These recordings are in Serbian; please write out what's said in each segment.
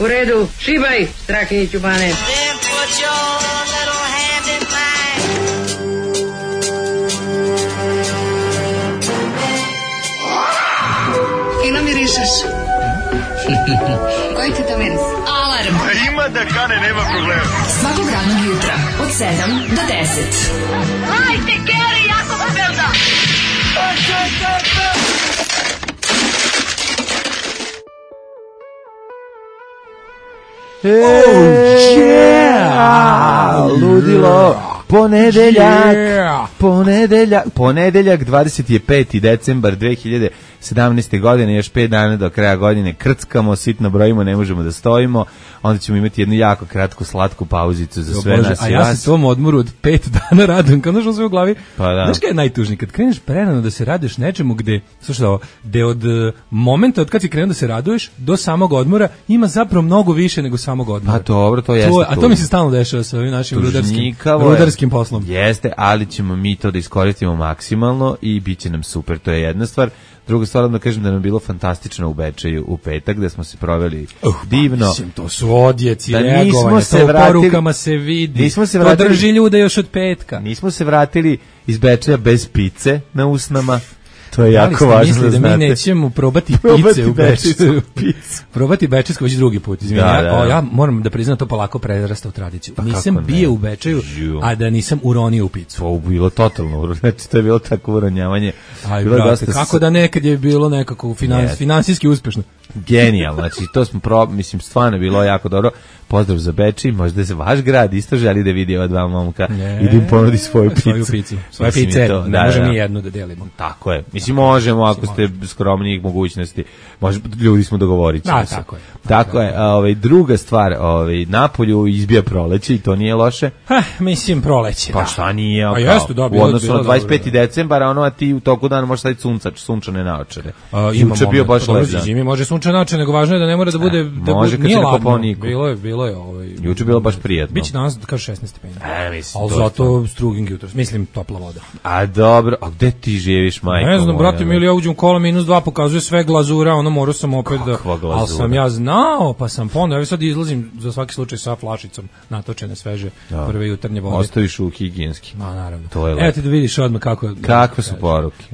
U redu, šibaj, Strahinjiću Bane. Fino mirišeš. Koji ti to miris? Alarm. Ima da kane, nema problema. Svakog radnog jutra, od 7 do 10. Hajde, Geri, jako se velda. Ludilo. Ponedeljak 25. decembar 2017. godine, još 5 dana do kraja godine, krckamo, sitno brojimo, ne možemo da stojimo, onda ćemo imati jednu jako kratku, slatku pauzicu za sve nas. A ja se tom odmoru od 5 dana radujem, kao našao sve u glavi. Pa da. Znaš kada je najtužnije? Kad kreneš prerano da se raduješ nečemu gde, slušaj ovo, gde od momenta od kad si krenuo da se raduješ do samog odmora ima zapravo mnogo više nego samog odmora. Pa dobro, to jeste. A to mi se stalno dešava sa ovim našim rudarskim poslom. Jeste, ali ćemo mi to da iskoristimo maksimalno i bit će nam super, to je jedna stvar. Druga stvar, da kažem da nam je bilo fantastično u Bečeju u petak, gde smo se proveli divno. Mislim, to su odjeci, reagovanje, to u porukama se vidi, to drži ljude još od petka. Nismo se vratili iz Bečeja bez pice na usnama. To je jako važno da znate. Da mi nećemo probati pice u Bečeju. Probati bečejsku već drugi put. Ja moram da priznam to polako prerasta u tradiciju. Pa nisam bio u Bečeju, a da nisam uronio u picu. To je bilo totalno, znači to je bilo tako uronjavanje. Aj, brate, kako da nekad je bilo nekako finansijski uspešno. Genijalno, znači to smo mislim, stvarno bilo jako dobro. Pozdrav za Bečej, možda se vaš grad isto želi da vidi ova dva momka i da im ponudi svoju picu. Svoje pice, ne možemo ni jednu da delimo. Tako je, mislim možemo ako ste skromnijih mogućnosti, ljudi smo dogovorit ćemo se. Tako je, druga stvar, napolju izbija proleće i to nije loše. Mislim proleće, pa šta nije, u odnosu na 25. decembara, a ti u toku dana možeš staviti sunčane naočare. Juče bio baš lepo. Zimi može sunčane naočare, nego važno je da ne mora da bude nije ladno. Bilo je juče bilo baš prijatno. Biće danas kaže 16 stepeni. Ali zato struging jutros, mislim topla voda. A dobro, a gde ti živiš, majko? Ne znam, brate, ili ja uđem kola -2, pokazuje sve glazura, ono morao sam opet da... Ali sam ja znao, pa sam ponovno, ja sad izlazim za svaki slučaj sa flašicom natočene sveže prve jutarnje vode. Ostaviš u higijenski. Ma, naravno. Evo ti da vidiš odmah kakve su poruke.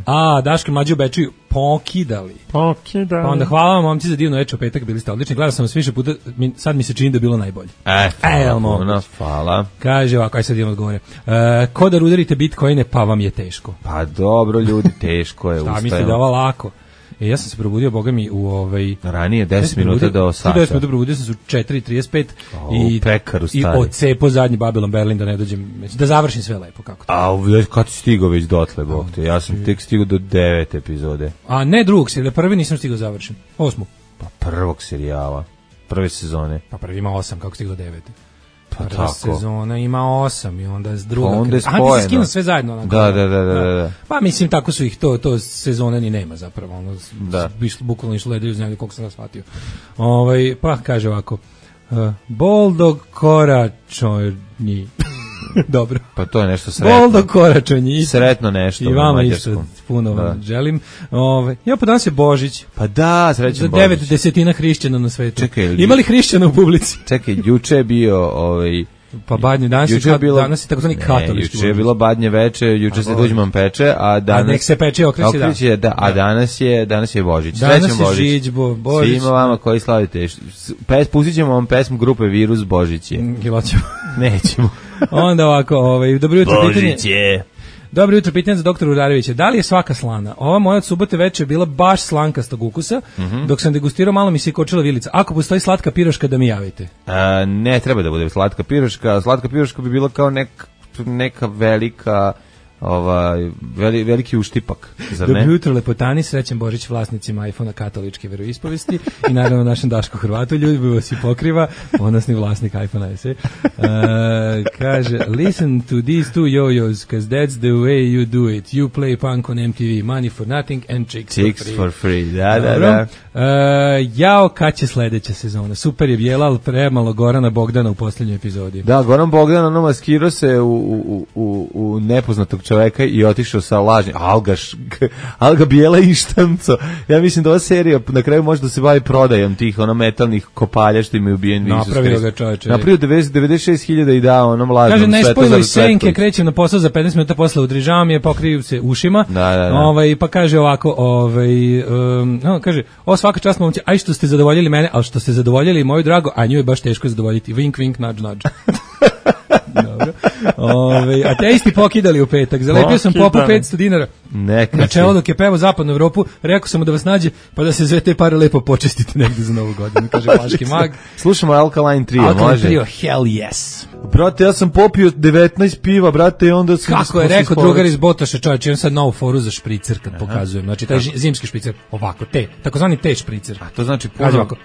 Daška Mlađe u Bečeju pokidali. Pa onda hvala vam, momci, za divno večer u petak, bili ste odlični. Gledao sam vas više puta, sad mi se čini da je bilo najbolje. Hvala. Kaže ovako, aj sad idemo odgovore. Ko da rudarite bitcoine, pa vam je teško. Pa dobro, ljudi, teško je. Šta mislite da je ovo lako? Ja sam se probudio, boga mi, ranije 10 minuta do sata. 10 minuta probudio sam se u 4:35 i pekaru stari. I odcepo zadnji Babylon Berlin da ne dođem, da završim sve lepo kako to. Kad si stigao već dotle, bog te? Ja sam tek stigao do 9 epizode. A ne drugog serijala, prvi nisam stigao završen. 8. Pa prvog serijala, prve sezone. Pa prvi ima 8, kako stigao do 9. Pa prva sezona ima 8 i onda s druga... Pa onda je spojeno. Ti se skinu sve zajedno. Onako, da. Pa mislim, tako su ih, to sezone ni nema zapravo. Ono, bukvalno išlo ledaju uz njega, koliko sam da shvatio. Pa kaže ovako, Boldog koračonji. Dobro. Pa to je nešto sretno. Boldog koračonji. Sretno nešto. I vama isto puno vam želim. Pa danas je Božić. Pa da, srećan Božić. Za 9/10 hrišćana na svetu. Čekaj, ima li hrišćana u publici? Čekaj, juče je bio pa badnje, danas je takozvani katolički. Juče je bilo badnje veče, juče se tuđman peče, a danas... A nek se peče okreće, da. A danas je Božić. Danas je Žiđbo, Božić. Svima vama koji slavite. Pustit ćemo vam pesmu grupe Virus Božić je. Nećemo. Onda ovako, dobro jutro, Božić je. Dobro jutro, pitanje za doktora Urarevića. Da li je svaka slana? Ova moja od subote večer je bila baš slankastog ukusa, dok sam degustirao malo mi se kočila vilica. Ako postoji slatka piroška, da mi javite. Ne treba da bude slatka piroška. Slatka piroška bi bila kao neka velika... veliki uštipak, zar ne? Dobro jutro, lepotani, srećan Božić vlasnicima iPhone-a katoličke veroispovesti i naravno našem Dašku Hrvatu, ljubi vas i pokriva, ponosni vlasnik iPhone-a se. Kaže, listen to these two yo-yos, cause that's the way you do it. You play punk on MTV, money for nothing and chicks for free. Da. Jao, kad će sledeća sezona? Super je bijela, ali premalo Gorana Bogdana u posljednjoj epizodi. Da, Goran Bogdan, maskirao se u nepoznatog čoveka i otišao sa lažnim Alga bijela i štanco. Ja mislim da ova serija na kraju može da se bavi prodajom tih metalnih kopalja što imaju ubijen Isus Krist. Napravio ga čoveče. Napravio 96.000 i dao onom lažnom. Kaže, ne spojilo iz senke, krećem na posao za 15 minuta posle udrižava mi je, pokriju se ušima. Da. Pa kaže ovako, kaže, ovo svaka čast momci, aj što ste zadovoljili mene, ali što ste zadovoljili moju drago, a nju je baš teško zadovoljiti. Vink, vink, nudge, nudge. Dobro. Ateisti pokidali u petak. Zalepio sam popu 500 dinara. Na čelo dok je pevao Zapadnu Evropu, rekao sam mu da vas nađe, pa da se sve te pare lepo počestite negde za Novu godinu. Kaže Vlaški mag. Slušamo Alkaline Trio, može? Alkaline Trio, hell yes. Brate, ja sam popio 19 piva, brate, i onda sam... Kako je rekao drugar iz Botoša, čovječ, imam sad novu foru za špricer kad pokazujem. Znači, taj zimski špricer, ovako, takozvani te špricer. A to znači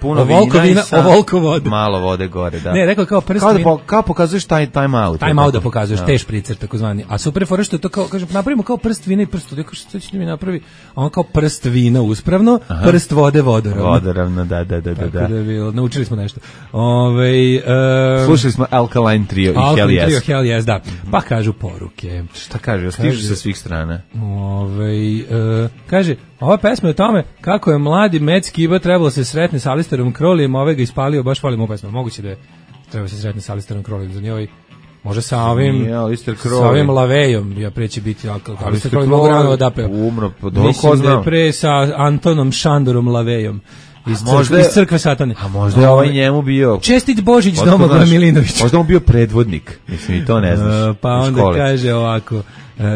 puno vina i ovoliko vode. Malo vode gore, da. Ne, rekao kao prst vina. Kao pokazuješ time out. Time out da pokazuješ, te špricer, takozvani. A super fora što je to kao, kažem, napravimo kao prst vina i prst vode. Što ćete mi napravi? On kao prst vina uspravno, prst vode vodoravno. Vodoravno, da. Tako da je bilo, naučili smo nešto. Slušali smo Alkaline Trio i Hell Yes. Trio, Hell Yes, da. Pa kažu poruke. Šta kažu? Stižu sa svih strana. Kaže, ova pesma je o tome kako je mladi Matt Skiba trebalo se sretne sa Alisterom Crowleyem, ove ga ispalio, baš volim ovu pesmu. Moguće da je trebalo se sretne sa Alisterom Crowleyem za njoj. Može sa ovim Lavejom, ja preći biti Alister Crowley mogu rano odapeo. Mislim da je pre sa Antonom Šandorom Lavejom. Iz crkve Satane. A možda je ovaj njemu bio... Čestit Božić Domagoj Milinović. Možda on bio predvodnik, mislim i to ne znaš. Pa onda kaže ovako,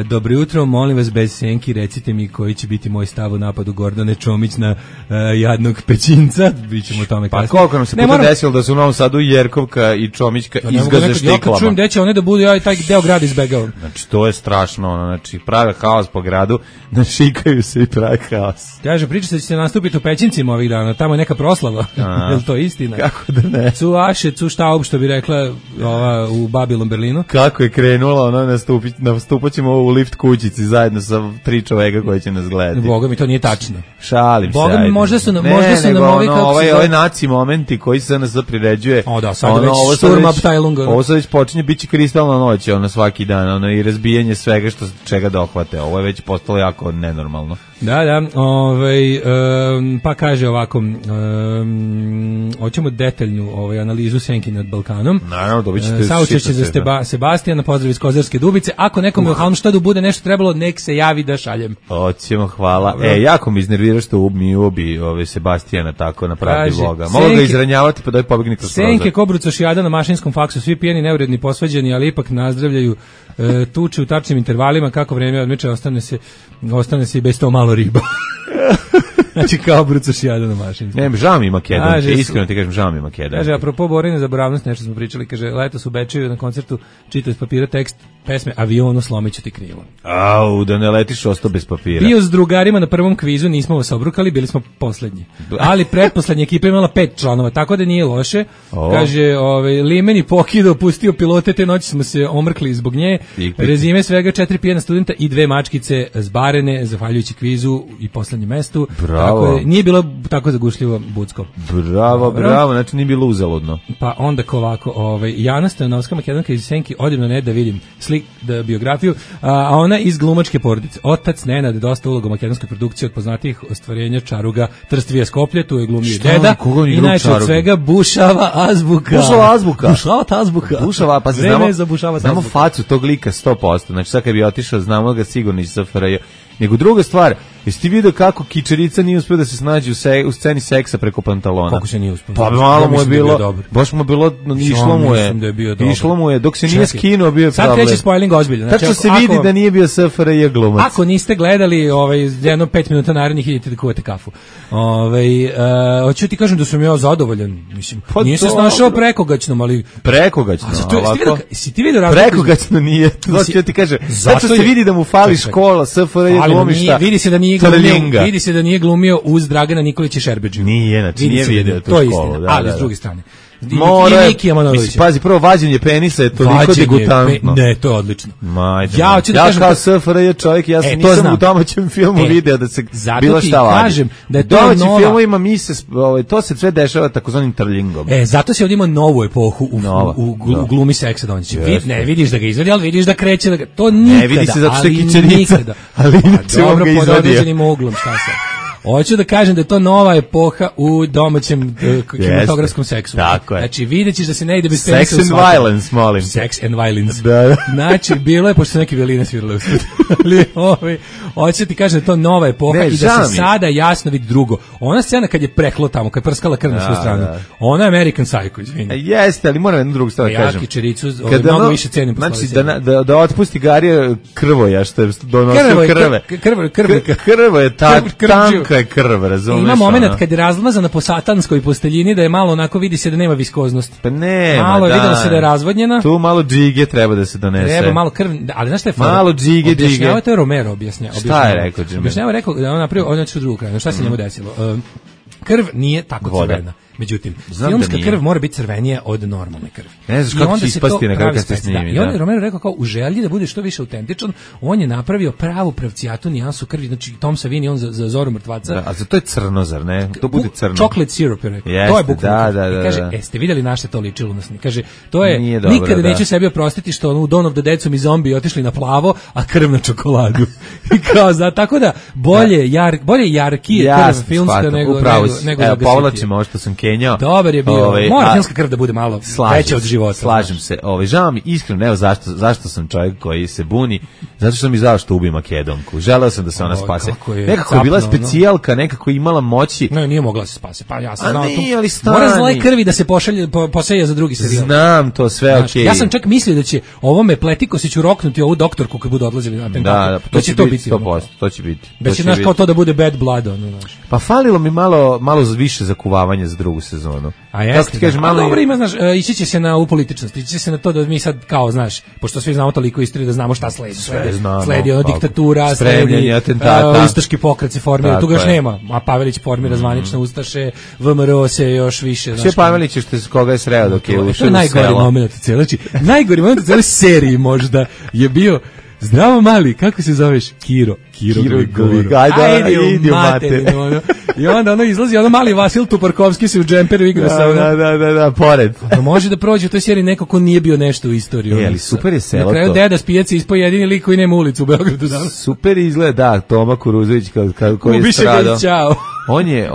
dobro jutro, molim vas bez senki, recite mi koji će biti moj stav u napadu Gordane Čomić na jadnog Pećinca, bićemo o tome kasnije. Pa koliko nam se puta desilo da su u Novom Sadu Jerkovka i Čomićka izgaze štiklama. Ja kad čujem gde će one da budu, ja taj deo grada izbegavam. Znači to je strašno, znači prave haos po gradu, našikaju se i prave haos. Kaže, priča se da će se nastupiti u Pećincima ovih dana, tamo je neka proslava, je li to istina? Kako da ne? Cu Aše, cu Štaub, što bi rekla ova u Babilon Berlinu. Kako je krenula, ono nastupat ćemo u lift kućici zajedno sa 3 čoveka koji će nas gledati. Boga mi to nije tačno. Šalim se. Boga mi možda su nam ovi kako ovaj naci momenti koji se nas priređuje. O da, sad već Sturm Abteilung. Ovo sad već počinje biće kristalna noć, svaki dan, i razbijanje svega čega dohvate. Ovo je već postalo jako nenormalno. Da, pa kaže ovako, hoćemo detaljnu analizu senki nad Balkanom. Naravno, dobit ćete saučešće za Sebastijana, pozdrav iz Kozarske Dubice. Ako nekom u Halmštadu bude nešto trebalo, nek se javi da šaljem. Hoćemo, hvala. Jako mi iznervira što mi ubi Sebastijana tako na pravdi Boga. Mogu ga izranjavati pa da je pobegni kroz prozor. Senke, Kobruca, Šijada na mašinskom faksu, svi pijeni, neuredni, posvađani, ali ipak nazdravljaju, tuče u tačnim intervalima, kako vreme odmiče, ostane se i bez to malo riba. Znači kao brucaš jada na mašinsku. Ne, žao mi Makedonije, iskreno ti kažem, žao mi Makedonije. Kaže, apropo borenja za boravnost, nešto smo pričali, kaže, letos u Bečeju na koncertu čitao iz papira tekst pesme Avionu slomiću ti krilo. Au, da ne letiš ostao bez papira. Bio s drugarima na prvom kvizu, nismo vas obrukali, bili smo poslednji. Ali pretposlednja ekipa imala 5 članova, tako da nije loše. Kaže, Limeni pokidao, pustio pilote, te noći smo se omrkli zbog nje. Rezime svega 4 pijena studenta i 2 mačkice zbarene, zahvaljujući kvizu i poslednjem mestu. Bravo. Nije bilo tako zagušljivo Bucko. Bravo, znači nije bilo uzaludno. Pa onda ovako, Jana Stanovska, Makedonka iz Senki, odem na da vidim biografiju, a ona iz glumačke porodice. Otac Nenad, dosta uloga u makedonskoj produkciji od poznatijih ostvarenja Čaruga, Trstvija Skoplje, tu je glumio deda. I najče od svega Bušava azbuka. Bušava, pa znamo facu tog lika 100%. Znači sad kad bi otišao, znamo ga sigurno iz SFRJ. Nego druga stvar, jesi ti vidio kako Kičerica nije uspio da se snađe u sceni seksa preko pantalona? Kako se nije uspio? Pa malo mu je bilo, baš mu je bilo, išlo mu je, dok se nije skinuo bio problem. Sad kreće spoiling ozbiljno. Tačno se vidi da nije bio SFRJ glumac. Ako niste gledali jedno 5 minuta narednih, idite da kuvate kafu. Hoću ti kažem da sam ja zadovoljan. Mislim, nije se snašao prekogaćnom, ali... Prekogaćno, ovako? Si ti vidio razliku? Prekogaćno nije, to ću ti kažem. Tačno se vidi da mu fali škola, SFRJ glumišta. Vidi se da nije glumio uz Dragana Nikolića Šerbedžiju. Nije, znači nije vidio tu školu. Ali s druge strane, Mora, Mikija Manojlovića. mislim, pazi, prvo vađenje penisa je toliko degutantno. Ne, to je odlično. Majde, Ja hoću da kažem kao to- SFRJ čovjek, ja to nisam znam. u domaćem filmu video da se zato bilo ti šta vadi. kažem da je U to domaćim nova- filmovima to se sve dešava takozvanim trlingom. Zato se ovdje ima novu epohu u glumi seksa Dončića. Ne vidiš da ga izvedi, ali vidiš da kreće da ga, to nikada. Ne vidi se zato što je ali kićenica, nikada. ali inače on Dobro, ga pod izvadio. određenim uglom, šta se. Hoću da kažem da je to nova epoha u domaćem kinematografskom seksu. Tako je. Znači, vidjet ćeš da se ne ide bez Sex penisa u and svakom. violence, molim. Sex and violence. Da. Znači, bilo je, pošto su neke violine svirale u studiju, ali hoću da ti kažem da je to nova epoha Ne, i da žao se mi je. sada jasno vidi drugo. Ona scena kad je preklo tamo, kad je prskala krv na svu stranu, da. ona je American Psycho, izvini. Jeste, ali moram jednu drugu stvar Ja kažem. Kičericu Kada mnogo ono- više cenim posle Znači, ove da otpusti Garija Krvoja, što je donosio krve. Krvo je tanka je krv, razumeš? Ima moment ono? kad je razmazana po satanskoj posteljini da je malo onako vidi se da nema viskoznosti. Pa nema, Malo je da. videlo se da je razvodnjena. Tu malo džige treba da se donese. Treba malo krv, ali znaš šta je fora? Malo džige. Objašnjava, to je Romero objašnjava. Šta je rekao Jimmy? Objašnjava, rekao da on napravio, on je u drugu kraju. Šta se njemu desilo? Krv nije tako Voda. crvena. Međutim, Znam filmska da nije. krv mora biti crvenija od normalne krvi. Ne znaš I kako onda će se ispasti to na kraju pravi kad se specijalno. snimi, I onda da. je Romero rekao kao u želji da bude što više autentičan, on je napravio pravu pravcijatu nijansu krvi, znači Tom Savini on za Zoru mrtvaca. Da, a za to je crno, zar ne? To bude crno. Chocolate syrup je rekao. Jeste, To je bukvalno. da. I kaže, ste vidjeli na šta to ličilo nas? Kaže, to je, Nije dobro, nikada da. neću sebi oprostiti što ono u Dawn of the Dead su mi zombi otišli na plavo, a krv na čokoladu. I kao, tako da, bolje jarkije krv filmska nego Evo, povlačimo ovo što sam kenjao. Dobar je bio. Mora filmska krv da bude malo veća od života. Slažem se. Žao mi iskreno, evo zašto sam čovjek koji se buni, zato što mi žao što ubi Makedonku. Želeo sam da se ona spase. Nekako je bila specijalka, nekako je imala moći. Ne, nije mogla se spase. Pa ja sam znao to. Mora zle krvi da se poseje za drugi serijal. Znam to sve, okej. Ja sam čak mislio da će ovome Pletikosiću roknuti ovu doktorku kad budu odlazili na atentat. Da, to će biti 100%, to će biti. Da će naš kao to da bude bad blood, ono, znaš. Pa falilo mi malo više zakuvavanja za drugu sezonu. A jeste, ti kažeš, malo dobro ima, znaš, ići će se na upolitičnost, ići će se na to da mi sad kao, znaš, pošto svi znamo toliko istorije da znamo šta sledi. Sledi ono diktatura, sledi ustaški pokret se formira, tu ga još nema, a Pavelić formira zvanične ustaše, VMRO se još više. Sve Pavelić je koga je sreo dok je ušao u selo. To je najgori moment u cijeloj, znači, najgori moment u cijeloj seriji možda je bio Zdravo mali, kako se zoveš? Kiro Grigoro. Ajde, idi u materinu. Ono. I onda ono izlazi, ono mali Vasil Tuparkovski se u džemperu igra sa ono. Da, pored. Ono može da prođe u toj seriji neko ko nije bio nešto u istoriji. Ali super je selo to. Na kraju deda s pijace ispao jedini lik koji nema ulicu u Beogradu danas. Super izgleda, da, Toma Kuruzović koji je stradao. On je,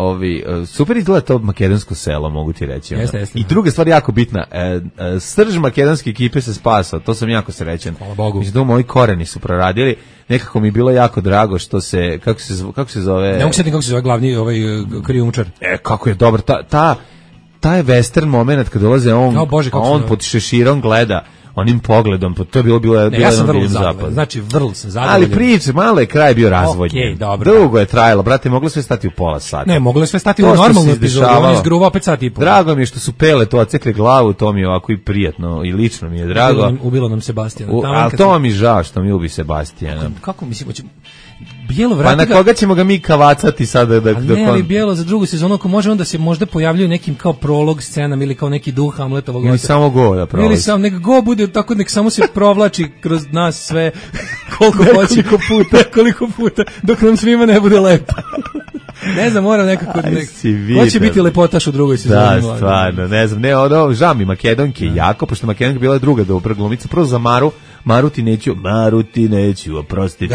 super izgleda to makedonsko selo, mogu ti reći. Jeste. I druga stvar jako bitna, srž makedonske ekipe se spasao, to sam jako srećan. Hvala Bogu. Mislim da moji koreni su proradili, nekako mi je bilo jako drago što se, kako se zove... Ne mogu se kako se zove glavni krijumčar. Kako je dobro, ta je western moment kad dolaze on pod šeširom gleda onim pogledom, to je bilo ja sam vrlo zadovoljan. Znači, vrlo sam zadovoljan. Ali priče, malo je kraj bio razvodnjen. Dugo je trajalo, brate, moglo sve stati u pola sata. Ne, moglo je sve stati u normalnu epizodu, on izgruvao opet sat i pol. Drago mi je što su pele to ocekle glavu, to mi je ovako i prijatno i lično mi je drago. Ubilo nam Sebastijana. Ali to mi žao što mi ubi Sebastijana. Kako mislim, Bijelo vrati pa na koga ćemo ga mi kavacati sada? Ali Bijelo za drugu sezonu, ako može onda se možda pojavljaju nekim kao prolog scenama ili kao neki duh Hamletovog. Ili samo go da prolazi. Ili samo, nek go bude tako, nek samo se provlači kroz nas sve koliko puta, dok nam svima ne bude lepo. Ne znam, moram nekako... Ko će biti lepotaš u drugoj sezoni? Da, stvarno, ne znam. Žao mi Makedonke jako, pošto Makedonka bila druga dobra glumica, prvo za Maru ti neću oprostiti.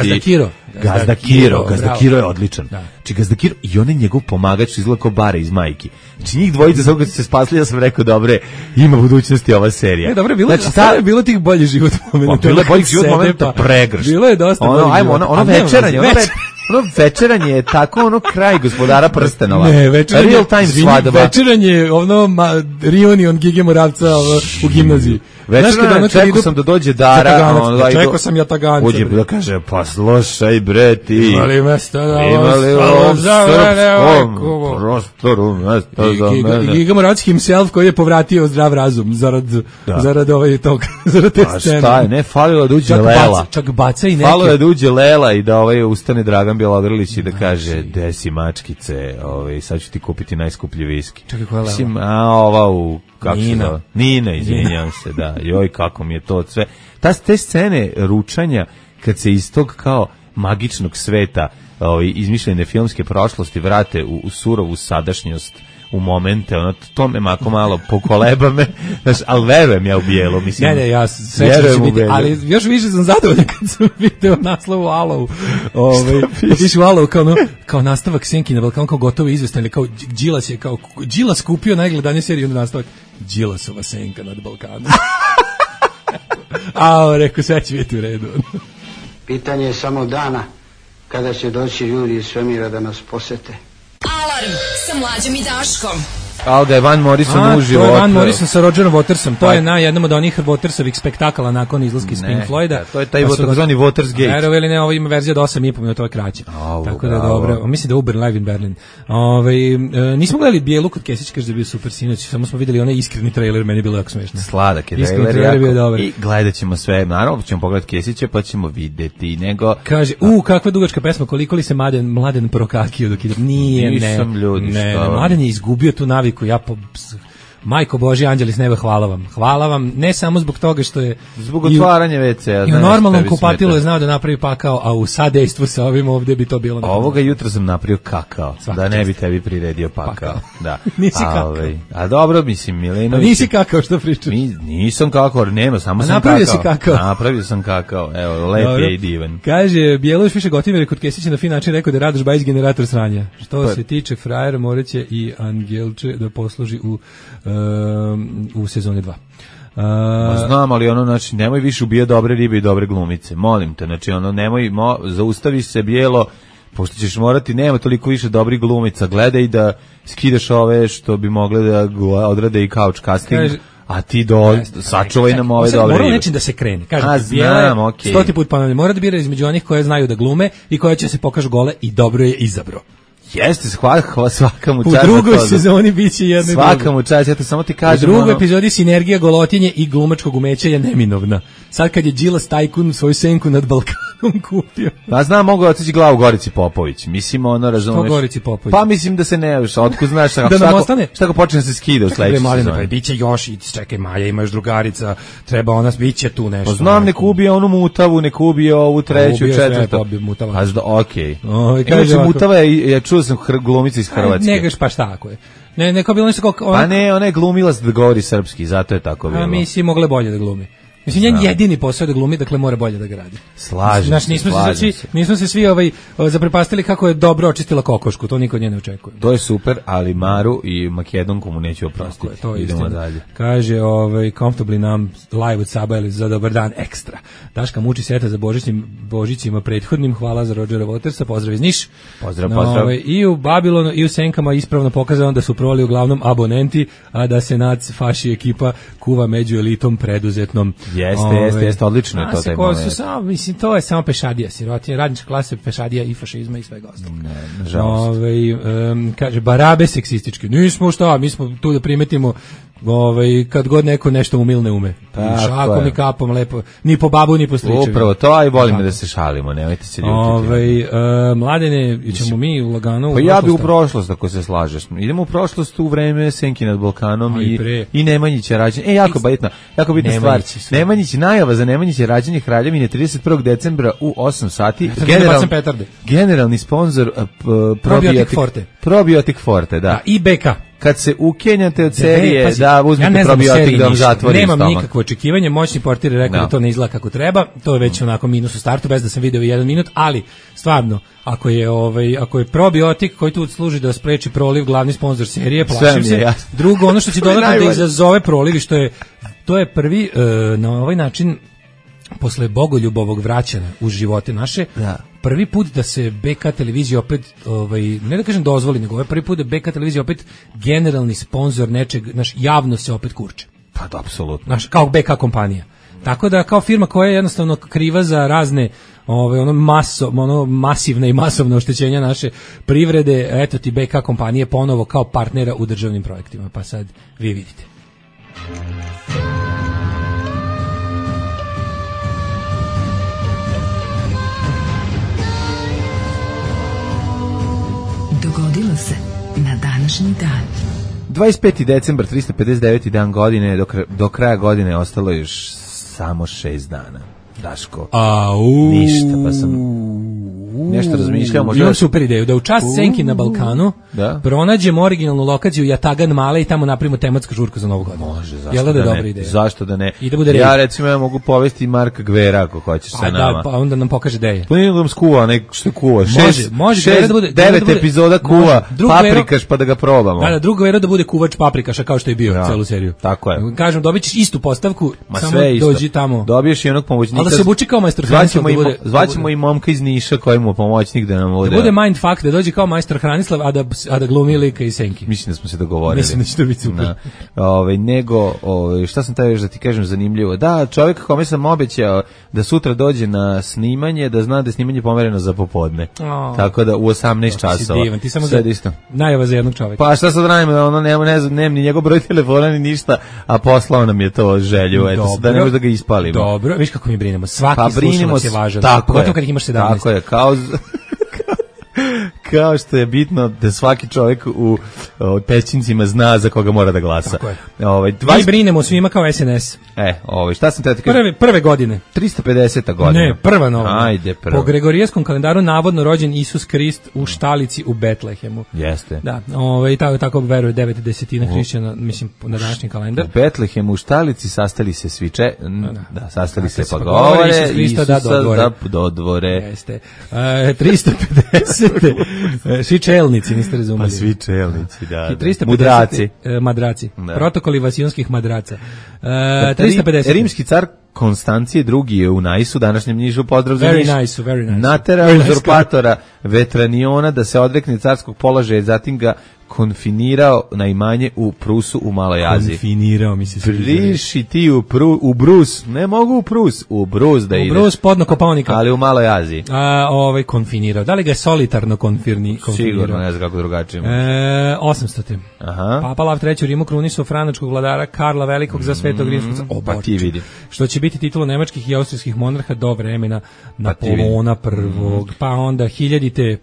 Gazda Kiro je odličan. Znači Gazda Kiro i on je njegov pomagač izgleda kao Bare iz Majki. Znači njih dvojica samo kad su se spasli, ja sam rekao dobre, ima budućnosti ova serija. Dobro je bilo, znači, bilo tih boljih život momenta. Bilo je boljih život momenta pregršt. Bilo je dosta boljih života. Ono večeranje je tako kraj Gospodara prstenova. Ne, večeranje. Real time svadaba. Večeranje reunion Gige Moravca u gimnaziji. Večeranje, čekao sam da dođe Dara. Čekao sam Jataganca. Uđe da kaže, pa slušaj bre ti. Imali mesta za srpskom prostoru mesta za mene. Giga Moravc himself koji je povratio zdrav razum zarad te scene. Šta je, ne, falilo da uđe Lela. Čak baca i neke. Falilo je da uđe Lela i da ustane Dragan Bjelogrlić i da kaže, desi mačkice, sad ću ti kupiti najskuplji viski. Čekaj, koja je Lela? Ova u kako se zove? Nina, izvinjavam se, da. Joj, kako mi je to sve. Te scene ručanja, kad se iz tog kao magičnog sveta izmišljene filmske prošlosti vrate u surovu sadašnjost, u momente, ono, to me mako malo pokoleba me, znaš, ali verujem ja u bijelo, mislim. Ne, ja srećno će biti, ali još više sam zadovoljan kad sam video naslov u Alovu. Piše u Alovu kao nastavak Senki na Balkanu, kao gotovo izvestan, ili kao Đilas kupio najgledanije seriju na nastavak Đilasova Senka nad Balkanom. Rekao, sve će biti u redu. Pitanje je samo dana kada će doći ljudi iz svemira da nas posete. Alarm sa Mlađom i Daškom. Da je Van Morrison uživo. To je Van Morrison sa Rogerom Watersom. To je na jednom od onih Watersovih spektakala nakon izlaska iz Pink Floyda. To je taj takozvani Watersgate. Verovali ili ne, ovo ima verzija od 8,5 minuta, to je kraće. Tako da je dobro. Mislim da je Uber live in Berlin. Nismo gledali Bijelu kod Kesić, kaže da je bio super sinoć, samo smo videli onaj iskreni trailer, meni je bilo jako smešno. Sladak je trailer. I gledat ćemo sve, naravno ćemo pogledati Kesića, pa ćemo videti nego... Kaže, kakva dugačka pesma, koliko li se Mladen prokakio dok ide. Nije, nisam ljudi, Mladen je izgubio tu naviku, Majko Božji, anđeli s neba, hvala vam, ne samo zbog toga što je zbog otvaranja WC-a, i u normalnom kupatilu je znao da napravi pakao, a u sadejstvu sa ovim ovdje bi to bilo. Ovoga jutra sam napravio kakao, da ne bi tebi priredio pakao. Da. Nisi kakao. A dobro, mislim, Milenović. Nisi kakao, što pričaš? Nisam kakao, nema, samo sam kakao. Napravio sam kakao, evo, lep je i divan. Kaže, Bjelović piše Gotimir kod Kesića na fin način rekao da je Radoš Bajić generator sranja. Što se tiče frajera, moreće i Angelče da posluži u sezoni 2. Znam, ali znači, nemoj više ubijati dobre ribe i dobre glumice, molim te, znači, nemoj, zaustavi se Bijelo, pošto ćeš morati, nema toliko više dobrih glumica, gledaj da skidaš ove što bi mogle da odrade i couch casting, a ti sačuvaj nam ove dobre ribe. Mora nečim da se krene, kažem, Bijelo je 100 put ponavljam, mora da bira između onih koje znaju da glume i koje će se pokažu gole i dobro je izabro. Jeste, svaka mu čast. U drugoj sezoni biće jedno i drugo. Svaka mu čast, ja to samo ti kažem. U drugoj epizodi sinergija golotinje i glumačkog umeća je neminovna. Sad kad je Đilas tajkun svoju senku nad Balkanom kupio. Pa znam, mogu otići glavu Gorici Popović. Mislim, razumeš. Što Gorici Popović? Pa mislim da se ne viš, otkud znaš da nam ostane. Šta ko počne se skida u sledećoj sezoni. Pa biće još, čekaj, Maja, imaš drugarica, treba ona, biće tu nešto. Pa znam, nek ubije onu mutavu, nek ubije ovu treću, četvrtu. Okej. Kaže mutava je čuo sam glumica iz Hrvatske. Negaš, pa šta ako je? Ne, kao bilo nešto kao... Pa ne, ona je glumila da govori srpski, zato je tako bilo. A misli, mogle bolje da glumi. Mislim, njen jedini posao je da glumi, dakle mora bolje da ga radi. Slažem se. Nismo se svi zaprepastili kako je dobro očistila kokošku, to niko od nje ne očekuje. To je super, ali Maru i Makedonku mu neću oprostiti. To je idemo istina. Dalje. Kaže, comfortably nam live od Saba ili za dobar dan ekstra. Daška muči seta za Božićima prethodnim, hvala za Rogera Watersa, pozdrav iz Niš. Pozdrav. I u Babilonu i u Senkama ispravno pokazano da su proli uglavnom abonenti, a da se nac faši ekipa kuva među elitom preduzetnom. Jeste, odlično je to taj moment. Mislim, to je samo pešadija, sirotinja, radnička klasa, pešadija i fašizma i svega ostalog. Nažalost. Kaže, barabe seksističke. Nismo šta, mi smo tu da primetimo kad god neko nešto umilne ume. Šakom i kapom, lepo. Ni po babu, ni po stričevi. Upravo to, a i volimo da se šalimo, nemojte se ljutiti. Mladene, ćemo mi lagano pa ja bi u prošlost, ako se slažeš. Idemo u prošlost u vreme Senki nad Balkanom i Nemanjića rađenje. Jako bitna stvar. Nemanjić, najava za Nemanjiće rađenje Kraljevine 31. decembra u 8 sati. Generalni sponsor Probiotik Forte, da. I BK. Kad se ukenjate od serije da uzmete probiotik da vam zatvori stomak. Nemam nikakvo očekivanje, moćni portir je rekao da to ne izgleda kako treba, to je već onako minus u startu, bez da sam video 1 minut, ali stvarno, ako je probiotik koji tu služi da spreči proliv, glavni sponsor serije, plašim se. Drugo, ono što će dodatno da izazove proliv, to je prvi na ovaj način posle bogoljubovog vraćanja u živote naše, prvi put da se BK televizija opet, ne da kažem dozvoli, nego prvi put da BK televizija opet generalni sponsor nečeg, javno se opet kurče. Pa da, apsolutno. Kao BK kompanija. Tako da kao firma koja je jednostavno kriva za razne masivne i masovne oštećenja naše privrede, eto ti BK kompanije ponovo kao partnera u državnim projektima. Pa sad vi vidite. Dogodilo se na današnji dan. 25. decembar, 359. dan godine, do kraja godine ostalo još samo 6 dana. Daško. Ništa, pa sam nešto razmišljao. Imam super ideju, da u čast Senki na Balkanu pronađemo originalnu lokaciju Jatagan Male i tamo napravimo tematsku žurku za Novu godinu. Može, zašto da ne? Zašto da ne? I da bude ja recimo ja mogu povesti Marka Gvera ako hoćeš sa nama. Pa onda nam pokaže gde je. Pa nije nam skuva, što kuva. Može da bude 9 epizoda kuva paprikaš pa da ga probamo. Da, drugo Gvera da bude kuvač paprikaša kao što je bio celu seriju. Tako je. Kažem, dobićeš istu postavku, samo dođi tamo. Dobiješ i onog pomoćnika. Da se obuči kao majstor Hranislav. Zvaćemo i momka iz Niša koji mu pomoćnik da nam bude. Da bude mindfuck, da dođe kao majstor Hranislav, a da glumi lika i Senki. Mislim da smo se dogovorili. Mislim da će to biti super. Šta sam taj još da ti kažem zanimljivo? Da, čovjek kome sam obećao da sutra dođe na snimanje, da zna da je snimanje pomereno za popodne. Tako da u 18 časova. Divan, ti samo najava za jednog čovjeka. Pa šta sad radimo, ono nema ni njegov broj telefona ni ništa, a poslao nam je to želju, eto, da ne može da ga ispalimo. Dobro, viš kako mi brinemo. Svaki slušalac je važan. Pogotovo kad ih imaš 17. Tako je, kao što je bitno da svaki čovjek u pećincima zna za koga mora da glasa. Tako je. Mi brinemo svima kao SNS. Šta sam te kažem? Prve godine. 350. godina. Ne, prva nova. Ajde, prva. Po Gregorijanskom kalendaru navodno rođen Isus Krist u štalici u Betlehemu. Jeste. Da, tako veruje 9/10 hrišćana, mislim, na današnji kalendar. U Betlehemu u štalici sastali se svi sastali se pa govore Isus Krista da dodvore. Jeste. 350. Svi čelnici, niste razumeli. Pa svi čelnici, da. 350. Madraci. Protokoli vasijonskih madraca. 350. Rimski car Konstancije II je u Najsu, današnjem Nišu, pozdrav za Niš. Very nice. Naterao uzurpatora Vetraniona da se odrekne carskog položaja, zatim ga konfinirao na imanje u Prusu u Maloj Aziji. Konfinirao, mi se priši ti u Brus, ne mogu u Prus, u Brus da ide. U Brus podno Kopaonika. Ali u Maloj Aziji. Konfinirao. Da li ga je solitarno konfinirao? Sigurno, ne znam kako drugačije. 800. Aha. Papa Lav III u Rimu krunisao franačkog vladara Karla Velikog za Svetog rimskog pa ti vidi. Što će biti titula nemačkih i austrijskih monarha do vremena Napoleona prvog. Pa onda 1000.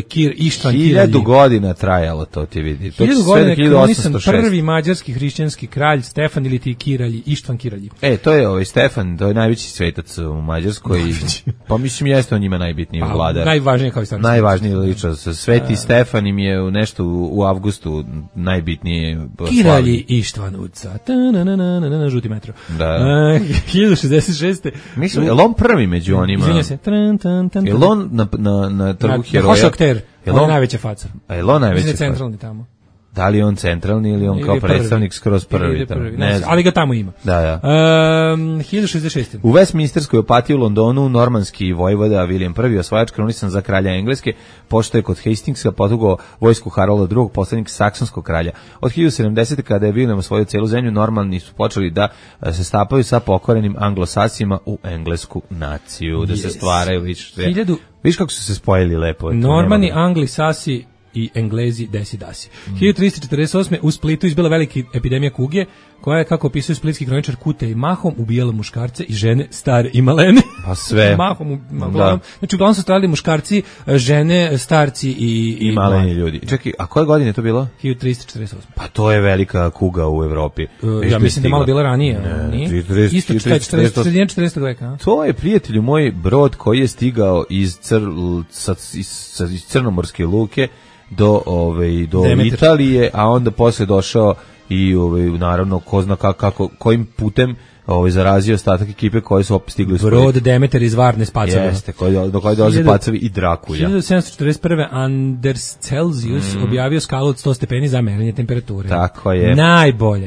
Kir Ištvan Kiralji. 1000 godina trajalo to ti vidi. 1000 godina krunisan prvi mađarski hrišćanski kralj Stefan ili ti Kiralji, Ištvan Kiralji. To je Stefan, to je najveći svetac u Mađarskoj. Pa mislim jeste on njima najbitniji vladar. Najvažniji kao istoričar. Najvažniji ličnost. Sveti Stefan im je nešto u avgustu najbitnije. Kiralji Ištvan Uca. Žuti metro. Da. 1066. Mislim, je on prvi među onima? Izvinja se. Je on na trgu heroja? Hošokter. On je najveća faca. A je on najveća faca? Centralni tamo. Da li je on centralni ili on kao predstavnik skroz prvi? Ne znam. Ali ga tamo ima. Da. 1066. U Westminsterskoj opatiji u Londonu normanski vojvoda William I osvajač krunisan za kralja Engleske, pošto je kod Hastingsa potugao vojsku Harolda II, poslanik saksonskog kralja. Od 1070. kada je William osvojio celu zemlju, Normani su počeli da se stapaju sa pokorenim Anglosasima u englesku naciju, da se stvaraju više. Viš kako su se spojili lepo. Normani, Angli, Sasi i Englezi desi dasi. 1348. u Splitu izbila velika epidemija kuge, koja je, kako opisuje splitski kroničar, kute i mahom ubijala muškarce i žene, stare i malene. Pa sve. Mahom, znači uglavnom su stradali muškarci, žene, starci i maleni ljudi. Čekaj, a koje godine je to bilo? 1348. Pa to je velika kuga u Evropi. Ja mislim da je malo bila ranije. Isto 40. veka. To je, prijatelju moj, brod koji je stigao iz Crnomorske luke do Italije, a onda posle došao i naravno ko zna kojim putem zarazio ostatak ekipe koje su stigli s brod Demeter iz Varne s pacavima. Jeste, do koje dolaze pacavi i Drakulja. 1741. Anders Celsius objavio skalu od 100 stepeni za merenje temperature. Tako je.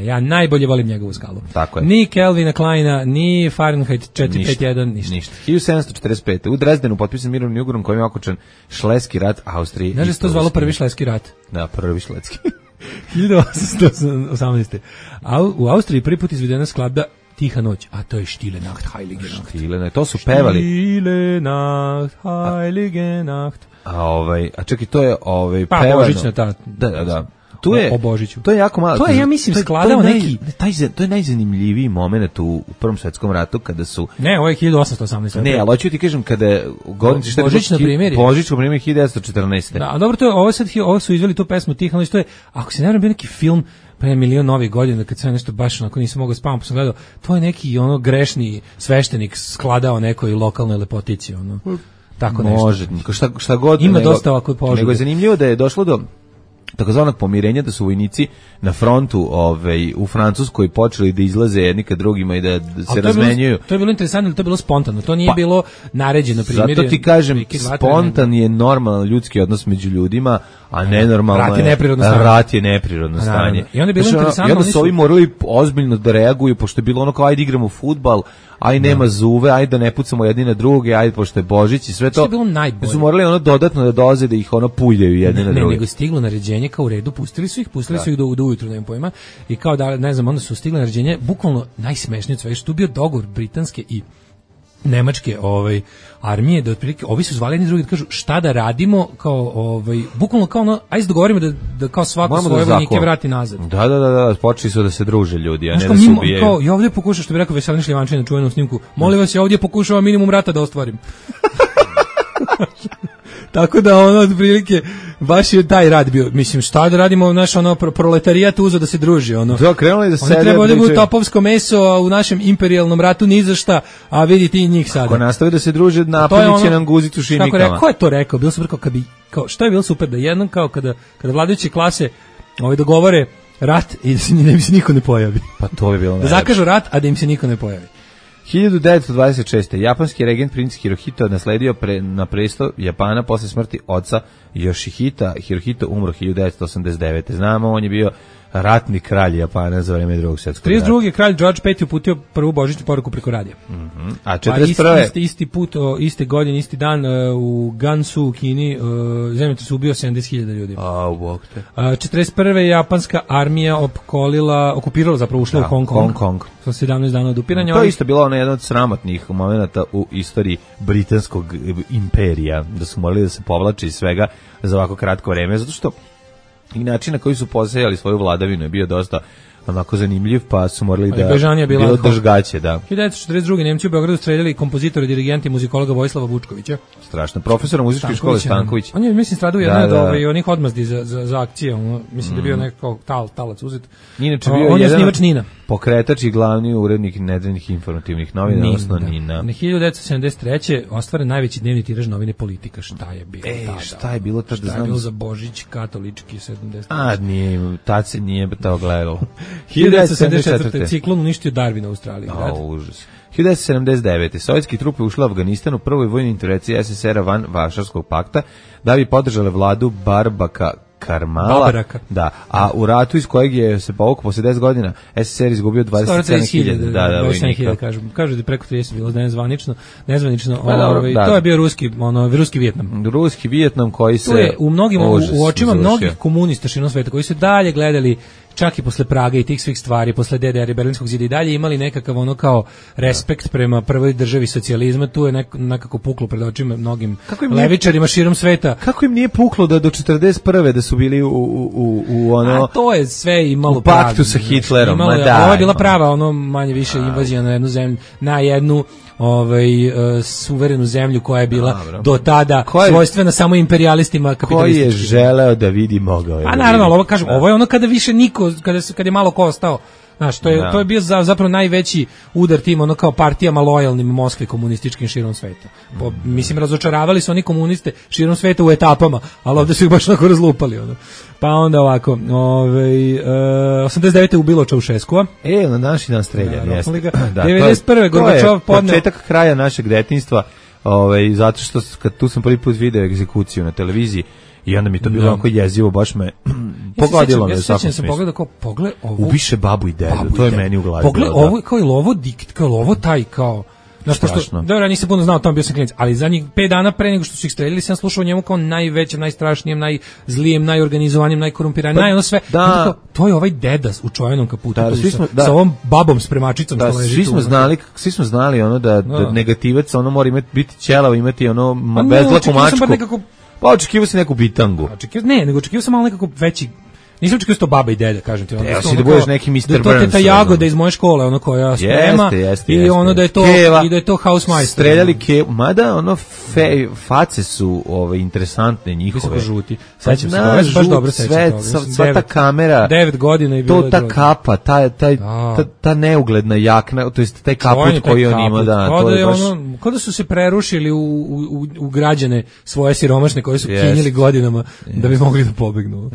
Ja najbolje volim njegovu skalu. Tako je. Ni Kelvina Kleina, ni Fahrenheit 451, ništa. 1745. U Dresdenu potpisan mirovni ugovor kojim je okončan Šleski rat Austrije. Znaš da se to zvalo prvi Šleski rat? Da, prvi Šleski. 1818. U Austriji prvi put izvedena skladba Tiha noć, a to je Stille Nacht, Heilige Nacht. Stille Nacht, to su pevali. Stille Nacht, Heilige Nacht. A čekaj, to je pa, pevano. Božićna ta. Da. o Božiću. To je jako malo. To je, ja mislim, skladao neki... To je najzanimljiviji moment u Prvom svetskom ratu kada su... Ne, ovo je 1818. Ne, ali hoću ti kažem kada... Božić na primjer. Božić na primjer 1914. Da, a dobro, to je, ovo su izveli tu pesmu tih, ali što je, ako se ne vjerujem, bio neki film pre milion novih godina, kad sve nešto baš onako nisam mogao spavati, pa sam gledao, to je neki ono grešni sveštenik skladao nekoj lokalnoj lepotici, ono. Tako nešto. Može, šta god. Ima dosta ovako požuda. Nego je zanimljivo da je došlo do takozvanog pomirenja, da su vojnici na frontu u Francuskoj počeli da izlaze jedni ka drugima i da se razmenjuju. To je bilo interesantno, to je bilo spontano, to nije bilo naređeno primjer. Zato ti kažem, spontan je normalan ljudski odnos među ljudima, a nenormalno rat je neprirodno stanje. I onda je bilo interesantno. I onda su ovi morali ozbiljno da reaguju, pošto je bilo ono kao ajde igramo fudbal, aj nema zuve, ajde da ne pucamo jedni na druge, ajde pošto je Božić i sve to. To je bilo najbolje. Su morali ono dodatno da doze da ih ono puljaju jedni na druge. Ne, nego stiglo naređenje kao u redu, pustili su ih do ujutru, nemam pojma. I kao da, ne znam, onda su stigli naređenje, bukvalno najsmešnije od svega, što je bio dogovor britanske i nemačke armije, da otprilike ovi su zvali jedni drugi da kažu šta da radimo, kao bukvalno kao ono, ajde dogovorimo da kao svako svoje vojnike vrati nazad. Da, počeli su da se druže ljudi, a ne da se ubijaju. Kao, ja ovdje pokušam, što bi rekao Veselin Šljivančanin na čuvenom snimku, molim vas, ja ovdje pokušavam minimum rata da ostvarim. Tako da ono otprilike baš je taj rad bio. Mislim, šta da radimo, naš ono proletarijat uzo da se druži, ono. Da, krenuli da se oni treba da budu topovsko meso, a u našem imperijalnom ratu ni za šta, a vidite i njih sada. Ako nastave da se druže, napunit će nam guzicu šimikama. Ko je to rekao? Bilo super kao što je bilo super da jednom kao kada vladajuće klase dogovore rat i da im se niko ne pojavi. Pa to je bilo. Da zakažu rat, a da im se niko ne pojavi. 1926. japanski regent princ Hirohito nasledio na presto Japana posle smrti oca Yoshihita. Hirohito umro 1989. Znamo, on je bio ratni kralj Japana za vreme Drugog svjetskog rata. 32. kralj George V uputio prvu božićnu poruku preko radija. A 41. Isti put, iste godine, isti dan u Gansu u Kini zemljotres ubio 70.000 ljudi. 41. japanska armija okupirala, zapravo ušla u Hong Kong. Sa 17 dana od upiranja. To je isto bilo ono jedan od sramotnih momenata u istoriji britanskog imperija, da su morali da se povlače iz svega za ovako kratko vreme, zato što i način na koji su posejali svoju vladavinu je bio dosta onako zanimljiv, pa su morali da bilo držgaće, da. 1942. Nemci u Beogradu streljali kompozitora, dirigenta i muzikologa Vojislava Vučkovića. Strašno. Profesora muzičke škole Stanković. On je, mislim, stradao jedan od onih odmazdi za akcije. Mislim da je bio nekako talac uzet. Inače bio on je snivač Nina. Pokretač i glavni urednik nedeljnih informativnih novina, odnosno Nina. Na 1973. ostvaren najveći dnevni tiraž novine Politika. Šta je bilo tada? Šta je bilo tada? Šta je bilo za Božić, katolički 70. A, nije, tad se nije to gledalo. 1974. ciklon uništio Darwin u Australiji. Užas. 1979. Sovjetski trupe ušle u Afganistan u prvoj vojnoj intervenciji SSR-a van Varšavskog pakta da bi podržale vladu Barbaka Karmala. Da, a u ratu iz kojeg je se povukao posle 10 godina SSR izgubio 27.000. Da, vojnika. Kažu da preko 30 bilo nezvanično. To je bio ruski Vijetnam. Ruski Vijetnam koji se... To je u očima mnogih komunista širom sveta koji su dalje gledali čak i posle Praga i tih svih stvari, posle DDR i Berlinskog zida i dalje imali nekakav kao respekt prema prvoj državi socijalizma, tu je nekako puklo pred očima mnogim levičarima širom sveta. Kako im nije puklo da do 41. da su bili u ono... A to je sve imalo u paktu sa Hitlerom. Ovo je bila prava, manje više invazija na jednu zemlju, na jednu suverenu zemlju koja je bila do tada svojstvena samo imperijalistima kapitalističkim. Koji je želeo da vidi mogao je. A naravno, ovo je ono kada više niko, kada je malo ko ostao. Znaš, to je bio zapravo najveći udar tim kao partijama lojalnim Moskvi komunističkim širom sveta. Mislim, razočaravali su oni komuniste širom sveta u etapama, ali ovdje su ih baš onako razlupali. Pa onda ovako, 89. ubilo Čaušeskua. Na današnji dan streljan, jeste. 91. Gorbačov podneo... Početak kraja našeg detinjstva, zato što tu sam prvi put video egzekuciju na televiziji, i onda mi to bilo onako jezivo, baš me pogodilo me u svakom smislu. Pogledao kao, pogled ovo... Ubiše babu i dedu, to je meni u glavi. Pogled ovo, kao je lovo dikt, kao je lovo taj, kao... Strašno. Dobro, ja nisam puno znao, tamo bio sam klinac, ali zadnjih 5 dana pre nego što su ih streljali, sam slušao o njemu kao najvećem, najstrašnijem, najzlijem, najorganizovanjem, najkorumpiranijem, sve. To je ovaj deda u čovenom kaputu, sa ovom babom spremačicom što leži tu. Svi smo znali da negativac mora biti ćelav, imati bezlaku mačku. Pa očekivao si neku bitangu. Nego očekivao sam malo nekako veći. Nisam čekao to baba i deda, kažem ti. Evo si da budeš neki Mr. Burns. To je ta jagoda iz moje škole, ono koja sprema. I ono da je to i da je to Housemeister. Streljali Kevu, mada ono face su interesantne njihove. Visoko žuti. Sećam se, baš dobro sećam toga. Sva ta kamera. 9 godina i bilo to ta kapa, ta neugledna jakna, to jest taj kaput koji on ima, da, to je baš. Kao da su se prerušili u građane svoje siromašne koje su kinjili godinama da bi mogli da pobegnu.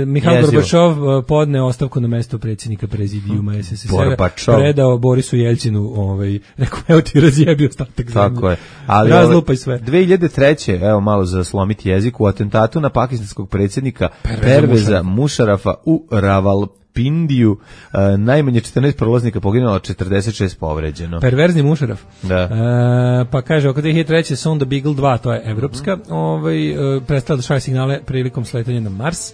Mihajl Gorbačov podneo ostavku na mesto predsjednika prezidijuma SSSR-a, predao Borisu Jeljcinu, rekao, evo ti razjebi ostatak zemlje. Tako je. Ali razlupaj sve. 2003. evo malo za slomiti jezik, u atentatu na pakistanskog predsjednika Perveza Mušarafa u Ravalpindiju najmanje 14 prolaznika poginulo, 46 povređeno. Perverzni Mušaraf. Da. Pa kaže, oko 2003. sonda Beagle 2, to je evropska, prestala da šalje signale prilikom sletanja na Mars.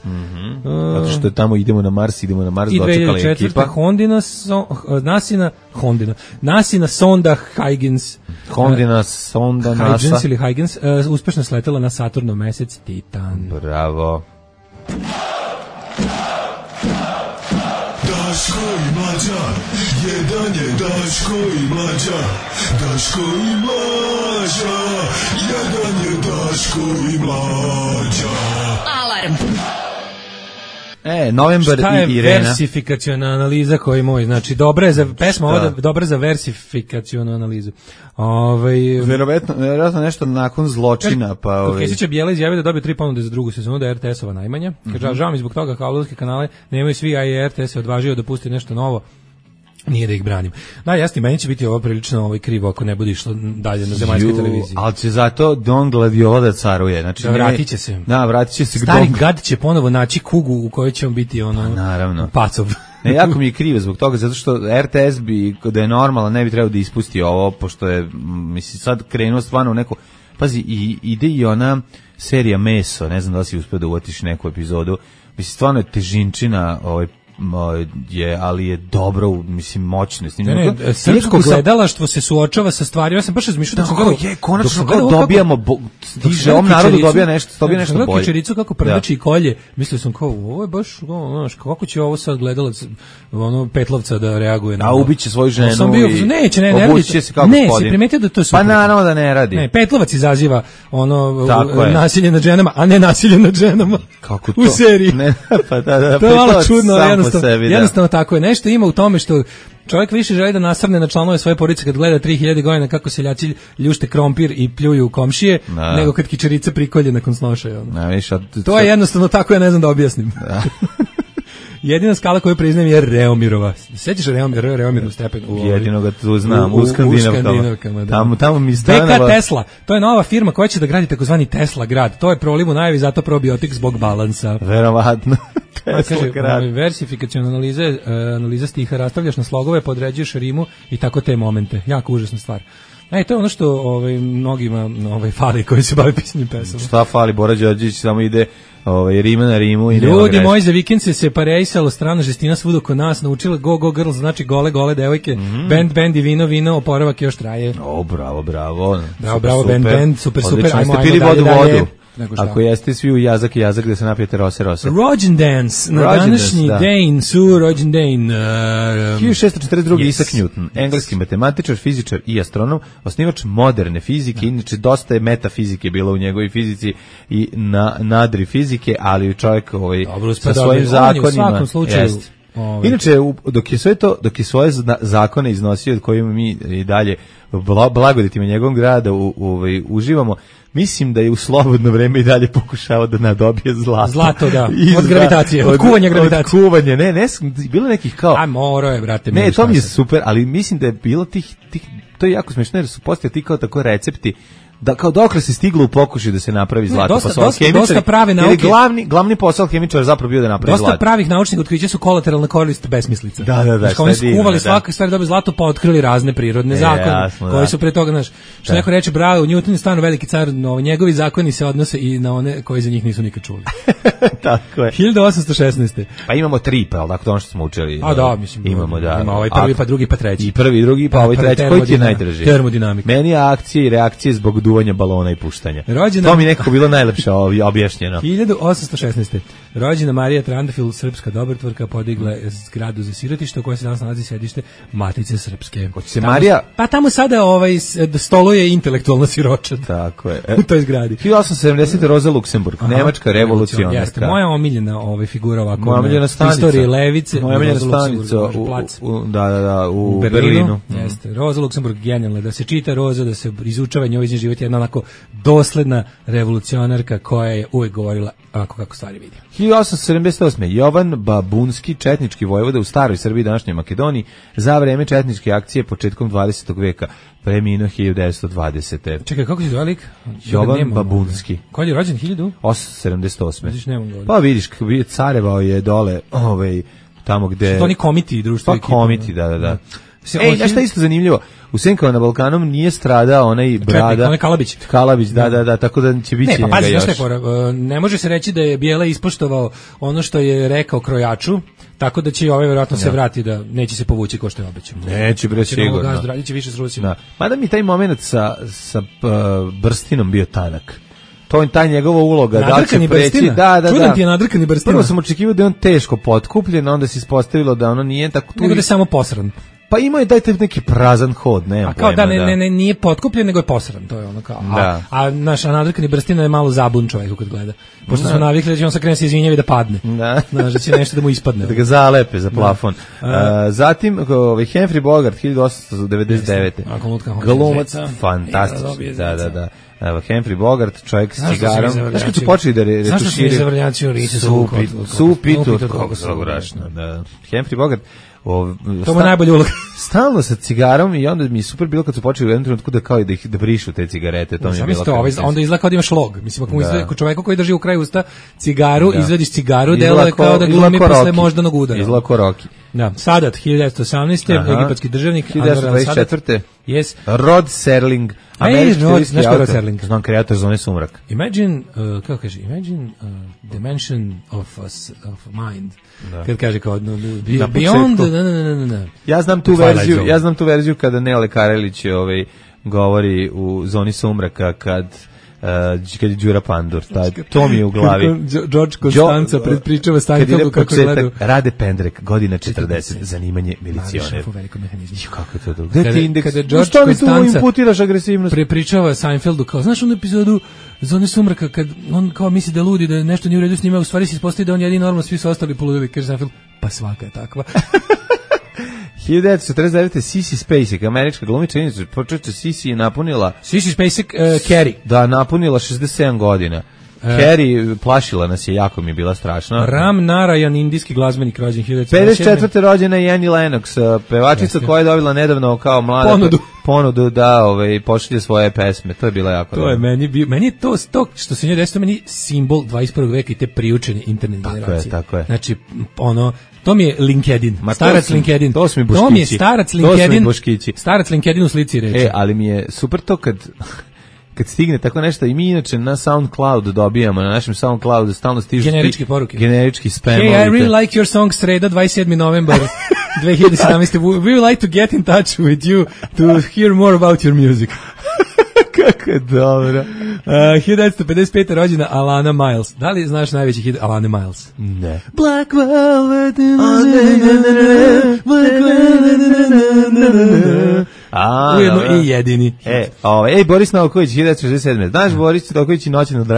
Zato što tamo idemo na Mars, I dočekala je ekipa. 2004. Nasina sonda Huygens. Hondina sonda NASA. Huygens ili Huygens, uspešno sletela na Saturnov mesec Titan. Bravo. Daško i Mlađa, jedan je Daško i Mlađa, Daško i Mlađa, jedan je Daško i Mlađa. Alarm. Novembar i Irena. Šta je versifikaciona analiza koji moj, znači dobra je za pesma, ovo dobra za versifikacionu analizu. Vjerovatno nešto nakon zločina, pa Kesića Bijela izjavio da dobio 3 ponude za drugu sezonu, da je RTS-ova najmanja. Kaže, žao mi zbog toga kablovske kanale nemaju svi, a i RTS se odvažio da pusti nešto novo. Nije da ih branim. Da, jasno, meni će biti ovo prilično krivo ako ne bude išlo dalje na zemaljskoj televiziji. Ali će zato Don Gladiola da caruje. Znači, da, vratit će se. Da, vratit će se. Stari gad će ponovo naći kugu u kojoj će on biti naravno. Pacov. Ne, jako mi je krivo zbog toga, zato što RTS bi, da je normalno, ne bi trebao da ispusti ovo, pošto je, mislim, sad krenuo stvarno u neko. Pazi, ide i ona serija Meso, ne znam da li si uspio da uvatiš neku epizodu. Mislim, stvarno je težinčina ali je dobro, mislim, moćno. Srpsko gledalaštvo se suočava sa stvarima. Ja sam baš razmišljao da sam gledao. Konačno kao dobijamo, stiže ovom narodu dobija nešto bolje. Kičericu kako prdači i kolje, mislio sam kao, ovo je baš, kako će ovo sad gledalac Petlovca da reaguje na ovo. A ubiće svoju ženu i obuće se kao gospodin. Ne, si primetio da to je super. Pa naravno da ne radi. Ne, Petlovac izaziva nasilje nad ženama, a ne nasilje nad ženama. Kako to? U seriji. Pa da, to je malo čudno, jednostavno tako je. Nešto ima u tome što čovjek više želi da nasrne na članove svoje porodice kad gleda 3000 godina kako seljaci ljušte krompir i pljuju komšije, nego kad kičerica prikolje nakon snošaja. To je jednostavno tako, ja ne znam da objasnim. Jedina skala koju priznajem je Reomirova. Sećaš Reomirov stepen? Jedino ga tu znam, u Skandinavkama. Tamo mi stanova. BK Tesla, to je nova firma koja će da gradi takozvani Tesla grad. To je problem u najavi, zato probiotik zbog balansa. Verovatno. Tesla grad. Versifikaciona analiza stiha, rastavljaš na slogove, podređuješ rimu i tako te momente. Jako užasna stvar. To je ono što mnogima fali koji se bave pisanjem pesama. Šta fali, Bora Đorđević samo ide rima na rimu i ljudi moji, za vikend se separejsalo, strana žestina svuda oko nas, naučila go girls, znači gole devojke, band i vino, oporavak još traje. Bravo. Bravo, band, super, ajmo pili vodu. Ako jeste svi u jazak gde se napijete rose. Rođendans, na današnji dan su rođendan. 1642. Isaac Newton, engleski matematičar, fizičar i astronom, osnivač moderne fizike, inače dosta je metafizike bilo u njegovoj fizici i nadri fizike, ali čovjek sa svojim zakonima. U svakom slučaju. Inače, dok je svoje zakone iznosio, od kojima mi i dalje blagoditima njegovom grada uživamo, mislim da je u slobodno vreme i dalje pokušavao da nadobije zlato. Zlato, da. Od gravitacije, od kuvanja gravitacije. Od kuvanja, ne, bilo nekih kao... Moro je, brate. Ne, to mi je super, ali mislim da je bilo tih to je jako smiješno, jer su postoje ti kao tako recepti, da kao dokle se stiglo u pokušaju da se napravi zlato. Dosta prave nauke. Jer glavni posao hemičara zapravo bio da napravi zlato. Dosta pravih naučnih otkrića su kolateralna korist besmislica. Da. Znači, oni su kuvali svake stvari da bi zlato, pa otkrili razne prirodne zakone koji su pre toga, znaš, što neko reče, bravo, Newton je stvarno veliki car, njegovi zakoni se odnose i na one koji za njih nisu nikad čuli. Tako je. 1816. Pa imamo 3, pa dakle ono što smo učili. Mislim. Imamo, da. Ima ovaj prvi, pa drugi, pa treći. I prvi, drugi, pa ovaj treći. Koji ti je najdrži? Termodinamika. Meni je akcije i reakcije zbog duvanja balona i puštanja. To mi nekako bilo najlepše objašnjeno. 1816. Rođena Marija Trandafil, srpska dobrotvorka, podigla je zgradu za sirotište u kojoj se danas nalazi sedište Matice Srpske. Hoće se Marija... Pa tamo sada stoluje intelektualna siroča. Tako je. U toj zgradi. 1870. Roza Luksemburg, nemačka revolucionarka. Jeste, moja omiljena figura ovako. Moja omiljena stanica. Istorije levice. Moja omiljena stanica u Berlinu. Jeste. Roza Luksemburg genijalna, da se čita Roza, da se izučava njoj život, jedna onako dosledna revolucionarka koja je uvek govorila onako kako stvari vidi. 1878. Jovan Babunski, četnički vojvoda u staroj Srbiji, današnjoj Makedoniji, za vreme četničke akcije početkom 20. veka, preminuo 1920. Čekaj, kako se zove lik? Jovan Babunski. Koji je rođen 1878. Vidiš, nemam govori. Pa vidiš, carevao je dole, tamo gde... Što to oni komiti društvo ekipa? Pa komiti, da. Znaš šta je isto zanimljivo? U Senkama na Balkanom nije stradao onaj brada. Onaj Kalabić. Kalabić, da, tako da će biti njega pazi, još. Ne može se reći da je Bijela ispoštovao ono što je rekao krojaču, tako da će verovatno se vrati, da neće se povući ko što je obećao. Neće bre sigurno. Gazdu radiće više s Rusima. Mada mi taj moment sa Brstinom bio tanak. To je taj njegova uloga, da će preći. Da. Čudan ti je nadrkani Brstina. Prvo sam očekivao da je on teško potkupljen, onda se ispostavilo da ono nije tako tu. Nego da je samo posran. Pa ima je dajte neki prazan hod, nema pojma. A kao pojma, ne, nije potkupljen, nego je posran, to je ono kao. A naš nadrkani Brstina je malo zabun čovjek kad gleda. Pošto smo navikli da će on sa krene se izvinjava i da padne. Znaš, da će nešto da mu ispadne. Da ga zalepe za plafon. Zatim, Humphrey Bogart, 1899. Glumac, fantastični. Da. Evo, Humphrey Bogart, čovjek s cigarom. Znaš kad su počeli da retuširaju? Zašto su mi zavrljaci u lice Supitu, kako se urašno. Humphrey Bogart, to mu najbolje uloga. Stalno sa cigarom i onda mi je super bilo kad su počeli u jednom trenutku da kao da brišu te cigarete, to mi je bilo kao. Onda izgleda kao da imaš log. Mislim, ako mu izgleda čovjeka koji drži u kraju usta cigaru, izvadiš cigaru, deluje kao da glumi posle moždanog udara. Izgleda ko Rocky. Da, Sadat, 1918. Egipatski državnik. 1924. Yes. Rod Serling, američki Rod Serling. Znam, kreator Zone sumrak. Imagine, kako kaže, dimension of mind. Kad kaže kao, beyond, Ja znam tu verziju kada Nele Karelić govori u Zoni sumraka kad je Đura Pandur, to mi je u glavi. George Constanza predpričava Steinfeldu kako je gledao. Rade Pendrek, godina 40, zanimanje milicioner. Kako je to dobro? Gde ti indeks? Što mi tu imputiraš agresivnost? Prepričava Steinfeldu kao, znaš onu epizodu Zone sumraka kad on kao misli da ludi, da nešto nije u redu s njima, u stvari se ispostavi da on jedini normalno, svi su ostali poludeli, kaže Steinfeld, pa svaka je takva. 1949. Sissy Spacek, američka glumica, počeće Sissy je napunila... Sissy Spacek, Carrie. Da, napunila 67 godina. Carrie plašila nas je, jako mi je bila strašna. Ram Narayan, indijski glazbenik, rođen 1957. rođena je Annie Lennox, pevačica koja je dobila nedavno kao mlada ponudu da pošalje svoje pesme. To je bila jako dobro. Meni je to što se nje desilo, meni simbol 21. veka i te priučene internet generacije. Tako je. Znači, to mi je LinkedIn. Starac LinkedIn. To su mi boškići. To mi je starac LinkedIn. Starac LinkedIn u slici reči. Ali mi je super to kad stigne tako nešto i mi inače na SoundCloud dobijamo, na našem SoundCloudu stalno stižu generičke poruke. Generički spam. Hey, I really like your song sreda 27. novembar 2017. We would like to get in touch with you to hear more about your music. Kako je dobro. 1955. rođena Alana Miles. Da li znaš najveći hit Alana Miles? Ne. Black Velvet. Ujedno i jedini. Boris Novković, 1967. Znaš Boris Novković i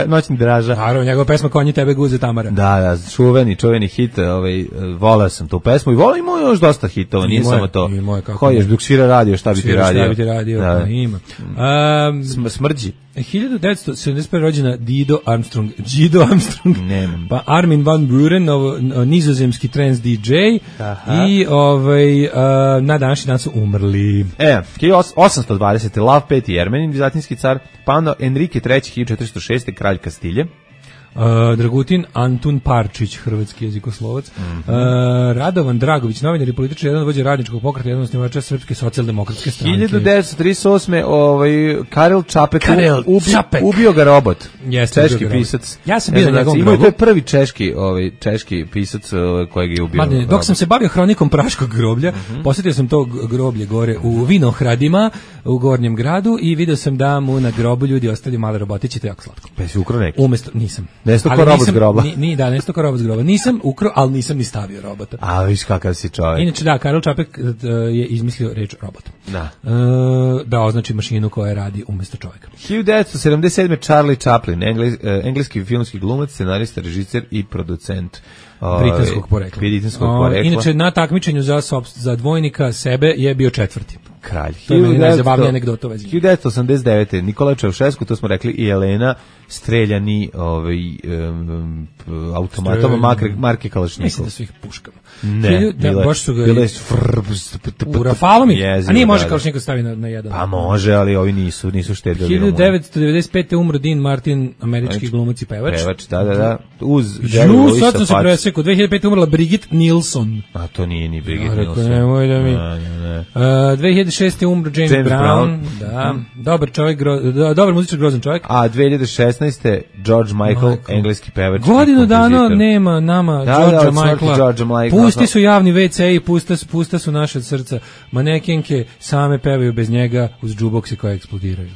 Noćni draža. Naravno, njegova pesma Konji tebe guze Tamara. Da, čuveni hit, volao sam tu pesmu i imao još dosta hitova, nije samo to. Ko je, dok svira radio, šta bi ti radio? Da. Ima. Smrđi. 1971. rođena Dido Armstrong. Nemam. Pa Armin van Buren, nizozemski trance DJ. I na današnji dan su umrli. 1820. Lav V. Jermenin, vizantinski car, pa onda Enrique III. 1406. kralj Kastilje. Dragutin Antun Parčić, hrvatski jezikoslovac. Radovan Dragović, novinar i političar, jedan od vođa radničkog pokreta, jedan od osnivača Srpske socijaldemokratske stranke. 1938. Karel Čapek ubio ga robot. Češki pisac. Ja sam bio na njegovom grobu. To je prvi češki pisac kojeg je ubio. Dok sam se bavio hronikom Praškog groblja, posjetio sam to groblje gore u Vinohradima, u Gornjem gradu, i vidio sam da mu na grobu ljudi ostali male robotići, to je jako slatko. Pa si ukro neki? Umesto, nisam. Nesto ko robot s groba. Da, nesto ko robot s groba. Nisam ukrao, ali nisam ni stavio robota. A viš kakav si čovjek. Inače, da, Karel Čapek je izmislio reč robot. Da. Da označi mašinu koja radi umjesto čovjeka. 1977. Charlie Chaplin, engleski filmski glumac, scenarista, režiser i producent. Britanskog porekla. Inače, na takmičenju za dvojnika sebe je bio 4. Kralj. To je meni najzabavnija anegdota u vezi. 1989. Nikola Čaušesku, to smo rekli, i Jelena streljani automatom marke Kalašnikov. Mislim da su ih puškama. Ne, bile u Rafalu mi? A nije može Kalašnikov stavi na jedan. Pa može, ali ovi nisu štedili. 1995. umro Dean Martin, američki glumac i pevač. Da. Uz sad sam se presekao. 2005. umrla Brigitte Nielsen. A to nije ni Brigitte Nielsen. Nemoj da mi... 2006. umro James Brown. Da. Dobar muzičar, grozan čovjek. A 2016. George Michael, engleski pevač. Godinu dana nema nama Georgea Michaela. Pusti su javni WC i pusta su naše srca. Manekenke same pevaju bez njega uz džubokse koje eksplodiraju.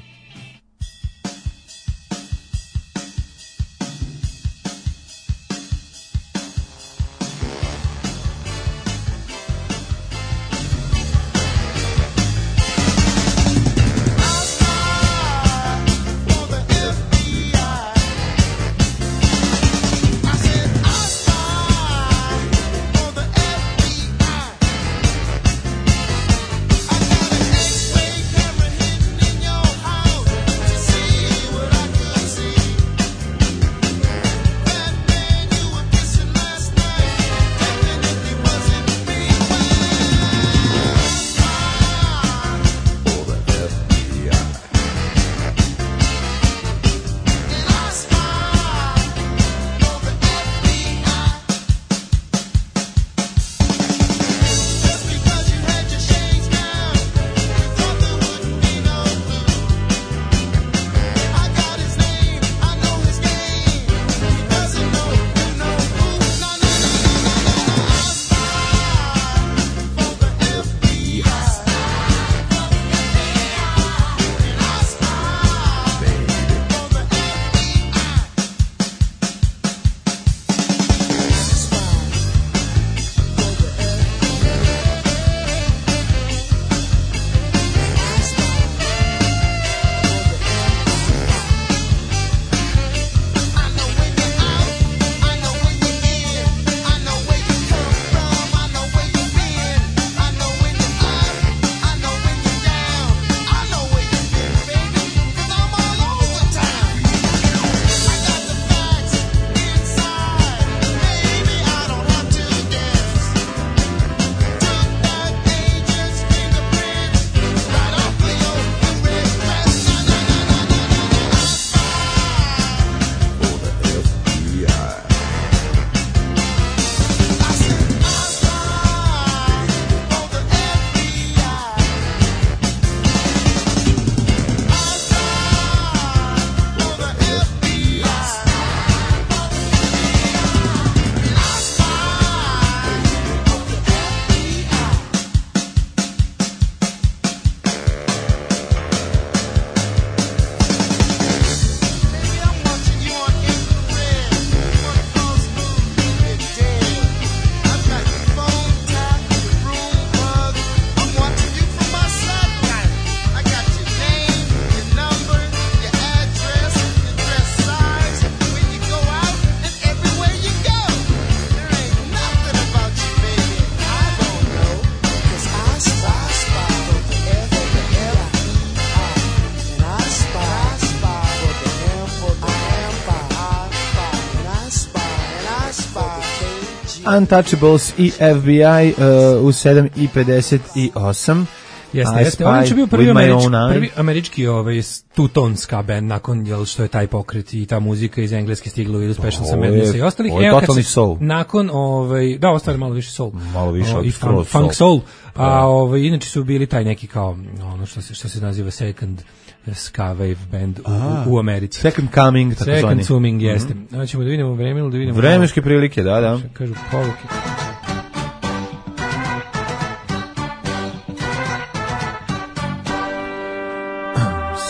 Untouchables i FBI u 7:58. Jeste. On je bio prvi američki tutonska band nakon što je taj pokret i ta muzika iz Engleske stigla u Special sa Madness i ostalih. Ovo je totalni soul. Nakon, da, ostali malo više soul. Malo više i funk soul. A inače su bili taj neki kao, ono što se naziva second ska wave band u Americi. Second coming, tako zvani. Second coming, jeste. Ćemo da vidimo vremenu, da vidimo... Vremenske prilike, da. Kažu poruke.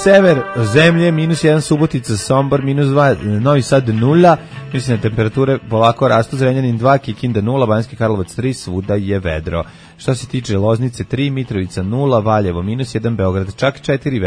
sever zemlje, -1 Subotica, Sombor, -2 Novi Sad 0, mislim da temperature polako rastu, Zrenjanin 2, Kikinda 0, Banjski Karlovac 3, svuda je vedro. Što se tiče Loznice 3, Mitrovica 0, Valjevo -1, Beograd čak 4,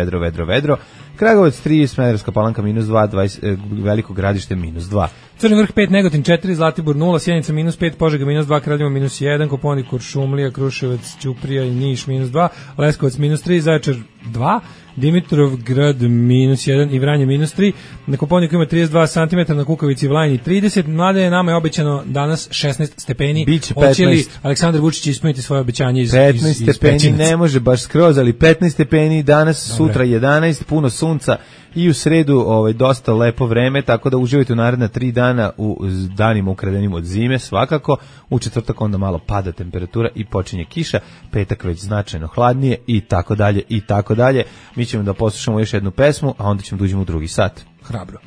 vedro, Kragujevac 3, Smederevska Palanka -2, Veliko Gradište -2. Crni Vrh 5, Negotin 4, Zlatibor 0, Sjenica -5, Požega -2, Kraljevo -1, Koponik, Kuršumlija, Kruševac, Ćuprija i Niš -2, Leskovac -3, Zaječar 2, Dimitrovgrad -1 i Vranje -3, na Koponiku ima 32 cm, na Kukavici i Vlajni 30, mlade nama je obećano danas 16 stepeni, hoće li Aleksandar Vučić ispuniti svoje obećanje iz 15 stepeni, ne može baš skroz, ali 15 stepeni danas, dobre. Sutra 11, puno sunca i u sredu dosta lepo vreme, tako da uživajte u naredna 3 dana u danima ukradenim od zime, svakako, u četvrtak onda malo pada temperatura i počinje kiša, petak već značajno hladnije i tako dalje i tako dalje. Mi ćemo da poslušamo još jednu pesmu, a onda ćemo da uđemo u drugi sat. Hrabro.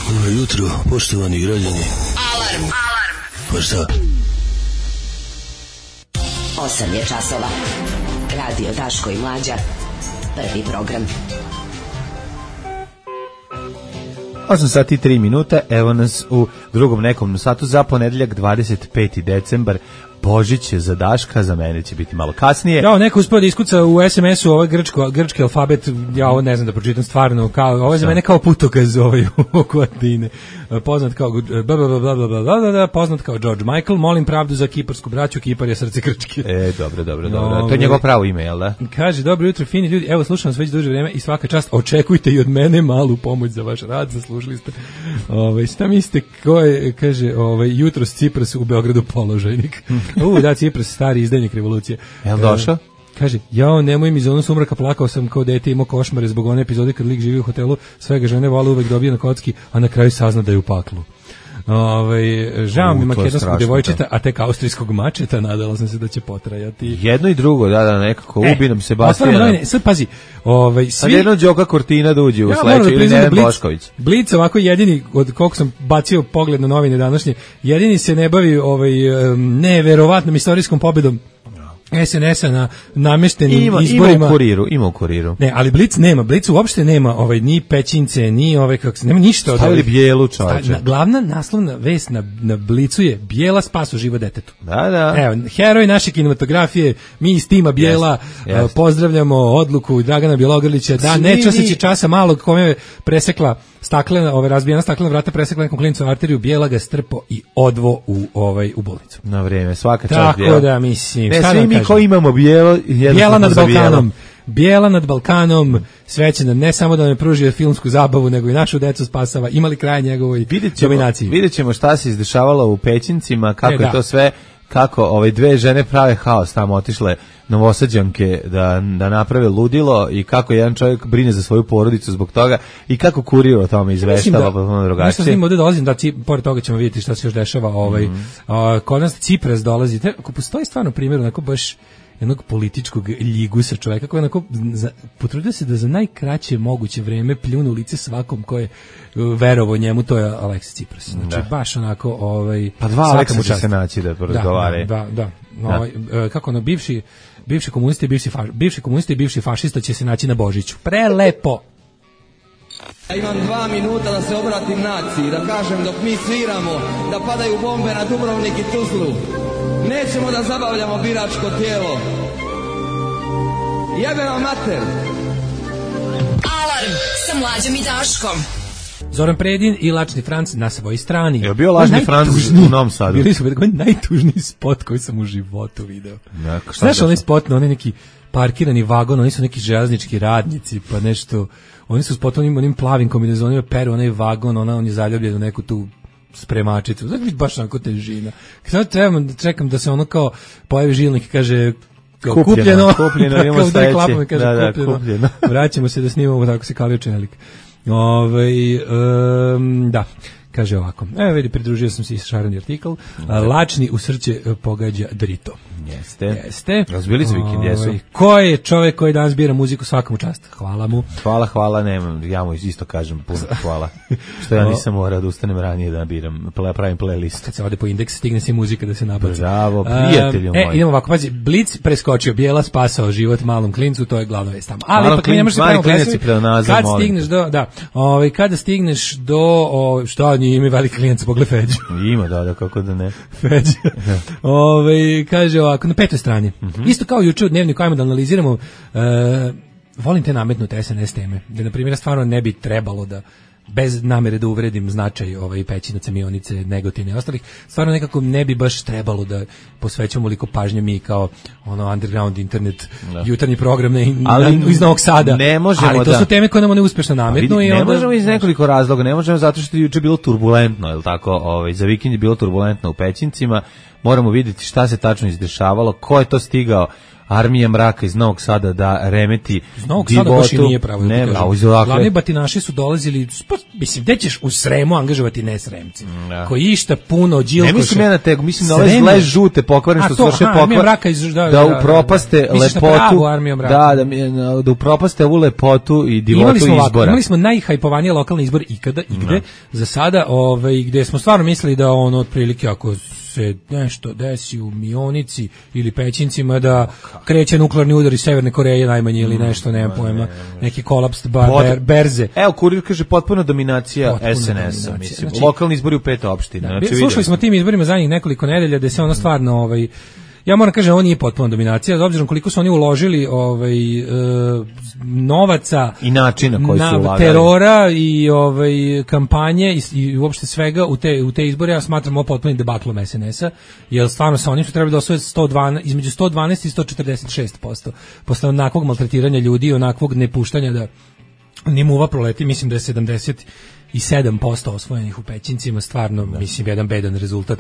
Dobro jutro, poštovani građani. Alarm. Pa šta? 8 je časova. Radio Daško i Mlađa. Prvi program. 8 sati i 3 minuta, evo nas u drugom nekom satu za ponedeljak 25. decembar. Božić za Daška, za mene će biti malo kasnije. Ja, neko uspio da iskuca u SMS-u ovaj grčki alfabet, ja ovo ne znam da pročitam stvarno, kao, ovo je za mene kao putokaz oko Atine. Poznat kao poznat kao George Michael, molim pravdu za kiparsku braću, Kipar je srce Grčke. Dobro. To je njegovo pravo ime, jel da? Kaže, dobro jutro, fini ljudi, evo slušam vas već duže vreme i svaka čast, očekujte i od mene malu pomoć za vaš rad, zaslužili ste. Šta mislite, ko je, kaže, jutros Cipras u Beogradu položajnik. Da, Cipras, stari izdajnik revolucije. Jel došao? Kaže, jao, nemoj mi za ono sumraka, plakao sam kao dete, imao košmare zbog one epizode kad lik živi u hotelu, svega žene vole uvek dobije na kocki, a na kraju sazna da je u paklu. Žao mi makedonskog devojčeta, a tek austrijskog mačeta, nadala sam se da će potrajati. Jedno i drugo, da, nekako ubi nam Sebastijana. Sad pazi, sad jedno Đoka Kortina da uđe u sledeću ili Neven Bošković. Blic ovako jedini, od koliko sam bacio pogled na novine današnje, jedini se ne bavi neverovatnom istorijskom pobedom SNS-a na nameštenim izborima. Ima u kuriru. Ne, ali Blic nema, Blic uopšte nema ni pećince, ni nema ništa od stavili bijelu, čoveče. Glavna naslovna vest na Blicu je Bijela spas u život detetu. Da. Evo, heroj naše kinematografije, mi iz tima Bijela pozdravljamo odluku Dragana Bjelogrlića da ne časeći časa malog kome je presekla razbijena staklena vrata, presekla nekom klinicu arteriju, Bijela ga strpo i odvo u bolnicu. Na vrijeme, svaka čast Bijela. Tako da, mislim, šta da mi ko imamo Bijela nad Balkanom. Bijela nad Balkanom, svećena ne samo da nam pružio filmsku zabavu, nego i našu decu spasava, imali kraj njegovoj dominaciji. Vidjet ćemo šta se izdešavalo u Pećincima, kako je to sve, kako dve žene prave haos tamo, otišle Novosađanke da naprave ludilo i kako jedan čovjek brine za svoju porodicu zbog toga i kako kurir o tome izveštava potpuno drugačije. Nešto s njim ovdje dolazim, pored toga ćemo vidjeti šta se još dešava. Kod nas Cipras dolazi, ako postoji stvarno primjer onako baš jednog političkog ljigusa čovjeka koji onako potrudio se da za najkraće moguće vreme pljunu lice svakom ko je verovo njemu, to je Aleksis Cipras. Znači baš onako pa dva Aleksisa će se naći da porazgovaraju. Da. Kako bivši komunisti i bivši fašista će se naći na Božiću. Prelepo. Ja imam 2 minuta da se obratim naciji, da kažem dok mi sviramo, da padaju bombe na Dubrovnik i Tuzlu. Nećemo da zabavljamo biračko tijelo. Jebe vam mater. Alarm sa Mlađom i Daškom. Zoran Predin i Lačni Franc na svojoj strani. Je bio Lačni Franc u Novom Sadu? Bili su najtužniji spot koji sam u životu video. Znaš onaj spot na onaj neki parkirani vagon, oni su neki železnički radnici, pa nešto, oni su spot onim plavim kombinezonima peru onaj vagon, on je zaljubljen u neku tu spremačicu. Znači baš onako težina. Sad čekam da se ono kao pojavi žilnik i kaže kupljeno, imamo sledeće. Kupljeno. Vraćamo se da snimamo, tako se kalio čelik. Da. Kaže ovako, vidi, pridružio sam se i šareni artikl, lačni u srce pogađa drito. Jeste. Razbili se vikend, jesu. Ko je čovjek koji danas bira muziku, svakom čast. Hvala mu. Hvala, nemam, ja mu isto kažem puno hvala. Što ja nisam morao da ustanem ranije da biram, pravim playlist. Kad se ode po indeks, stigne se muzika da se nabaci. Bravo, prijatelju moj. Idemo ovako, pazi, Blic preskočio, Bijela spasao život malom klincu, to je glavna vest tamo. Ali ipak ne možeš se pravimo klesovi, kad stigneš do, kada stigneš do, šta nije ime veliki klinac, pogled Feđu. Ima, da, kako da ne. Feđu. Kaže ovako, na 5. strani. Isto kao juče u Dnevniku, ajmo da analiziramo, volim te nametnute SNS teme, da na primjer stvarno ne bi trebalo da, bez namere da uvredim značaj Pećinaca, Mionice, Negotine i ostalih, stvarno nekako ne bi baš trebalo da posvećamo oliko pažnje mi kao underground internet jutarnji program iz Novog Sada. Ne možemo, ali to su teme koje nam one uspešno nametnu. Ne možemo iz nekoliko razloga, ne možemo zato što je juče bilo turbulentno, je li tako? Za vikend je bilo turbulentno u Pećincima, moramo vidjeti šta se tačno izdešavalo, ko je to stigao. Armija mraka iz Novog Sada da remeti iz Novog Sada baš i nije pravo. Glavni batinaši su dolazili, mislim, gde ćeš u Sremu angažovati nesremci, koji išta puno Đilkoša. Ne mislim ja na tegu, mislim na ove zle žute pokvaren što su vrše pokvar, da upropaste lepotu, da upropaste ovu lepotu i divotu izbora. Imali smo najhajpovanije lokalne izbore ikada, igde, za sada, gde smo stvarno mislili da otprilike ako se nešto desi u Mionici ili Pećincima da kreće nuklearni udar iz Severne Koreje najmanje ili nešto, nemam pojma, neki kolaps berze. Evo, Kurir kaže potpuna dominacija SNS-a, mislim. Lokalni izbori u 5 opština. Slušali smo tim izborima zadnjih nekoliko nedelja da se ono stvarno ja moram kažem, ovo nije potpuna dominacija, s obzirom koliko su oni uložili novaca i načina koji su ulagali, terora i kampanje i uopšte svega u te izbore, ja smatram ovo potpunim debaklom SNS-a, jer stvarno sa onim su trebali da osvoje između 112 i 146%. Posle onakvog maltretiranja ljudi i onakvog nepuštanja da ni muva proleti, mislim da je 77% osvojenih u Pećincima, stvarno, mislim, jedan bedan rezultat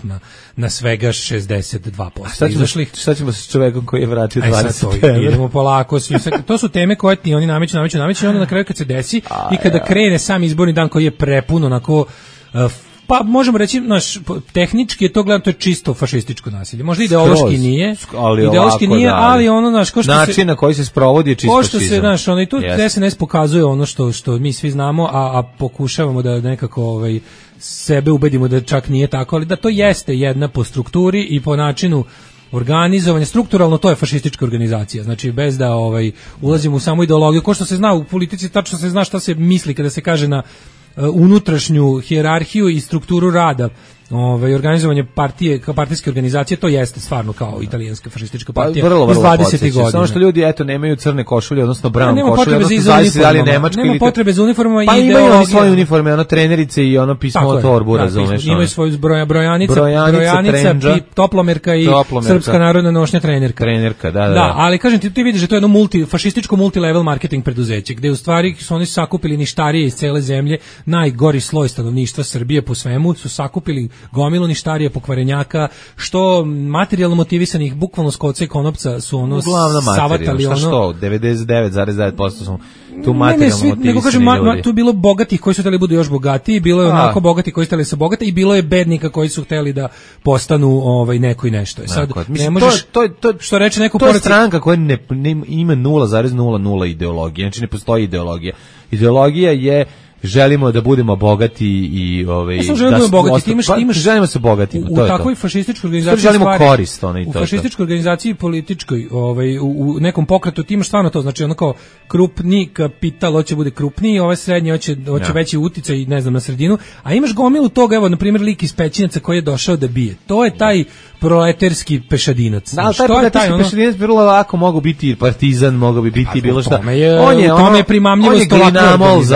na svega 62%. Šta ćemo sa čovekom koji je vratio 20 idemo polako, to su teme koje ti oni nameću i onda na kraju kad se desi i kada krene sam izborni dan koji je prepun onako pa možemo reći, tehnički je to gledano, to je čisto fašističko nasilje. Možda ideološki nije, ali ono, ko što način na koji se sprovodi je čisto fašizam. Ko što se, i tu SNS pokazuje ono što mi svi znamo, a pokušavamo da nekako sebe ubedimo da čak nije tako, ali da to jeste jedna po strukturi i po načinu organizovanje, strukturalno to je fašistička organizacija, znači bez da ulazimo u samu ideologiju, ko što se zna u politici, tačno se zna šta se misli kada se kaže na unutrašnju hijerarhiju i strukturu rada, organizovanje partije kao partijske organizacije, to jeste stvarno kao italijanska fašistička partija iz 20. godina. Samo što ljudi nemaju crne košulje, odnosno brown košulje, nema potrebe za uniformama i ideologije. Pa imaju svoje uniforme, trenerice i pismo torbu, razumeš. Imaju svoju brojanica, toplomerka i srpska narodna nošnja trenerka. Da, ali kažem ti vidiš da to je jedno fašističko multilevel marketing preduzeće, gde u stvari su oni sakupili ništarije iz cele zemlje, najgori sloj stanovništva Srbije po svemu, su sakupili gomilu ništarija, pokvarenjaka, što materijalno motivisanih, bukvalno s koca i konopca su savatali šta što, 99,9% su tu materijalno motivisani ljudi. Tu je bilo bogatih koji su htjeli budu još bogatiji, bilo je onako bogati koji su htjeli se bogati i bilo je bednika koji su htjeli da postanu neko i nešto. Sad, ne možeš, što reče neko to je stranka koja ima 0,00 ideologije, znači ne postoji ideologija. Ideologija je želimo da budemo bogati i želimo se bogati. U takvoj fašističkoj organizaciji želimo korist, u fašističkoj organizaciji političkoj, u nekom pokretu ti imaš stvarno to, znači ono kao krupni kapital hoće bude krupniji, srednji hoće veći uticaj, ne znam, na sredinu, a imaš gomilu toga, evo na primjer lik iz Pećinaca koji je došao da bije. To je taj proleterski pešadinac. Da, taj proleterski pešadinac vrlo lako mogu biti partizan, mogu bi biti bilo šta. On je primamljivost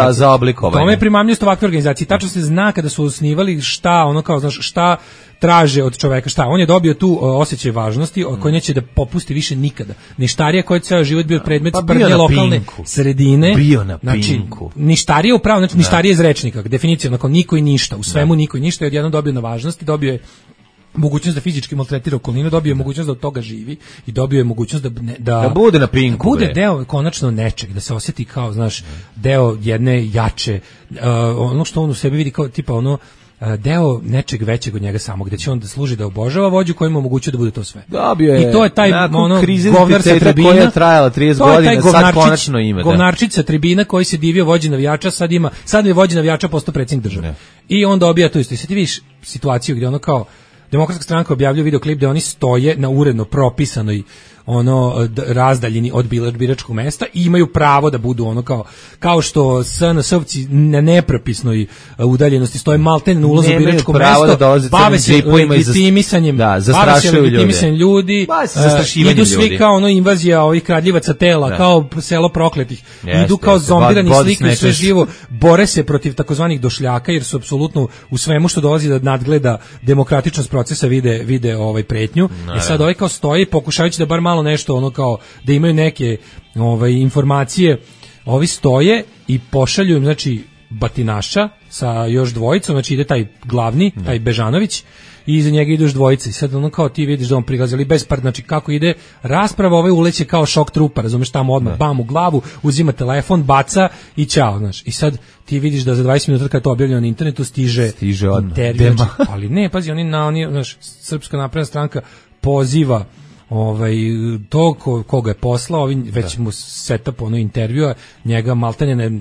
za oblikovanje. Tome je primamljivost ovakve organizacije. Tačno se zna kada su osnivali šta traže od čoveka, šta. On je dobio tu osjećaj važnosti koji neće da popusti više nikada. Ništarija koji je ceo život bio predmet sprdnje lokalne sredine. Bio na pinku. Ništarija upravo, znači ništarija iz rečnika. Definicija, onako niko i ništa. U svemu niko i ništa. Odjednom dobio na važnosti, dobio je mogućnost da fizički maltretira okolinu, dobio je mogućnost da od toga živi i dobio je mogućnost da bude na pinku, da bude deo konačno nečeg, da se osjeti kao, znaš, deo jedne jače, ono što on u sebi vidi kao tipa ono deo nečeg većeg od njega samog, gde će on da služi da obožava vođu koji mu omogućuje da bude to sve. Dobio je. I to je taj govnar sa tribina koja je trajala 30 godina, sad konačno ima. Govnarčić sa tribina koji se divio vođi navijača, sad je vođi navijača postao predsjednik države. Ne. I on dobija to isto. I sad ti vidiš situaciju gdje ono kao Demokratska stranka objavljuje videoklip gde oni stoje na uredno propisanoj razdaljini od biračkog mesta i imaju pravo da budu kao što SNS-ovci na nepropisnoj udaljenosti stoje maltene na ulazu u biračko mesto, bave se legitimisanjem, ljudi, idu svi kao invazija ovih kradljivaca tela, kao selo prokletih, idu kao zombirani, slikaju sve živo, bore se protiv takozvanih došljaka jer su apsolutno u svemu što dolazi da nadgleda demokratičnost procesa vide pretnju. I sad ovaj kao stoji pokušavajući da bar malo nešto kao da imaju neke informacije, ovi stoje i pošalju im znači batinaša sa još dvojicom, znači ide taj glavni, taj Bežanović i iza njega ide još dvojica i sad kao ti vidiš da on prilazi, ali bez par, znači kako ide rasprava, ovaj uleće kao šok trupa, razumeš, tamo odmah bam u glavu, uzima telefon, baca i ćao, znaš. I sad ti vidiš da za 20 minuta kad to objavljeno na internetu stiže intervju, ali ne, pazi, oni znaš, Srpska napredna stranka poziva to koga je poslao, već mu setup intervjua, njega maltene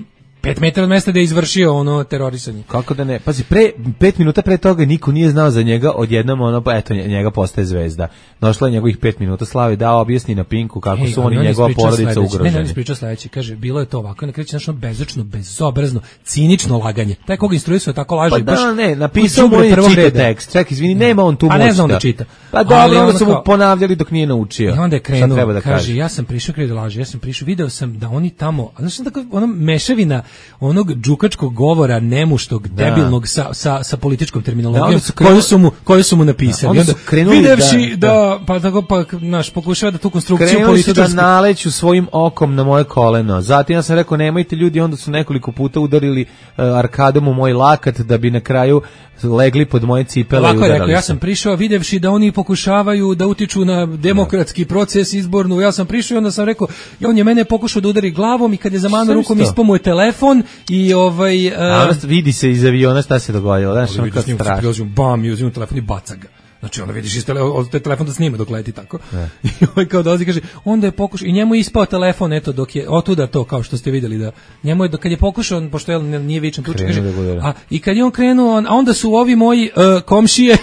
5 metara od mesta da je izvršio terorisanje. Kako da ne? Pazi, 5 minuta pre toga niko nije znao za njega, odjednom eto, njega postaje zvezda. Došla je njegovih 5 minuta slave, dao objasni na Pinku kako su oni njegova porodica ugroženi. Ne, on ispričao sledeće, kaže, bilo je to ovako, na kreće nešto bezočno, bezobrazno, cinično laganje. Taj koga instruisao tako laže. Pa da, ne, napisao mu je čita tekst. Ček, izvini, nema on tu moć. A ne znam da čita. Pa dobro, onda su mu ponavljali dok nije naučio. I onda je krenuo, kaže, ja sam prišao krenuo da laže, video sam da oni tamo, znaš tako, mešavina onog džukačkog govora nemuštog, debilnog sa političkom terminologijom koju su mu napisali. Onda videvši da pokušava da tu konstrukciju političku da naleću svojim okom na moje koleno. Zatim ja sam rekao nemojte ljudi, onda su nekoliko puta udarili arkadom u moj lakat da bi na kraju legli pod moje cipele. Ovako je rekao, ja sam prišao videvši da oni pokušavaju da utiču na demokratski proces izbornu, ja sam prišao i onda sam rekao, on je mene pokušao da udari glavom i kad je zamano rukom ispao mu je telefon i vidi se iz aviona šta se dogodilo, znaš, ono kao strašno. Bam, i uzimam telefon i baca ga. Znači onda vidiš taj telefon da snima dok leti tako. I kao dolazi kaže, onda je pokušao i njemu je ispao telefon eto dok je otuda to kao što ste vidjeli da njemu je kad je pokušao pošto nije vičan tuče kaže, i kad je on krenuo a onda su ovi moji komšije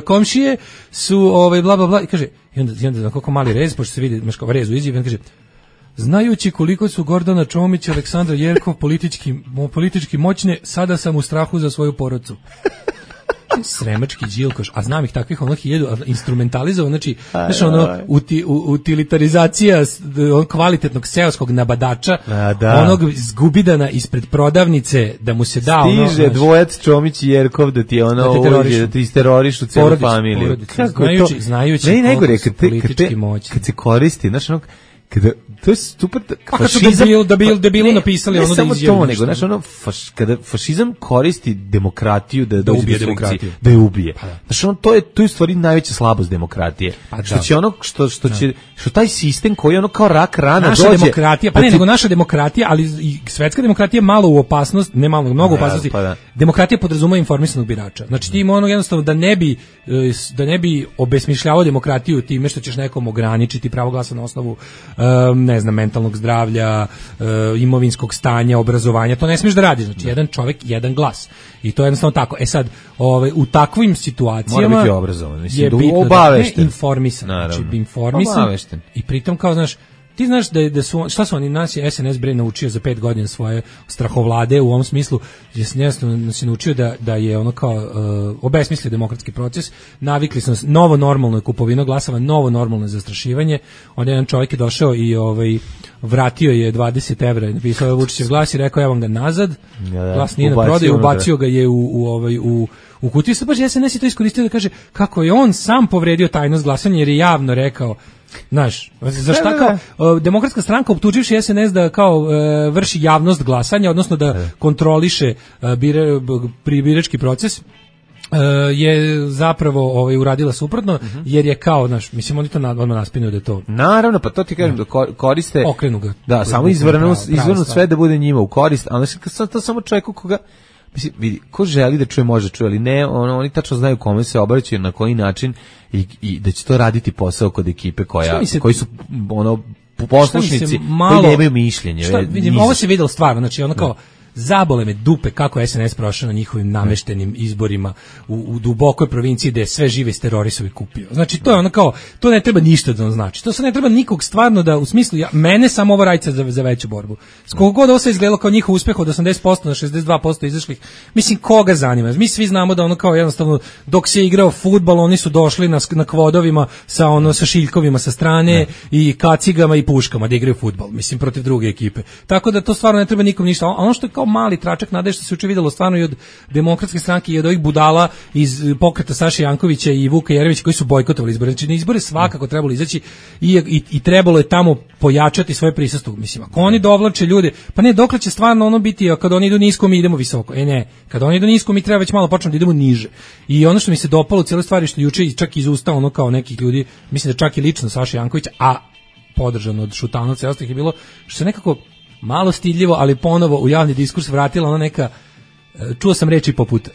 komšije su bla bla bla i kaže i onda na koliko mali rez pošto se vidi kao rez u izjavi on kaže znajući koliko su Gordana Čomić i Aleksandra Jerkov politički moćne, sada sam u strahu za svoju porodcu. Sremački džilkoš, a znam ih takvih 1000 instrumentalizovan, znači utilitarizacija kvalitetnog seoskog nabadača, onog zgubidana ispred prodavnice da mu se da stiže dvojac Čomić i Jerkov da ti da ti isterorišu celu familiju. Znajući najgore kad se koristi, znaš to je super. Debilu napisali ono da izjavi. Ne samo to, nego kada fašizam koristi demokratiju da ubije demokratiju, da je ubije. Znaš, to je u stvari najveća slabost demokratije. Što će što taj sistem koji kao rak rana dođe. Naša demokratija, nego naša demokratija, ali i svetska demokratija malo u opasnost, ne malo, mnogo opasnosti. Demokratija podrazumeva informisanog birača. Znači ti ima jednostavno da ne bi obesmišljavao demokratiju time što ćeš nekom ograničiti pravo glasa na osnovu ne znam, mentalnog zdravlja, imovinskog stanja, obrazovanja, to ne smiješ da radiš, znači jedan čovjek, jedan glas. I to je jednostavno tako. E sad, u takvim situacijama mora biti obrazovan, je bitno obavešten, informisan, znači informisan obavešten. I pritom kao, znaš, ti znaš da su, šta su oni, nas je SNS bre naučio za 5 godina svoje strahovlade u ovom smislu, nas je naučio da je ono kao obesmislio demokratski proces, navikli smo novo normalno je kupovina glasova, novo normalno je zastrašivanje, onda jedan čovjek je došao i vratio je 20 evra, napisao Vučićev glas i rekao evo ga nazad, glas nije na prodaju, ubacio ga je u kutiju, sad baš SNS je to iskoristio da kaže kako je on sam povredio tajnost glasanja jer je javno rekao. Znaš, zašto kao Demokratska stranka optuživši SNS da kao vrši javnost glasanja, odnosno da kontroliše birački proces, je zapravo uradila suprotno, jer je kao, znaš, mislim, oni to odmah naspinuju da je to. Naravno, pa to ti kažem, da koriste, okrenu ga. Da, samo izvrnu sve da bude njima u korist, ali to samo čovjeku koga, mislim, vidi, ko želi da čuje, može čuje, ali ne, oni tačno znaju kome se obraćaju, na koji način i da će to raditi posao kod ekipe koji su poslušnici, koji nemaju mišljenje. Vidim, ovo se videlo stvarno, znači ono kao, zabole me dupe kako SNS prošao na njihovim nameštenim izborima u dubokoj provinciji gde je sve žive terorisovi kupio. Znači to je ono kao, to ne treba ništa da on znači. To se ne treba nikog stvarno da, u smislu, mene samo ovo radica za veću borbu. Koliko god ovo se izgledalo kao njihov uspeh od 80% na 62% izašlih, mislim, koga zanima? Mi svi znamo da ono kao jednostavno, dok se igrao fudbal, oni su došli na kvodovima sa šiljkovima sa strane i kacigama i puškama da igraju fudbal, mislim, protiv druge ekipe. Tako da to stvarno ne treba nikom ništa. Ono što je kao mali tračak nade što se juče videlo stvarno i od Demokratske stranke i od ovih budala iz pokreta Saše Jankovića i Vuka Jeremića koji su bojkotovali izbore. Znači na izbore svakako trebalo izaći i trebalo je tamo pojačati svoje prisustvo. Mislim, ako oni dovlače ljude, pa ne, dokle će stvarno ono biti, kad oni idu nisko mi idemo visoko. Ne, kad oni idu nisko mi treba već malo počnemo da idemo niže. I ono što mi se dopalo u cijeloj stvari što juče čak iz usta ono kao nekih ljudi, mislim da čak i lično Saša Jankovića, a podržano od Šutanovca i ostalih je bilo što se nekako malo stidljivo, ali ponovo u javni diskurs vratila ona neka, čuo sam reči poput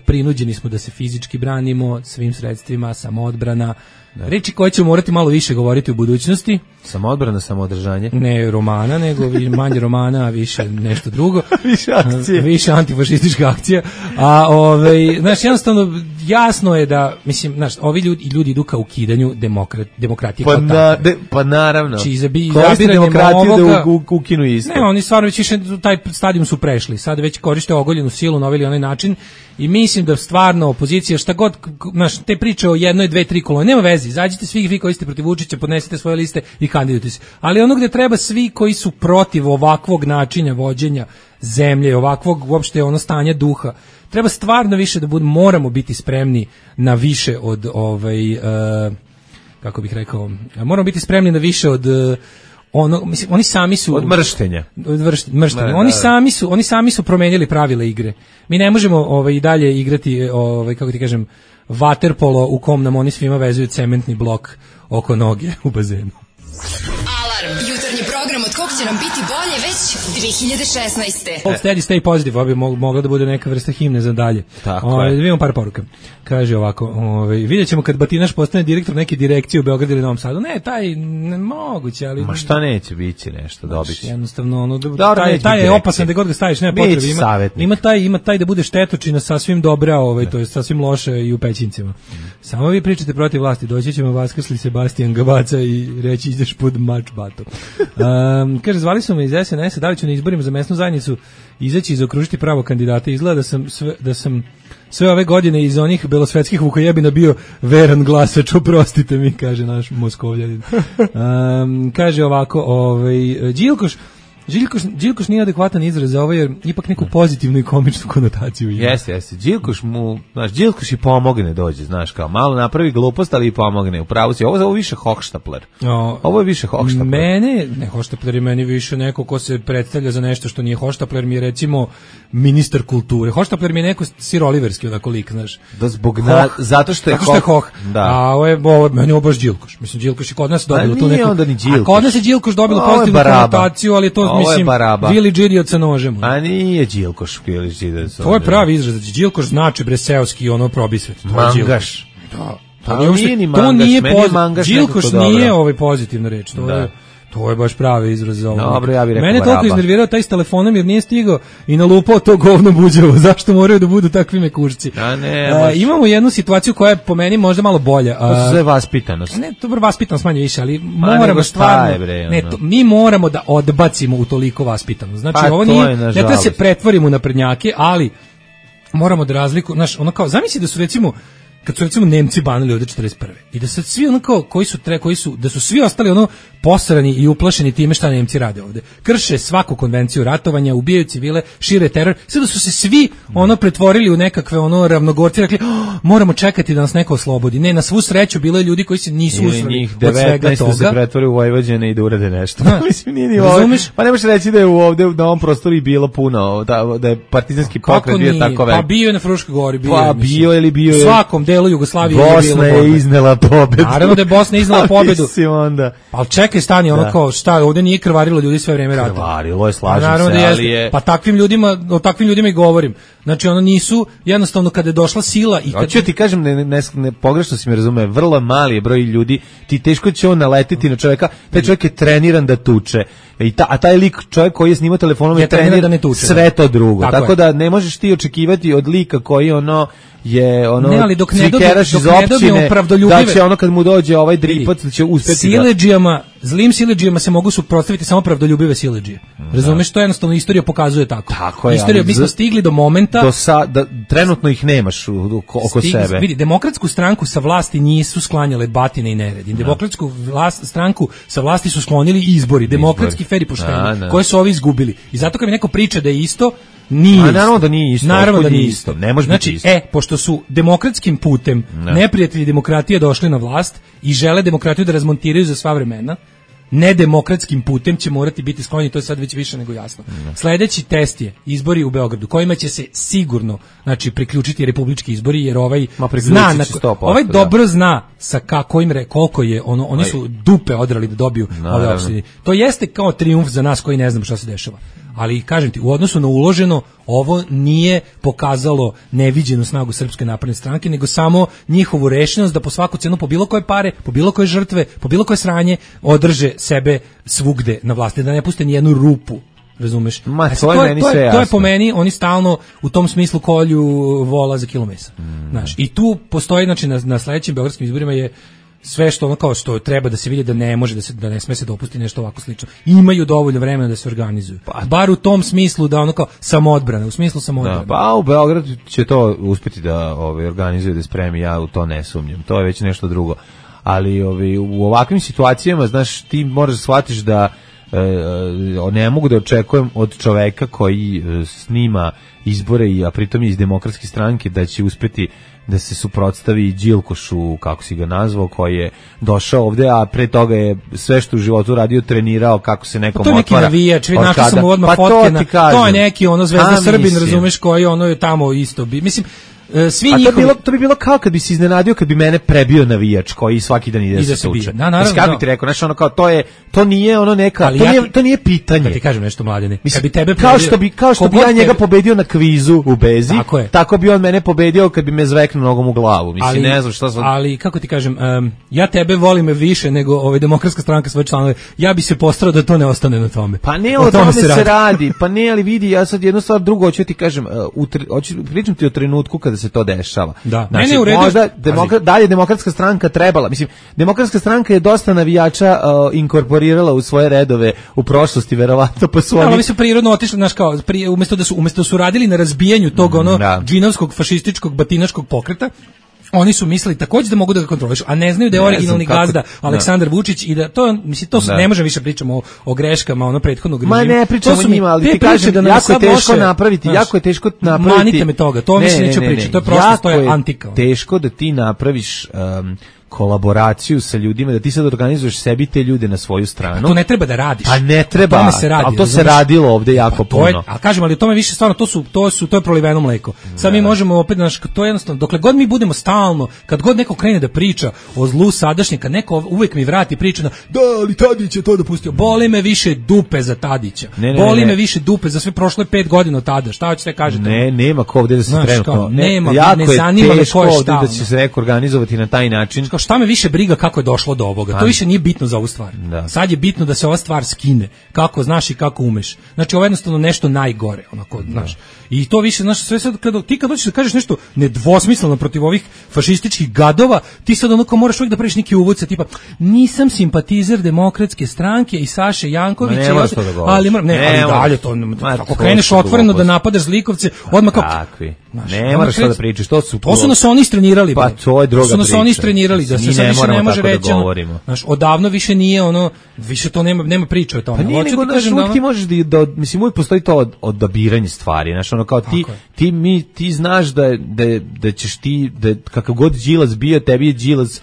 prinuđeni smo da se fizički branimo svim sredstvima, samoodbrana, reči koje ćemo morati malo više govoriti u budućnosti. Samoodbrana, samoodržanje? Ne romana, nego manje romana, a više nešto drugo. Više akcije. Više antifašistička akcija. Znaš, jednostavno, jasno je da, mislim, znaš, ovi ljudi idu ka ukidanju demokratije. Pa naravno. Koristi demokratiju da ukinu isto. Ne, oni stvarno već više taj stadijum su prešli. Sad već koriste ogoljenu silu na ovaj ili onaj način i mislim da stvarno opozicija, šta god, znaš, te priče o jednoj, dve, tri kolone, nema veze, izađite svi vi koji ste protiv Vučića, podnesite svoje liste i kandidujte se. Ali ono gde treba svi koji su protiv ovakvog načina vođenja zemlje, ovakvog uopšte ono stanja duha, treba stvarno više da moramo biti spremni na više od kako bih rekao, moramo biti spremni na više od mislim, oni sami su od mrštenja. Oni sami su promenili pravila igre. Mi ne možemo i dalje igrati kako ti kažem, vaterpolo u kom nam oni svima vezuju cementni blok oko noge u bazenu. Alarm, jutarnji program od kog će nam biti bolje već 2016. Steady, stay positive, ovo bi mogla da bude neka vrsta himne za dalje. Tako je. Vidimo par poruka. Kaže ovako, vidjet ćemo kad Batinaš postane direktor neke direkcije u Beogradu ili Novom Sadu. Ne, taj moguće, ali... Ma šta neće biti nešto dobiti? Jednostavno, taj je opasan da god ga staviš, nema potrebe. Ima taj da bude štetočina sasvim dobra, to je sasvim loše i u pećincima. Samo vi pričate protiv vlasti, doći ćemo vaskrsli Sebastian Gabaca i reći ideš pod mač bato. Kaže, zvali su me iz SNS-a, da li ću na izborima za mesnu zajednicu izaći i zaokružiti pravo kandidata. Izgleda da sam sve ove godine iz onih belosvetskih vukojebina bio veran glasač, oprostite mi, kaže naš Moskovljanin. Kaže ovako, Đilkoš nije adekvatan izraz za ovo jer ipak neku pozitivnu i komičnu konotaciju ima. Jeste. Đilkoš i pomogne dođe, znaš, kao malo napravi glupost, ali i pomogne. Upravo si, ovo je više hohštapler. Ovo je više hohštapler. Hohštapler je meni više neko ko se predstavlja za nešto što nije hohštapler, mi je recimo ministar kulture. Hohštapler mi je neko siroliverski onako lik, znaš. Zato što je hoh. Da. A ovo meni je baš Đilkoš. Mislim, Đilkoš je kod nas dobilo tu neku... A kod nas je Đilkoš dobilo pozitivnu konotaciju, ali to mislim, Vili Džiriot sa nožem. A nije Đilkoš Vili Džiriot sa nožem. To je pravi izraz. Đilkoš znači breseoski probisvet. Mangaš. Da. To nije mangaš. Đilkoš nije pozitivna reč. To je baš pravi izraz za ovo. Dobro, ja bih rekao mene toliko iznervirao taj s telefonom jer nije stigao i nalupao to govno buđevo. Zašto moraju da budu takvi mekušci? Imamo jednu situaciju koja je po meni možda malo bolja. To su sve vaspitanost. Ne, to je vaspitanost manje više, ali moramo stvarno... mi moramo da odbacimo u toliko vaspitanost. Znači, ovo nije... Ne treba se pretvorimo na prednjake, ali moramo da razliku... Znaš, ono kao, zamisli da su recimo... Kad su recimo Nemci banili ovde 41. I da sad svi da su svi ostali posrani i uplašeni time šta Nemci rade ovde. Krše svaku konvenciju ratovanja, ubijaju civile, šire teror. Sve da su se svi pretvorili u nekakve ravnogorci, rekli moramo čekati da nas neko oslobodi. Ne, na svu sreću bilo je ljudi koji se nisu usrali od svega toga. Se pretvori u Vojvođane i da urade nešto. Mislim, nije ni ovo. Pa ne možeš reći da je ovde na ovom prostoru bilo puno, da je partizanski pokret bio tako velik. Pa bio je na Fruškoj gori. Pa bio ili bio je... Svakom delu Jugoslavije Bosna je iznela pobedu. Naravno da je Bosna iznela pobedu. Mislim onda. Pa čekaj, stani, ono kao, šta, ovde nije krvarilo ljudi sve vreme rata. Krvarilo je, slažem naravno se, da ali je... Pa o takvim ljudima i govorim. Znači, ono nisu, jednostavno, kada je došla sila i kad... Hoću ti kažem, ne pogrešno si me razume, vrlo mali je broj ljudi, ti teško će on naletiti na čovjeka, taj čovjek je treniran da tuče. A taj lik, čovjek koji je snimao telefonom je treniran da ne tuče, sve to drugo. Tako da ne možeš ti očekivati od lika koji ne, ali dok ne dobijemo pravdoljubive, da će ono kad mu dođe ovaj dripac da će uspeti siledžijama, zlim siledžijama se mogu suprotstaviti samo pravdoljubive siledžije. Razumeš, to jednostavno istorija pokazuje tako. Tako je. Istorija, mi smo stigli do momenta da trenutno ih nemaš oko sebe. Vidi, Demokratsku stranku sa vlasti nisu sklanjale batine i neredi. Demokratsku stranku sa vlasti su sklonili izbori, demokratski fer i pošteni, koje su ovi izgubili. I zato kad mi neko priča da je isto, nije isto. Naravno da nije isto. Naravno da nije isto. Ne može biti isto. Pošto su demokratskim putem neprijatelji demokratije došli na vlast i žele demokratiju da razmontiraju za sva vremena, nedemokratskim putem će morati biti sklonjeni, to je sad već više nego jasno. Sledeći test je izbori u Beogradu, kojima će se sigurno, znači, priključiti republički izbori, jer ovaj zna, ovaj dobro zna sa koliko je oni su dupe odrali da dobiju ove opštine. To jeste kao trijumf za nas koji ne znamo šta se dešava. Ali kažem ti, u odnosu na uloženo, ovo nije pokazalo neviđenu snagu Srpske napredne stranke, nego samo njihovu rešenost da po svaku cenu, po bilo koje pare, po bilo koje žrtve, po bilo koje sranje, održe sebe svugde na vlasti, da ne puste ni jednu rupu. Razumeš? To je po meni, oni stalno u tom smislu kolju vola za kilo mesa. Znaš, i tu postoji, znači, na sledećim beogradskim izborima je sve što ono kao što treba da se vidi da ne može da ne sme se dopustiti nešto ovako slično. Imaju dovoljno vremena da se organizuju. Bar u tom smislu da ono kao samoodbrane, u smislu samoodbrane. Pa u Beogradu će to uspeti da organizuje, da spremi, ja u to ne sumnjam. To je već nešto drugo. Ali u ovakvim situacijama, znaš, ti moraš da shvatiš da ne mogu da očekujem od čoveka koji snima izbore, a pritom je iz Demokratske stranke, da će uspeti da se suprotstavi Đilkošu, kako si ga nazvao, koji je došao ovde, a pre toga je sve što u životu radio, trenirao kako se nekom otvara. To je neki navijač, našli sam mu odmah fotke, to je neki Zvezda Srbin, razumeš, koji je tamo isto bi. Mislim, svi njihovi... to bi bilo kao kad bi se iznenadio kad bi mene prebio navijač koji svaki dan ide se tuče. Kako bi ti rekao, znači ono kao to nije ono neka, to nije pitanje. Da ti kažem nešto, Mladene, kad bi tebe kao što bi ja njega pobedio na kvizu u Bezi, tako bi on mene pobedio kad bi me zveknuo nogom u glavu. Mislim, ne znam šta sam... Ali kako ti kažem, ja tebe volim više nego Demokratska stranka svoje članove. Ja bi se postarao da to ne ostane na tome. Pa ne, o tome se radi. Pa ne, ali vidi, ja sad jednu stvar, drugo hoću ti kažem, pričam ti o trenutku kada se to dešava. Da. Znači, možda dalje Demokratska stranka trebala, mislim, Demokratska stranka je dosta navijača inkorporirala u svoje redove u prošlosti, verovatno, pa su oni su prirodno otišli, znaš, kao umesto da su radili na razbijanju tog džinovskog, fašističkog, batinaškog pokreta, oni su mislili takođe da mogu da ga kontrolišu, a ne znaju da je originalni gazda Aleksandar Vučić i da to, mislim, to ne može više pričamo o greškama prethodnog režima. Ma ne pričamo o njima, ali ti kažem da jako je teško napraviti, manite me toga, to mislim neću pričati, to je prošlost, to je antika. Teško da ti napraviš kolaboraciju sa ljudima, da ti sad organizuješ sebi te ljude na svoju stranu. Pa to ne treba da radiš. Pa ne treba, ali to se radilo ovde jako puno. A kažem, ali o tome više stvarno, to je proliveno mleko. Sad mi možemo opet, to je jednostavno, dokle god mi budemo stalno, kad god neko krene da priča o zlu sadašnje, kad neko uvek mi vrati priču da ali Tadić je to dopustio, boli me više dupe za Tadića. Boli me više dupe za sve prošle 5 godina od tada. Šta hoćete kažete? Ne, nema ko ovde da se trenutno. Nema, ne zanima me ko je šta. Da će se neko organizovati na taj način. Šta me više briga kako je došlo do ovoga. To više nije bitno za ovu stvar. Sad je bitno da se ova stvar skine. Kako znaš i kako umeš. Znači, ovo je jednostavno nešto najgore, onako, znaš. I to više, znaš, sve sad ti kad hoćeš da kažeš nešto nedvosmisleno protiv ovih fašističkih gadova, ti sad onako moraš uvijek da praviš neki uvod sa tipa nisam simpatizer Demokratske stranke i Saše Jankovića, ali dalje to, ako kreneš otvoreno da napadaš zlikovce, odmah kao ne moraš to da pričaš, to su nas oni istrenirali. Pa to je druga priča. To su nas oni istrenirali, da se sad više ne može reći. Znaš, odavno više nije ono, više to nema priče o tome. Pa nije nego, uvijek ti možeš da, mislim, uvijek postoji to odabiranje stvari, znaš, ono kao ti znaš da ćeš ti, da kakav god Đilas bio, tebi je Đilas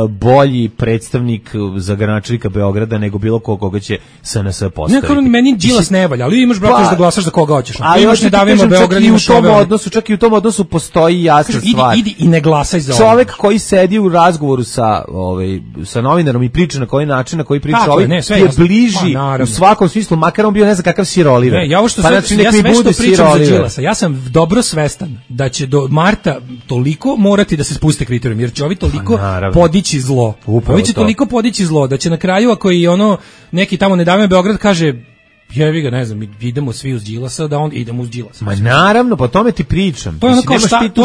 bolji predstavnik za gradonačelnika Beograda nego bilo koga će SNS postaviti. Ne, meni Đilas ne valja, ali imaš brate da glasaš za koga hoćeš. A još ne davimo Beograd, imaš čak i u tom odnosu postoji jasna stvar. Idi i ne glasaj za čovek koji sedi u razgovoru sa novinarom i priča na koji način, na koji priča je bliži u svakom smislu, makar on bio ne znam kakav siroliver. Ne, ja ovo što pričam za Đilasa, ja sam dobro svestan da će do marta toliko morati da se spuste kriterijumi, jer će ovi toliko podići zlo. Ovi će toliko podići zlo da će na kraju, ako i neki tamo ne dame Beograd kaže jevi ga, ne znam, idemo svi uz Đilasa, da on idemo uz Đilasa. Ma naravno, po tome ti pričam. To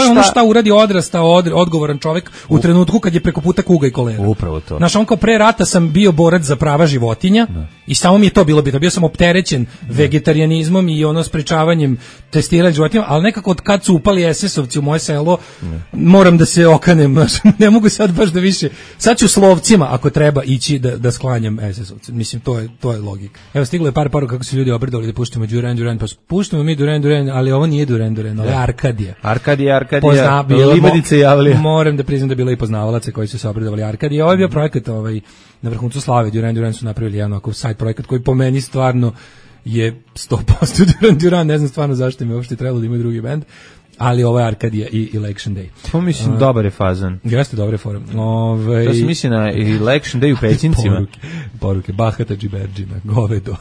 je ono šta uradi odrastao odgovoran čovjek u trenutku kad je preko puta kuga i kolera. Upravo to. Znaš, on kao pre rata sam bio borac za prava životinja i samo mi je to bilo bitno. Bio sam opterećen vegetarijanizmom i sprečavanjem testiranja životinja, ali nekako od kad su upali SS-ovci u moje selo, moram da se okanem. Ne mogu sad baš da više. Sad ću slovcima, ako treba, ići da sklanjam SS-ovce. Mislim, to je logika. Evo, stiglo je par kako su ljudi obredali da puštimo Duran, pa puštimo mi Duran, ali ovo nije Duran, ovo je Arkadija. Arkadija, Libadice javlja. Moram da priznam da je bilo i poznavalaca koji su se obredovali Arkadija. Ovo je bio projekat na vrhuncu slave. Duran su napravili jedan ovakav sajt projekat koji po meni stvarno je 100% Duran, ne znam stvarno zašto mi uopšte trebalo da imaju drugi bend. Ali ovo je Arkadija i Election Day. To mislim dobar je fazan. Jeste dobre forum. To se misli na Election Day u Pećincima. Poruke Bahata Džiberđina, govedo.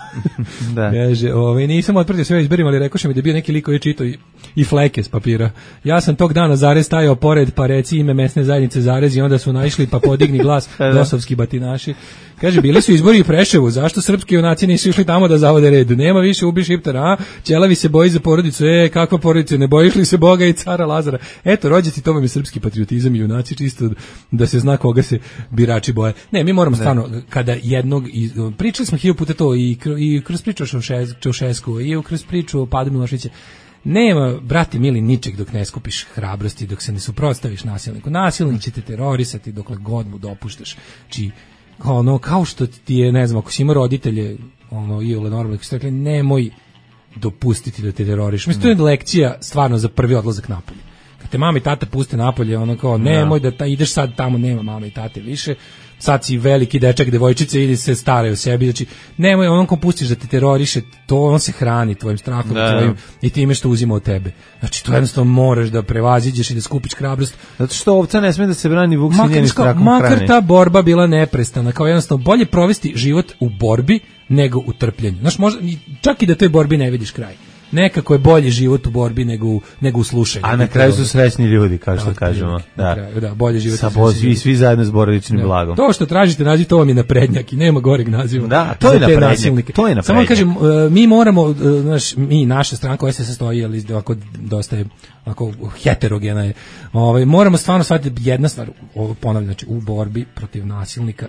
Da. Kaže, nisam otpratio sve izberim, ali rekoše mi da je bio neki lik koji je čitao i fleke s papira. Ja sam tog dana zarez stajao pored, pa reci ime mesne zajednice zarez i onda su naišli pa podigni glas dosovski batinaši. Kaže, bili su izbori u Preševu, zašto srpski junaci nisu išli tamo da zavode red? Nema više ubi Šiptara, Ćelavi se boji za porodicu, kakva porodica, ne bojiš li se Boga i cara Lazara? Eto, rođaci, to vam je srpski patriotizam i junaci, čisto da se zna koga se birači boje. Ne, mi moramo stvarno, kada jednog, pričali smo 1000 puta to i kroz priču o Čaušesku i kroz priču o padu Miloševića, nema, brate mili, ničeg dok ne skupiš hrabrosti, dok se ne suprotstaviš nasilniku. Nasilnik će te terorisati dokle god mu dopuštaš. Či kao što ti je, ne znam, ako si ima roditelje, iole normalno, koji su rekli, nemoj dopustiti da te teroriš. Mislim, to je lekcija stvarno za prvi odlazak napolje. Kad te mama i tata puste napolje, nemoj da ideš sad tamo, nema mama i tate više, sad si veliki dečak, devojčice, idi se staraj o sebi, znači, nemoj, ko pustiš da te teroriše, to on se hrani tvojim strahom, tvojim, i time što uzima od tebe. Znači, to jednostavno moraš da prevaziđeš i da skupiš hrabrost. Zato što ovca ne sme da se brani, vuk se njeni strahom hrani. Makar ta borba bila neprestana, kao jednostavno bolje provesti život u borbi nego u trpljenju. Znaš, čak i da toj borbi ne vidiš kraj. Nekako je bolji život u borbi nego u slušanju. A na kraju su srećni ljudi, kao što kažemo. Da, bolji život. Svi zajedno s porodičnim blagom. To što tražite naziv, to vam je naprednjak i nema goreg naziva. Da, to je naprednjak. Samo kažem, mi moramo, naša stranka koja se sastoji, ali ovako dosta je heterogena je. Moramo stvarno shvatiti jedna stvar, ponavljam, znači u borbi protiv nasilnika,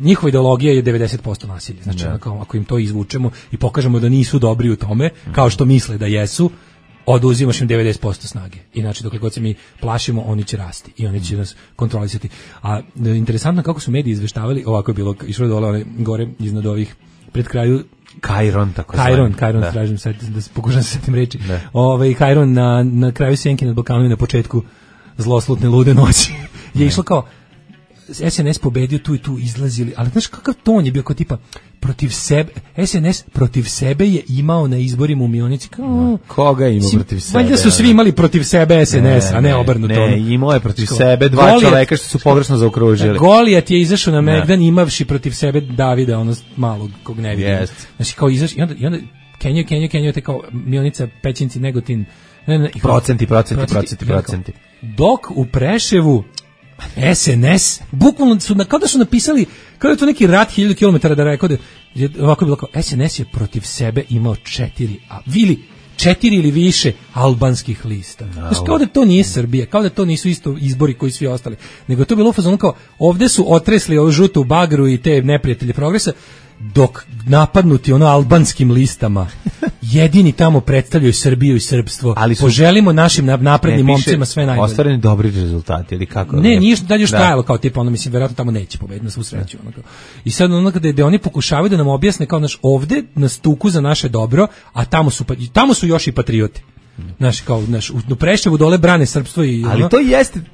njihova ideologija je 90% nasilje. Znači, ako im to izvučemo i pokažemo da nisu dobri u tome, kao što misle da jesu, oduzimaš im 90% snage. I znači, dokle god se mi plašimo, oni će rasti i oni će nas kontrolisati. A interesantno kako su mediji izveštavali, ovako je bilo, išlo dole gore iznad ovih, pred kraju Kajron, tako Kajron, tražim sad da pokušam se setim reči. Kajron na kraju Sjenke nad Balkanom i na početku zloslutne lude noći je išlo kao SNS pobedio tu i tu izlazili, ali znaš kakav ton je bio, kao tipa protiv sebe, SNS protiv sebe je imao na izborima u Mionici. Koga ima protiv sebe? Valjda su svi imali protiv sebe SNS, a ne obrnuto. Ne, imao je protiv sebe dva čoveka što su pogrešno zaokružili. Golijat je izašao na Megdan imavši protiv sebe Davida, ono malog kog ne vidim. Znači kao izašao i onda Kenjo te kao Mionica, Pećinci, Negotin. Procenti. Dok u Preševu SNS, bukvalno su, kao da su napisali, kao da je to neki rat 1000 km da rekao da je ovako bilo kao, SNS je protiv sebe imao 4 ili više albanskih lista. Znači, kao da to nije Srbija, kao da to nisu isto izbori koji svi ostali, nego je to bilo u fazonu kao, ovde su otresli ovu žutu bagru i te neprijatelje progresa, dok napadnuti albanskim listama jedini tamo predstavljaju Srbiju i srpstvo, ali poželimo našim naprednim momcima sve najbolje. Ostvareni dobri rezultati ili kako? Ne, nije dalje još trajalo kao tipa, mislim, verovatno tamo neće pobediti na svu sreću. I sad kada oni pokušavaju da nam objasne kao ovde nas tuku za naše dobro, a tamo su još i patriote. Znaš, kao, u Preševu dole brane srpstvo i ono. Ali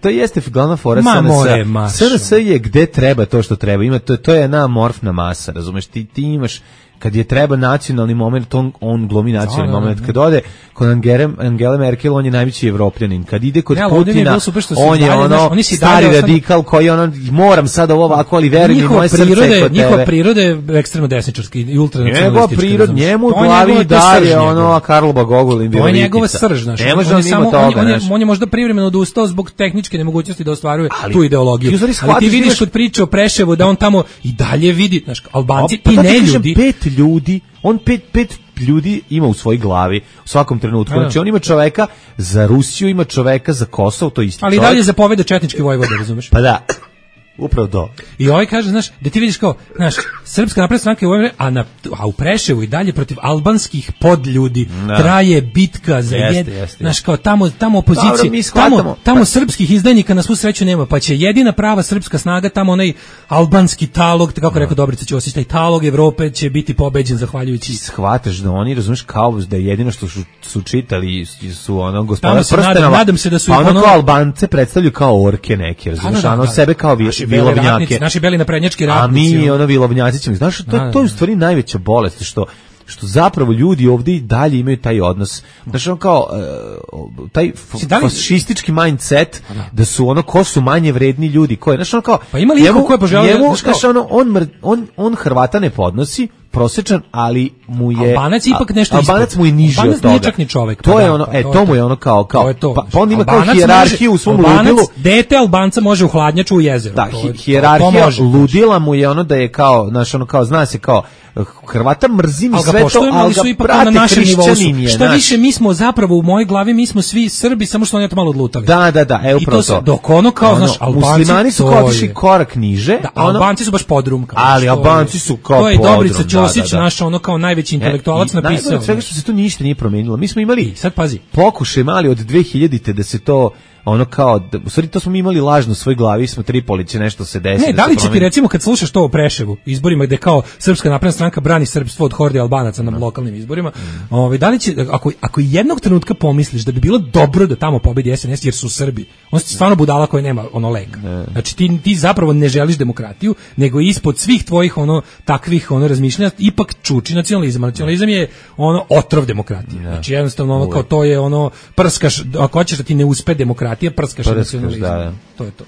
to jeste glavna fora SNS. SNS je gde treba to što treba. Ima to je jedna amorfna masa, razumeš? Ti imaš kad je treba nacionalni moment, on glumi nacionalni moment. Kad ode kod Angele Merkel, on je najveći Evropljanin. Kad ide kod Putina, on je ono stari radikal koji moram sad ovo ovako, ali veruj mi, moje srce je kod tebe. Njihova priroda je ekstremno desničarski i ultranacionalistički. Njemu u glavi dalje ono Karlo Bagogul i Virovitica. On je njegova srž, znaš. On je možda privremeno odustao zbog tehničke nemogućnosti da ostvaruje tu ideologiju. Ali ti vidiš kod priče o Preševu da on tamo i dalje vidi, znaš, Albanci i ne ljudi. Pet ljudi ima u svojoj glavi u svakom trenutku. Znači on ima čoveka za Rusiju, ima čoveka za Kosovo, to isto. Ali dalje zapoveda četnički vojvoda, razumeš? Pa da. Upravo to. I ovaj kaže, znaš, da ti vidiš kao, znaš, Srpska napredna stranka je a u Preševu i dalje protiv albanskih podljudi traje bitka za znaš, kao tamo opozicije, tamo srpskih izdajnika na svu sreću nema, pa će jedina prava srpska snaga tamo onaj albanski talog, kako rekao Dobrica Ćosić, taj talog Evrope će biti pobeđen zahvaljujući. Shvataš da oni, razumeš, kao da je jedino što su čitali su ono gospodar prstenova. Nadam se da su ono kao Albance predstavljaju kao orke neke, razumeš, ono sebe kao vilovnjake. Naši beli naprednjački ratnici. A mi ono vilovnjaci ćemo. Znaš, to je u stvari najveća bolest, što zapravo ljudi ovdje i dalje imaju taj odnos. Znaš, ono kao taj fašistički mindset da su ono ko su manje vredni ljudi. Znaš, ono kao pa ima li ko je poželio, znaš, on Hrvata ne podnosi, prosječan, ali mu je Albanac ipak nešto ispod. Albanac mu je niži od toga. Albanac nije čak ni čovjek. To je ono, to mu je ono kao pa on ima kao hijerarhiju u svom ludilu. Dete Albanca može u hladnjaču u jezeru. Da, hijerarhija ludila mu je ono da je kao, znaš, ono kao zna se kao Hrvata mrzim i sve to, ali ga prate hrišćanin je. Šta više, mi smo zapravo u mojoj glavi, mi smo svi Srbi, samo što oni to malo odlutali. Da, upravo to. Dok ono kao, znaš, Albanci, muslimani su kao otišli korak niže. Da, Albanci su baš podrum. Ali Albanci su kao podrum. To je Dobrica Ćosić, naš ono kao najveći intelektualac napisao. Najbolje svega što se tu ništa nije promenilo. Mi smo imali, sad pazi, pokušaj mali od 2000-te da se to ono kao, u stvari to smo mi imali lažno u svoj glavi, smo Tripoli će nešto se desiti. Ne, da li će ti recimo kad slušaš to o Preševu, izborima gde kao Srpska napredna stranka brani srpstvo od horde Albanaca na lokalnim izborima, da li će, ako jednog trenutka pomisliš da bi bilo dobro da tamo pobedi SNS jer su Srbi, on si stvarno budala koja nema ono leka. Znači ti zapravo ne želiš demokratiju, nego ispod svih tvojih takvih razmišljanja ipak čuči nacionalizam. Nacionalizam je otrov demokratije. Znači jednostavno kao to je prskaš, ako hoćeš da ti ne uspe demokratija, prskaš nacionalizam. To je to.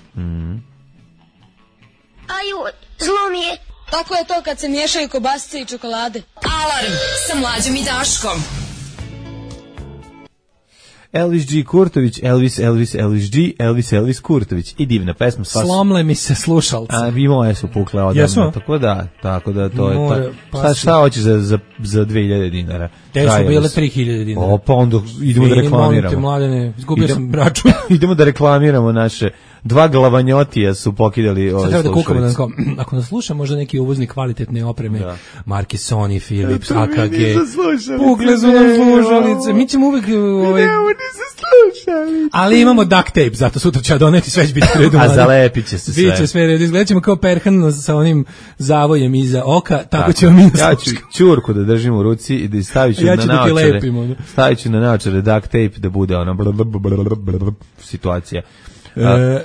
Aju, zlo mi je. Tako je to kad se miješaju kobasice i čokolade. Alarm sa Mlađom i Daškom. Elvis G. Kurtović, Elvis Kurtović i divna pesma. Slomle mi se slušalce. A i moje su pukle odavno. Tako da to je to. Šta hoćeš za 2000 dinara? Te su bile 3000 dinara. Pa onda idemo da reklamiramo. Mladene, izgubio sam račun. Idemo da reklamiramo naše dva glavanjotija su pokidali ove slušalice. Ako nas sluša možda neki uvoznik kvalitetne opreme, marke Sony, Philips, AKG. Pukle su nam slušalice. Mi ćemo uvek ali imamo duct tape, zato sutra će doneti sve će biti redu. A zalepit će se sve. Biće sve redu. Izgledat ćemo kao Perhan sa onim zavojem iza oka, tako ćemo mi nas ja ću ćurku da držim u ruci i da stavit ću na naočare. Stavit ću na naočare duct tape da bude ona situacija.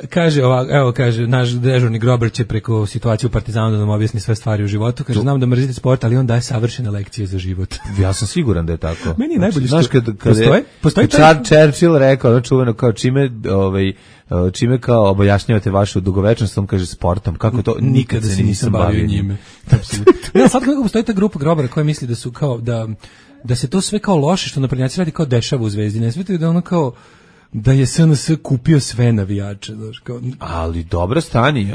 Kaže ovako, evo kaže naš dežurni Grobar će preko situacije u Partizanu da nam objasni sve stvari u životu. Kaže znam da mrzite sport, ali on daje savršene lekcije za život. Ja sam siguran da je tako. Meni je najbolje što postoji Churchill rekao čuveno kao čime kao objašnjavate vašu dugovečnost, on kaže sportom. Kako to? Nikada se nisam bavio njime. Ne, sad kako postoji ta grupa Grobara koja misli da su kao da se to sve kao loše što naprednjaci radi kao dešava u Zvezdi. Ne svetaju da ono kao da je SNS kupio sve navijače, znaš, kao. Ali dobro stani,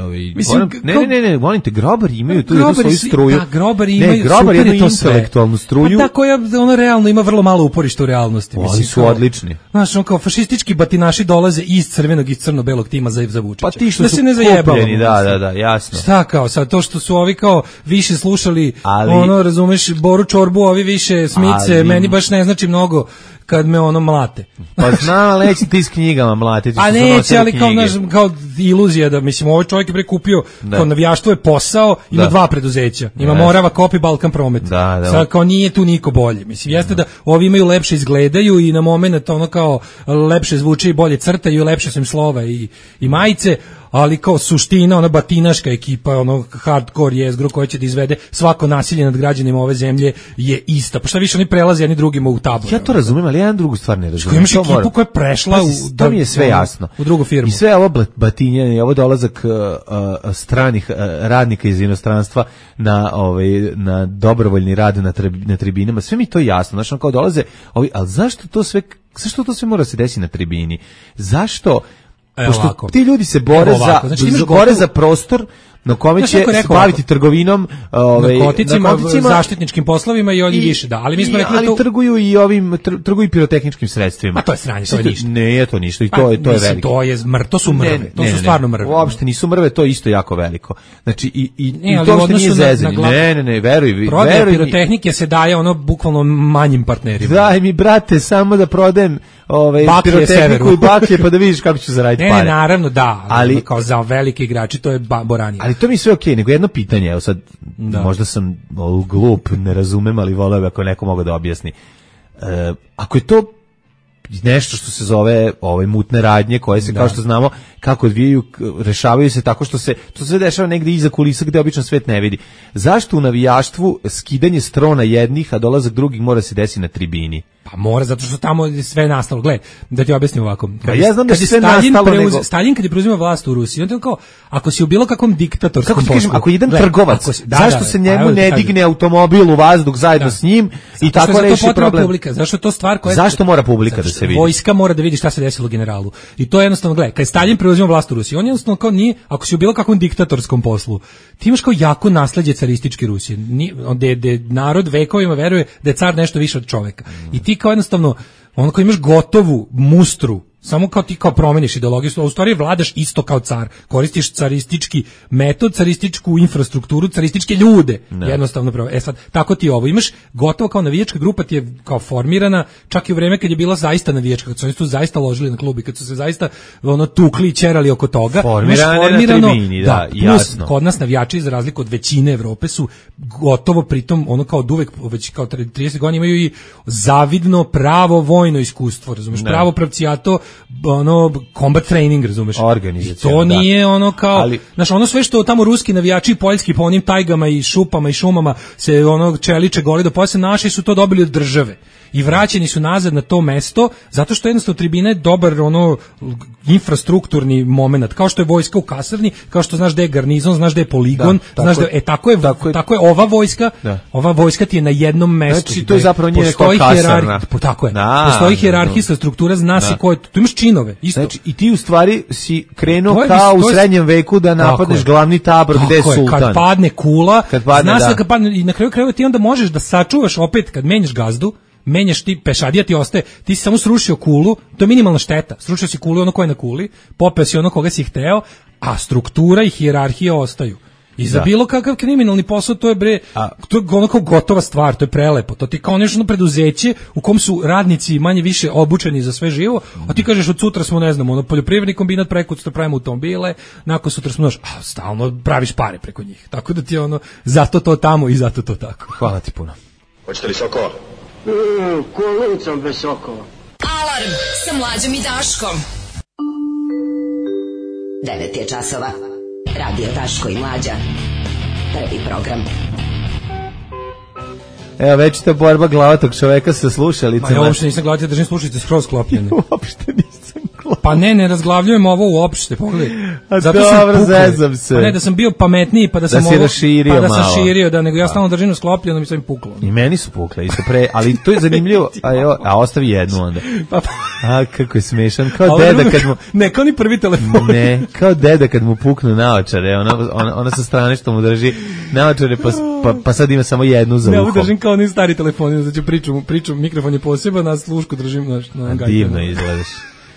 ne, molim te, Grobari imaju tu svoju struju. Da, Grobari imaju, Grobari imaju intelektualnu struju. Pa koja ono realno ima vrlo malo uporišta u realnosti. Oni su odlični. Znaš, on kao fašistički batinaši dolaze iz crvenog i crno-belog tima za Vučića. Pa ti što su kupljeni, da, jasno. Šta kao, sad to što su ovi kao više slušali, razumeš, Boru Čorbu, ovi više Smice, meni baš ne znači mnogo. kad me ono mlate. Pa znam, ali neće ti s knjigama mlatiti. A neće, ali kao iluzija da, mislim, ovaj čovjek je prekupio, kao navijaštvo je posao, ima dva preduzeća. Ima Morava Kop i Balkan Promet. Sad kao nije tu niko bolje. Mislim, jeste da ovi imaju lepše izgledaju i na moment ono kao lepše zvuče i bolje crtaju i lepše su im slova i majice, ali kao suština, ona batinaška ekipa, ono hardcore jezgro koja će da izvede svako nasilje nad građanima ove zemlje je ista. Pa šta više, oni prelaze jedni drugima u tabor. Ja to razumijem, ali jedan drugu stvar ne razumijem. Imaš ekipu koja je prešla to mi je sve jasno. U drugu firmu. I sve ovo batinjanje, ovo dolazak stranih radnika iz inostranstva na dobrovoljni rad na tribinama, sve mi to jasno. Znači, kao dolaze ovi, ali zašto to sve mora se desiti na tribini? Zašto? Pošto ti ljudi se bore za prostor na kome će se baviti trgovinom, narkoticima, zaštitničkim poslovima i oni više, da. Ali mi smo rekli ali trguju pirotehničkim sredstvima. A to je sranje, to je ništa. Ne, to ništa i to je veliko. To su mrve, to su stvarno mrve. Uopšte nisu mrve, to je isto jako veliko. Znači i to uopšte nije zezanje. Ne, veruj. Prodaja pirotehnike se daje ono bukvalno manjim partnerima. Daj mi, brate, samo da prodajem pirotehniku i baklje pa da vidiš kako ću zaraditi pare. Ne, naravno da, ali kao za velike igrači to je boranije. Ali to mi sve okej, nego jedno pitanje, evo sad, možda sam glup, ne razumem, ali voleo bi ako neko mogu da objasni. Ako je to nešto što se zove mutne radnje, koje se, kao što znamo, kako odvijaju, rešavaju se tako što se, to sve dešava negdje iza kulisa gde obično svet ne vidi. Zašto u navijaštvu skidanje strona jednih, a dolazak drugih mora se desiti na tribini? Pa mora, zato što tamo je sve nastalo. Gle, da ti objasnim ovako. Ja znam da je sve nastalo, Stalin kad je preuzimao vlast u Rusiji, on je kao, ako si u bilo kakvom diktatorskom poslu... Ako jedan trgovac, zašto se njemu ne digne automobil u vazduh zajedno s njim i tako reši problem? Zašto je to stvar koja... Zašto mora publika da se vidi? Vojska mora da vidi šta se desilo generalu. I to je jednostavno, gle, kad je Stalin preuzimao vlast u Rusiji, on jednostavno kao nije, ako si u bilo kakvom diktatorskom poslu, ti imaš kao jako nasleđe carističke Rusije. Gde narod vekovima veruje da je car nešto više od čoveka. I ti kao jednostavno ono kao imaš gotovu mustru, samo kao ti kao promeniš ideologiju, a u stvari vladaš isto kao car, koristiš caristički metod, carističku infrastrukturu, carističke ljude, jednostavno pravo. Sad, tako ti ovo, imaš gotovo kao navijačka grupa ti je kao formirana, čak i u vreme kad je bila zaista navijačka, kad su oni tu zaista ložili na klubi, kad su se zaista tukli i ćerali oko toga, formirano na tribini, da, jasno. Kod nas navijači, za razliku od većine Evrope, su gotovo pritom, ono kao od uvek, već kao 30 godina imaju i zavidno pravo vojno iskustvo, razumeš, pravo pravcijato, combat training, razumeš? I to nije ono kao, znaš, ono sve što tamo ruski navijači i poljski po onim tajgama i šupama i šumama se ono čeliče goli do pojasa, naši su to dobili od države. I vraćeni su nazad na to mesto, zato što jednostavno tribina je dobar infrastrukturni moment, kao što je vojska u kasarni, kao što znaš da je garnizon, znaš da je poligon, znaš da je, tako je ova vojska, ova vojska ti je na jednom mestu. Znači, to je zapravo nije kao kasarna. Tako je, postoji hijerarhijska struktura, zna si ko je, tu imaš činove, isto. Znači, i ti u stvari si krenuo kao u srednjem veku da napadneš glavni tabor gde je sultan. Kad padne kula, zna se da kad padne, i na kraju krajeva ti onda možeš da sačuvaš opet kad menjaš gazdu, menjaš ti, pešadija ti ostaje, ti si samo srušio kulu, to je minimalna šteta, srušio si kulu ono koje je na kuli, popeo si ono koga si hteo, a struktura i hijerarhija ostaju. I za bilo kakav kriminalni posao to je to je ono kao gotova stvar, to je prelepo, to ti kao nešto preduzeće u kom su radnici manje više obučeni za sve živo, a ti kažeš od sutra smo, ne znam, poljoprivredni kombinat, preko sutra pravimo automobile, nakon sutra smo stalno praviš pare preko njih, tako da ti zato to tamo i zato to tako. Hvala ti puno. Hoćete li sokova? Kolicom bez sokova. Alarm sa Mlađom i Daškom. 9 je časova. Radio Daško i Mlađa. Prvi program. Evo, već ta borba glavatog čoveka sa slušalicama. Ja uopšte nisam gledati, držim slušalice skroz sklopljene. Uopšte nisam gledati. Pa ne razglavljujem ovo uopšte, pogledaj. Dobro, zezam se. Pa ne, da sam bio pametniji, pa da sam ovo... raširio pa da sam širio, nego ja stalno držim sklopljeno, mi sam im puklo. I meni su pukle, isto pre, ali to je zanimljivo. A ostavi jednu onda. A, kako je smešan. Kao deda kad mu... Ne, kao ni prvi telefon. Ne, kao deda kad mu puknu naočare. Ona sa strane što mu drži naočare, pa sad ima samo jednu za uhom. Ne, držim kao ni stari telefoni, znači pričam, mikrofon je poseban, na slušku držim na gajbu. Divno izgledaš.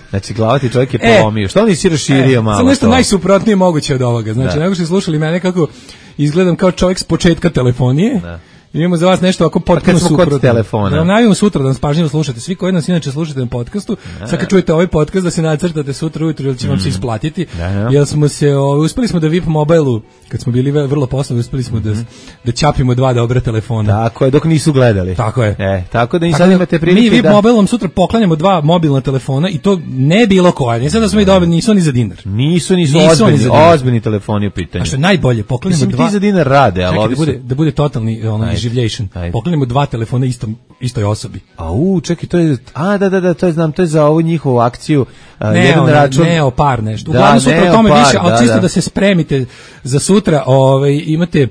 Znači, glavati čovjek je polomio. Što on nisi raširio malo? Sad nešto najsuprotnije moguće od ovoga. Znači, nego što slušali mene kako izgledam kao čovjek s početka telefonije. Imamo za vas nešto ako potpuno suprotno. Kod telefona. Da vam najavimo sutra da nas pažljivo slušate. Svi koji nas inače slušate na podcastu, sad kad čujete ovaj podcast da se nacrtate sutra ujutro ili će vam se isplatiti. Jer smo se uspeli smo da VIP Mobileu kad smo bili vrlo poslovni, uspeli smo da ćapimo 2 dobra telefona. Tako je, dok nisu gledali. Tako je. Tako da i sad imate prilike mi VIP Mobilom sutra poklanjamo 2 mobilna telefona i to ne bilo koja. Ne sad da smo i dobili, nisu ni za dinar. Nisu ozbiljni telefoni u pitanju. A što je najbolje, poklanjamo 2. Ti za dinar rade, ali da bude totalni življation. Poklanjamo 2 telefona istoj osobi. Čekaj, to je to je znam, to je za ovu njihovu akciju. Jedan račun par nešto. Uglavnom sutra o tome više, ali čisto da se spremite za sutra, imate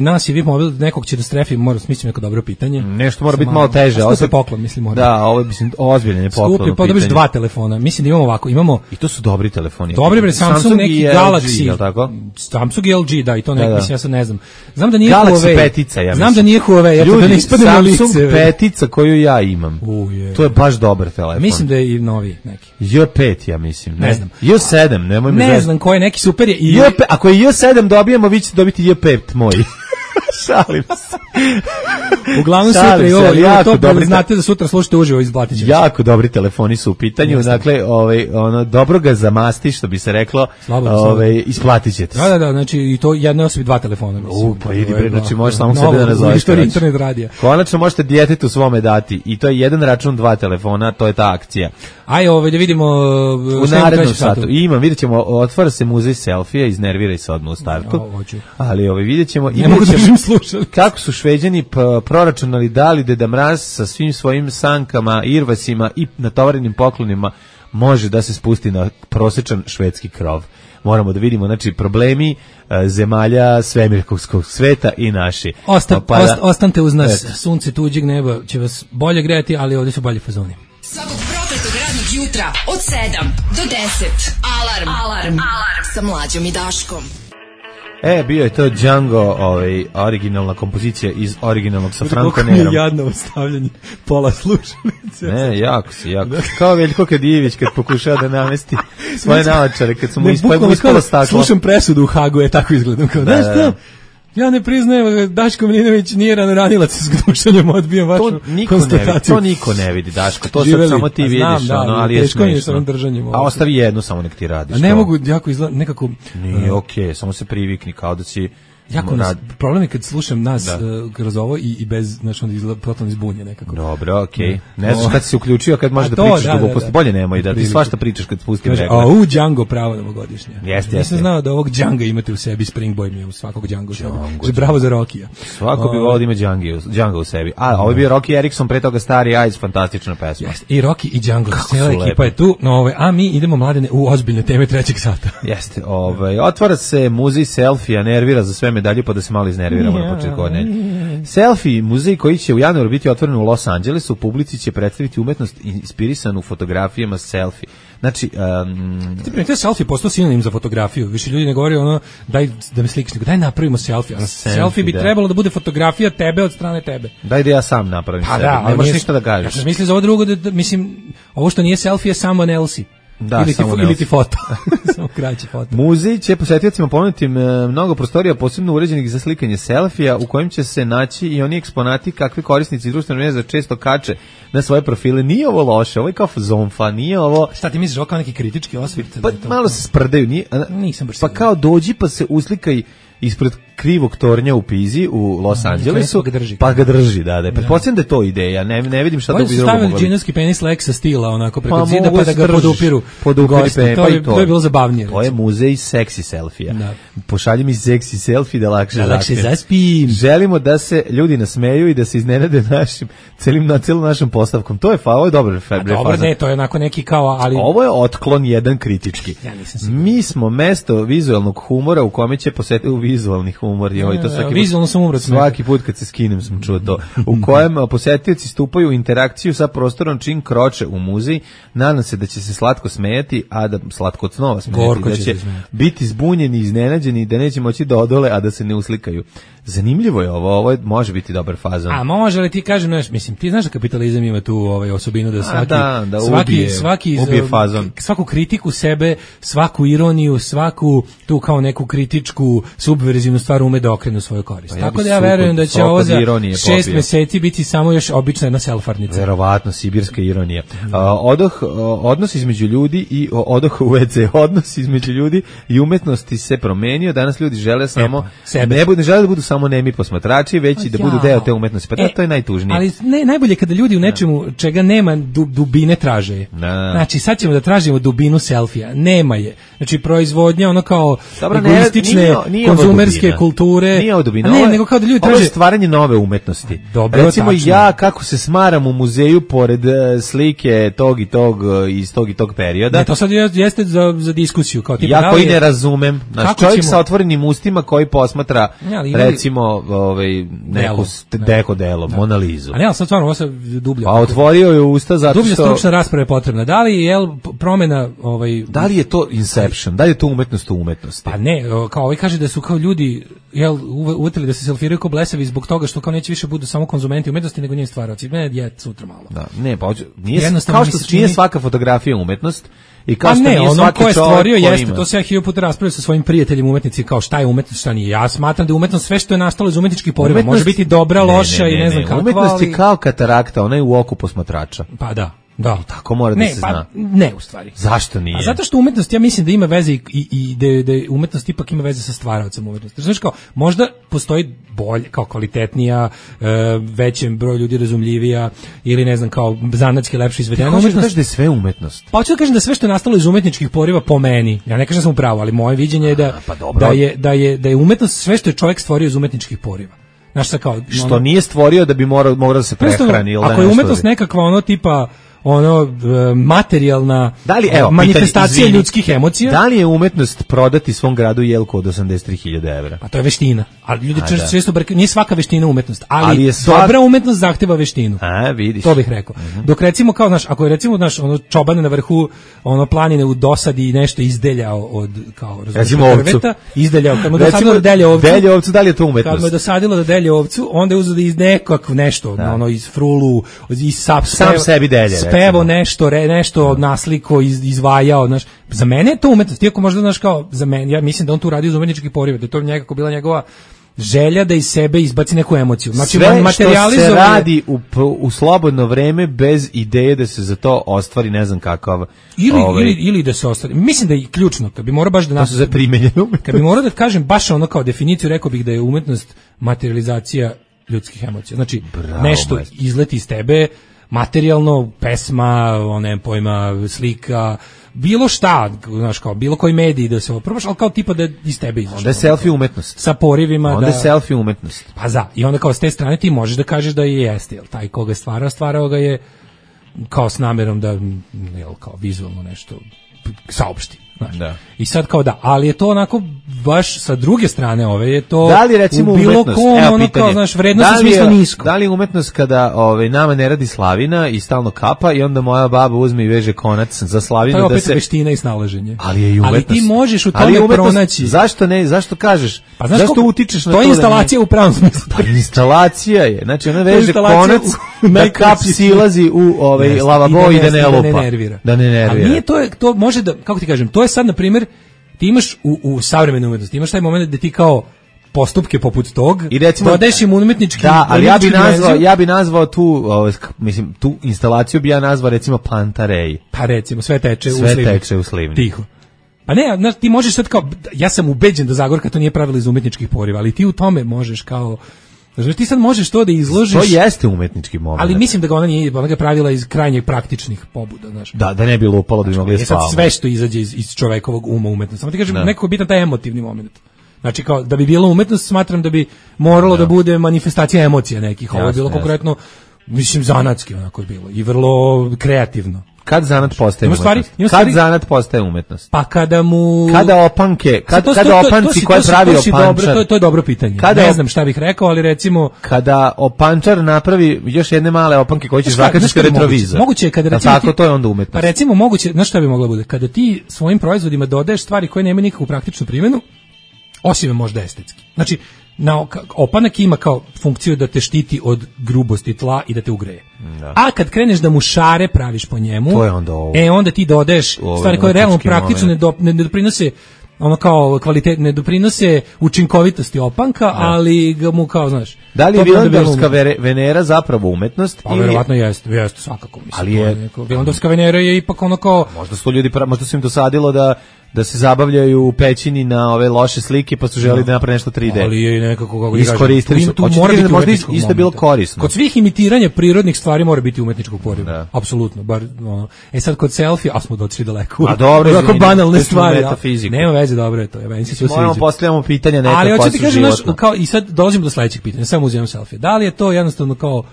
nas je VIP Mobil, nekog će da strefi, mislim neko dobro pitanje. Nešto mora biti malo teže. Skupi poklon, mislim mora. Da, ovo je mislim ozbiljan je poklon. Skupi, pa dobiš 2 telefona. Mislim da imamo ovako, i to su dobri telefoni. Dobri bre, Samsung neki Galaxy, je l' tako? Samsung i LG, da, i to neki, mislim ja sad ne znam. Znam da nije Galaxy Huawei. petica, ja mislim. Znam da nije Huawei, ljudi, da ne ispadne na lice. Samsung petica koju ja imam. To je baš dobar telefon. Mislim da je i novi neki. J5 ja mislim, ne znam. J7, nemoj me. Ne znam ko je, neki super je. Ako je J7 dobijemo, vi ćete dobiti J5 moj. Šalim se. Uglavnom sutra i ovo to dobro znate da sutra slušate uživo iz Blatića. Jako dobri telefoni su u pitanju, dakle, dobro ga zamasti, što bi se reklo, isplatit ćete se. Da, znači i to jednoj osobi 2 telefona. Pa idi bre, znači možeš samo sebe da nazoveš. Internet radija. Konačno možete djetetu svome dati i to je jedan račun 2 telefona, to je ta akcija. Aj, da vidimo u narednom satu. Vidjet ćemo, otvara se muzej selfija, iznerviraj se odmah u startu. Ali vidjet ćemo kako su Šveđani proračunali dali Deda Mraz sa svim svojim sankama, irvasima i natovarenim poklonima može da se spusti na prosječan švedski krov. Moramo da vidimo, znači, problemi zemalja svemirskog sveta i naši. Ostanite uz nas, sunce tuđeg neba će vas bolje grejati, ali ovdje su bolji fazoni. Svakog prokletog radnog jutra od 7 do 10. Alarm. Sa Mlađom i Daškom. Bio je to Django, originalna kompozicija iz originalnog sa Franco Nerom. Kako mi je jadno ostavljanje pola slušalice. Ne, jako. Kao Veljko Kadijević kad pokušava da namesti svoje naočare, kad su mu ispalo staklo. Slušam presudu u Hagu, tako izgledam. Znaš što? Ja ne priznajem, Daško Milinović nije ranilac s gdušanjem, odbijem vašu konstataciju. To niko ne vidi, Daško, to sad samo ti vidiš, ali je smešno. A ostavi jednu, samo nek ti radiš. A ne mogu, jako izgleda, nekako... Nije okej, samo se privikni, kao da si... Problem je kad slušam nas kroz ovo i bez, znači onda izgleda totalno izbunje nekako. Dobro, okej. Ne znaš kad si se uključio, kad možeš da pričaš gluposti, bolje nemoj da ti svašta pričaš kad spustim regle. Django pravo novogodišnje. Nisam znao da ovog Djanga imate u sebi, Spring Boy mi je u svakog Djanga u sebi. Bravo za Rokija. Svako bi volio da ima Djanga u sebi. A ovo je bio Rocky Erickson, pre toga Stari Eyes, fantastična pesma. I Rocky i Django, cijela ekipa je tu, a mi idemo, Mladene, u ozbiljne teme 3. sata. Jeste, otvara se muzej selfija, nervira za sve medalje, pa da se malo iznerviramo na početku godine. Selfie, muzej koji će u januaru biti otvoren u Los Angelesu, u publici će predstaviti umetnost inspirisanu fotografijama selfie. Znači, ti primetio selfie postao sinonim za fotografiju. Više ljudi ne govore daj da me slikaš, nego daj napravimo selfie. Selfie bi trebalo da bude fotografija tebe od strane tebe. Daj da ja sam napravim sebe. Ne možeš ništa da kažeš. Ja sam mislio za ovo drugo, mislim, ovo što nije selfie je someone else. Ili ti foto. Samo kraći foto. Muzej će posetiocima ponuditi mnogo prostorija posebno uređenih za slikanje selfija u kojim će se naći i oni eksponati kakvi korisnici društvene mreže često kače na svoje profile. Nije ovo loše, ovo je kao zonfa, nije ovo... Šta ti misliš, ovo kao neki kritički osvrt? Pa malo se sprdaju, nisam baš pa kao dođi pa se uslikaj ispred krivog tornja u Pizi u Los Angelesu, pa ga drži, da. Pretpostavljam da je to ideja, ne vidim šta to bi drugo moglo. Stavili džinovski penis Lexa stila, onako preko zida, pa da ga podupiru gosti. To je bilo zabavnije. To je muzej seksi selfija. Pošalji mi seksi selfie da lakše zaspim. Želimo da se ljudi nasmeju i da se iznenade celom našom postavkom. To je ovo je dobro. Dobro, ne, to je onako neki kao, ali... Ovo je otklon jedan kritički. Mi smo mesto vizualnog humora u kome će posetiti vizualni humor. Vizualno sam umro. Svaki put kad se skinem sam čuo to. U kojem posetioci stupaju u interakciju sa prostorom čim kroče u muzej. Nadam se da će se slatko smejati, a da slatko od snova smejati, da će biti zbunjeni, iznenađeni, da neće moći da odole, a da se ne uslikaju. Zanimljivo je ovo može biti dobar fazon. A može li ti kažem, mislim, ti znaš da kapitalizam ima tu osobinu da ubije fazon. Svaku kritiku sebe, svaku ironiju, svaku tu kao neku kritičku subverzivnu stvar stvar ume da okrenu svoju korist. Pa Tako da ja verujem da će ovo za 6 popio. meseci biti samo još obična jedna selfarnica. Verovatno, sibirska ironija. Odnos između ljudi i odoh u WC, odnos između ljudi i umetnosti se promenio. Danas ljudi žele samo ne žele da budu samo nemi posmatrači, već i da budu deo te umetnosti. Pa to je najtužnije. Ali najbolje kada ljudi u nečemu čega nema dubine traže. Znači sad ćemo da tražimo dubinu selfija. Nema je. Znači proizvodnja ono kao egoistične konzumerske kulture. Nije ovo dubina. Nego kao da ljudi traže stvaranje nove umetnosti. Dobro, recimo tačno. Ja kako se smaram u muzeju pored slike tog i tog iz tog i tog perioda. Ne, to sad jeste za diskusiju kao tipa ja koji ne razumem. Naš čovjek sa otvorenim ustima koji posmatra recimo neku deko delo, Mona Lizu. A ne, sad stvarno ovo se dublje. Pa otvorio je usta zato što dublje stručna rasprava je potrebna. Da li je promena da li je to Inception? Da li je to umetnost u umetnosti? Pa ne, kao kaže da su kao ljudi uvetili da se selfiraju kao blesavi zbog toga što kao neće više budu samo konzumenti umetnosti nego njeni stvaraoci. Mene je sutra malo. Da, ne, pa nije kao što nije svaka fotografija umetnost. I kao što ne, ono ko je stvorio jeste, ima. to se ja 1000 puta raspravio sa svojim prijateljima umetnici, kao šta je umetnost, šta nije. Ja smatram da je umetnost sve što je nastalo iz umetničkih poriva, može biti dobra, loša i ne znam kakva. Umetnost je kao katarakta, ona je u oku posmatrača. Pa da. Da, tako mora da se zna. Ne, u stvari. Zašto nije? A zato što umetnost, ja mislim da ima veze i da umetnost ipak ima veze sa stvaraocem umetnosti. Znaš kao, možda postoji bolje, kao kvalitetnija, većem broj ljudi razumljivija ili ne znam, kao zanatski lepše izvedena umetnost. Ti kažeš da je sve umetnost? Pa hoću da kažem da sve što je nastalo iz umetničkih poriva po meni, ja ne kažem da sam u pravu, ali moje viđenje je da je umetnost sve što je čovjek stvorio iz umetničkih poriva. Znaš, kao, što nije stvorio da bi morao da se prehrani. Ako je umetnost nekakva ono tipa materijalna manifestacija ljudskih emocija. Da li je umetnost prodati svom gradu jelku od 83.000 evra? Pa to je veština. Ali ljudi često nije svaka veština umetnost, ali dobra umetnost zahteva veštinu. A, vidiš. To bih rekao. Dok recimo kao ako je recimo čoban na vrhu planine u dosadi nešto izdeljao od kao drveta, izdeljao kad mu dosadilo da delje ovcu. Da li je to umetnost? Kad mu je dosadilo da delje ovcu, onda je uzeo da iz nekakv nešto, iz frulu, iz sam sebi delje. Pevo nešto nasliko, izvajao, znaš. Za mene je to umetnost, iako možda, znaš, kao, za mene, ja mislim da on tu radi iz umetničkih poriva, da je to nekako bila njegova želja da iz sebe izbaci neku emociju. Znači, sve što se radi u slobodno vreme bez ideje da se za to ostvari ne znam kakav... Ili da se ostvari. Mislim da je ključno, kad bi morao baš da... To su za primenjenu umetnost. Kad bi morao da kažem baš ono kao definiciju, rekao bih da je umetnost materializacija ljudskih emocija. Znači, nešto izleti iz tebe, materijalno, pesma, pojma, slika, bilo šta, znaš, kao bilo koji mediji da se probaš, ali kao tipa da iz tebe izašlo. Onda je selfie umetnost. Sa porivima. Onda je selfie umetnost. Pa i onda kao s te strane ti možeš da kažeš da je jeste, jel taj koga stvarao ga je kao s namerom da, jel, kao vizualno nešto saopšti. Da. I sad kao ali je to onako baš sa druge strane je to da li recimo u bilo umetnost, kom kao, znaš, vrednost u smislu nisko. Da li je umetnost kada nama ne radi slavina i stalno kapa i onda moja baba uzme i veže konac za slavinu da se... To je opet veština i snalaženje. Ali je i umetnost. Ali ti možeš u tome pronaći. Zašto ne, zašto kažeš? Pa zašto utičeš na to? To je instalacija u pravom smislu. Pa instalacija je. Znači ona veže konac da kap silazi u lavabo i da ne lupa. Da ne nervira. Ali nije to može da, kako ti kažem, to je sad na primjer ti imaš u savremenoj umetnosti, imaš taj moment da ti kao postupke poput tog i recimo dodaješ im umetnički. Da, ali ja bi nazvao tu, mislim, tu instalaciju bi ja nazvao recimo Plantarej. Pa recimo sve teče u slivni. Tiho. Pa ne, znaš, ti možeš sad kao, ja sam ubeđen da Zagorka to nije pravila iz umetničkih poriva, ali ti u tome možeš kao, znači ti sad možeš to da izložiš. To jeste umetnički moment. Ali mislim da ga ona ga pravila iz krajnje praktičnih pobuda, znaš. Da ne bi lupalo da bi mogli spavati. Sad sve što izađe iz čovekovog uma umetnost. Samo ti kažem, nekako bitan taj emotivni moment. Znači kao da bi bila umetnost, smatram da bi moralo da bude manifestacija emocija nekih. Ovo je bilo konkretno, mislim, zanatski onako je bilo i vrlo kreativno. Kad zanat postaje umetnost? Kad zanat postaje umetnost? Pa kada opanke, kada opanci koje pravi opančar. To je dobro pitanje. Ne znam šta bih rekao, ali recimo kada opančar napravi još jedne male opanke koje će zakačiti retrovizor. Moguće je kada recimo tako to je onda umetnost. Pa recimo moguće, znaš šta bi moglo bude? Kada ti svojim proizvodima dodaješ stvari koje nemaju nikakvu praktičnu primjenu, osim možda estetski. Znači opanak ima kao funkciju da te štiti od grubosti tla i da te ugreje. Da. A kad kreneš da mu šare praviš po njemu, to je onda onda ti dodaješ stvari koje realno praktično ne doprinose ono kao ne doprinose učinkovitosti opanka, ali ga mu kao, znaš. Da li je Vilandorska Venera zapravo umetnost? Pa verovatno jeste svakako, mislim. Ali je Vilandorska Venera je ipak ono kao možda su im dosadilo da se zabavljaju u pećini na ove loše slike, pa su želeli da naprave nešto 3D. Ali je nekako, kako iskoristili su. Možda isto bilo korisno. Kod svih imitiranja prirodnih stvari mora biti umetničkog poriva. Apsolutno. Bar, sad kod selfie, smo došli daleko. A dobro, tako banalne stvari. Nema veze, dobro je to. Meni se sve sviđa. Moramo postavljamo pitanja neka koja su životna. Ali hoćete kažem, kao, i sad dolazimo do sledećeg pitanja, samo uzimam selfie. Da li je to jednostavno kao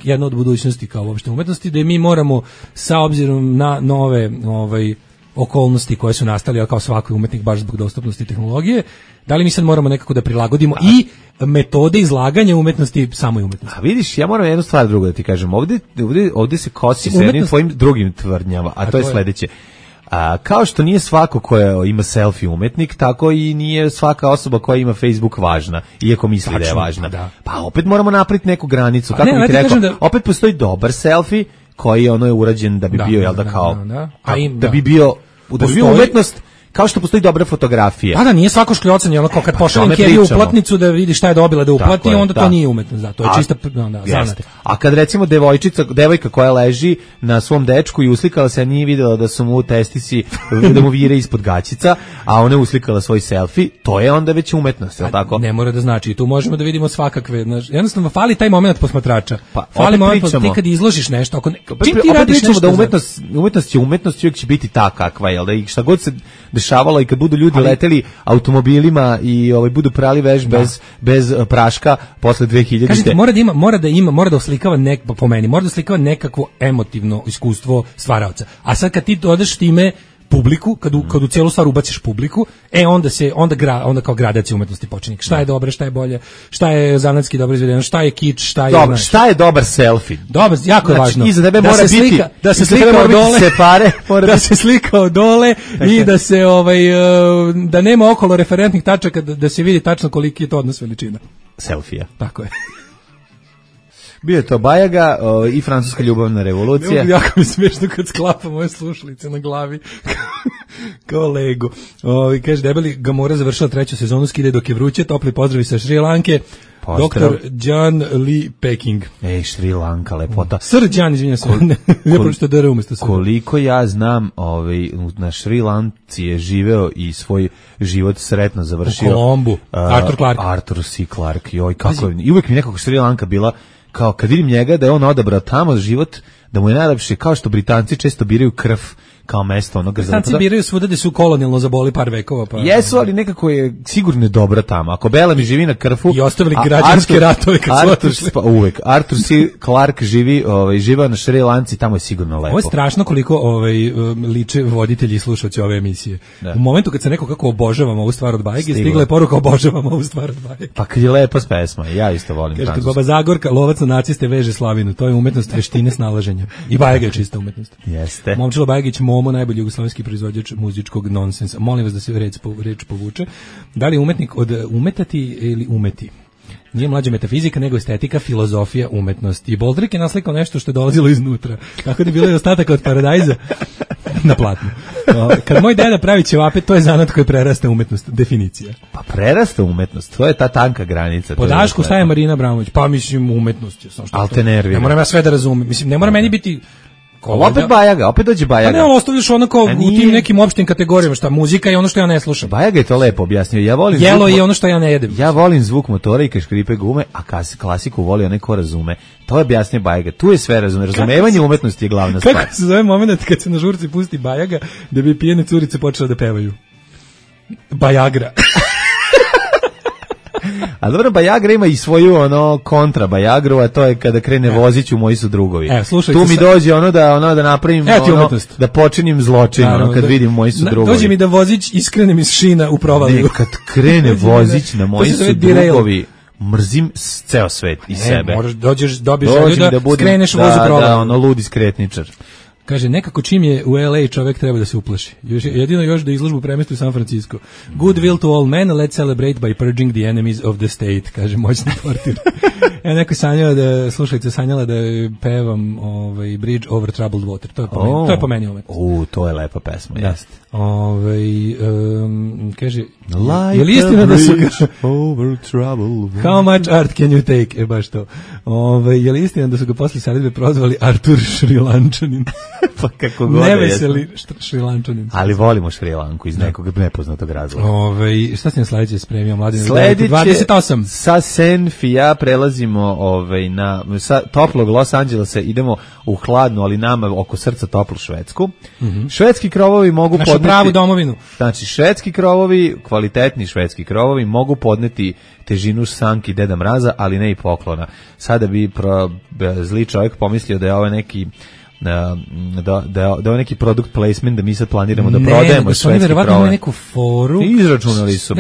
jedna od budućnosti kao uopšte umetnosti, da mi moramo sa obzirom na nove okolnosti koje su nastale, ali kao svaki umetnik baš zbog dostupnosti tehnologije, da li mi sad moramo nekako da prilagodimo i metode izlaganja umetnosti samoj umetnosti? A vidiš, ja moram jednu stvar drugo da ti kažem. Ovdje se kosi sa jednim tvojim drugim tvrdnjama, a to je sledeće. Kao što nije svako koja ima selfie umetnik, tako i nije svaka osoba koja ima Facebook važna, iako misli da je važna. Pa opet moramo napraviti neku granicu. Kako bih rekao, opet postoji dobar selfie koji je urađen da bi bio, jel da kao, da bi bio umetnost, kao što postoji dobra fotografija. Da, nije svako škljocanje, ono kao kad pošaljem Keriju uplatnicu da vidi šta je dobila da uplati, onda to nije umetnost, to je čista zanat. A kad recimo devojka koja leži na svom dečku i uslikala se, nije videla da su mu testisi, da mu vire ispod gaćica, a ona je uslikala svoj selfie, to je onda već umetnost, je li tako? Ne mora da znači, tu možemo da vidimo svakakve, jednostavno fali taj moment posmatrača. Fali moment ti kad izložiš nešto, čim ti radiš nešto da umetnost uvijek će biti ta kakva, jel da, i šta god se dešavalo i kad budu ljudi leteli automobilima i budu prali veš bez praška posle 2000. Kažete, mora da oslikava mora da oslikava nekakvo emotivno iskustvo stvaraoca. A sad kad ti dodaš time publiku, kad u cijelu stvar ubaciš publiku, onda kao gradacija umetnosti počinje. Šta je dobro, šta je bolje, šta je zanatski dobro izvedeno, šta je kič, šta je... Dobro, šta je dobar selfie? Dobar, jako je važno. Iza tebe mora biti... Da se slika od dole, da se slika od dole i da se, da nema okolo referentnih tačaka, da se vidi tačno koliki je to odnos veličina. Selfija. Tako je. Bio je to Bajaga i francuska ljubavna revolucija. Jako mi smiješno kad sklapa moje slušalice na glavi kao Lego. Kaže, debeli Gamora završila 3. sezonu, skide dok je vruće, topli pozdravi sa Šri Lanke. Doktor John Lee Peking. Šri Lanka, lepota. Sir John, izvinjam se. Ja pročito DR umesto Sir. Koliko ja znam, na Šri Lanci je živeo i svoj život sretno završio. U Kolombu. Arthur Clarke. Arthur C. Clarke. Joj, kako je. I uvijek mi nekako Šri Lanka bila kao kad vidim njega da je on odabrao tamo život, da mu je najlepše, kao što Britanci često biraju krv kao mesto onoga zapada. Britanci biraju svuda da su kolonijalno zaboli par vekova. Pa... Jesu, ali nekako je sigurno dobro tamo. Ako Bela mi živi na Krfu... I ostavili građanske ratove kad su otišli. Uvek. Arthur C. Clarke živa na Šri Lanci, tamo je sigurno lepo. Ovo je strašno koliko liče voditelji i slušalci ove emisije. Da. U momentu kad se neko kako obožavamo ovu stvar od Bajege, stigla je poruka obožavamo ovu stvar od Bajege. Pa kad je lepa pesma, ja isto volim francusku. Kaže, Baba Zagorka, lovac na naciste veže slavinu, to je umetnost veštine snalaženja. I Bajega je čista umetnost. Jeste. Momčilo Bajegić, Momo, najbolji jugoslovenski proizvođač muzičkog nonsensa. Molim vas da se reč povuče. Da li umetnik od umetati ili umeti? Nije mlađa metafizika, nego estetika, filozofija, umetnost. I Boldrik je naslikao nešto što je dolazilo iznutra. Tako da je bilo i ostatak od Paradajza na platnu. Kad moj deda pravi ćevape, to je zanat koji prerasta umetnost. Definicija. Pa prerasta umetnost, to je ta tanka granica. Po Dašku staje Marina Abramović. Pa mislim, umetnost je. Al te nervira. Ne moram ja sve da razumem. Mislim, ne mora meni biti... Opet Bajaga, opet dođe Bajaga. Pa ne, ostavljaš onako u tim nekim opštim kategorijama, šta muzika je ono što ja ne slušam. Bajaga je to lepo objasnio. Ja volim jelo je ono što ja ne jedem. Ja volim zvuk motora i kad škripe gume, a klasiku voli onaj ko razume. To je objasnio Bajaga. Tu je sve razumevanje umetnosti je glavna stvar. Kako se zove moment kad se na žurci pusti Bajaga da bi pijene curice počele da pevaju? Bajagra. A dobro, Bajagra ima i svoju kontra Bajagru, a to je kada krene vozić u moji su drugovi. Tu mi dođe da napravim da počinim zločin, kad vidim moji su drugovi. Dođe mi da vozić iskrenem iz šina u provaliju. Ne, kad krene vozić na moji su drugovi, mrzim ceo svet i sebe. Dobiješ da skreneš voz u provaliju. Da, ludi skretničar. Kaže, nekako čim je u LA čovjek treba da se uplaši. Jedino još da izložbu premesti u San Francisco. Good will to all men, let's celebrate by purging the enemies of the state, kaže moćni portir. Neko sanjala da, slušajte, sanjala da pevam Bridge over Troubled Water. To je po meni umet. To je lepa pesma, jeste. Kaže, je li istina da su ga... over troubled water. How much art can you take? Baš to. Je li istina da su ga posle saradbe prozvali Artur Šrilančanin? Pa kako god Neveseli Šrilančanin. Ali volimo Šrilanku iz nekog nepoznatog razloga. Šta si na sledeće spremio, Mladen? Sledeće 28. Sa Senfija prelazimo sa toplog Los Angelesa idemo u hladnu, ali nama oko srca toplu Švedsku. Švedski krovovi mogu našu pravu domovinu. Znači, švedski krovovi, kvalitetni švedski krovovi mogu podneti težinu sanki Deda Mraza, ali ne i poklona. Sada bi zli čovjek pomislio da je ovo neki da je neki product placement, da mi sad planiramo da prodajemo švedski krove. Neku foru. Izračunali su.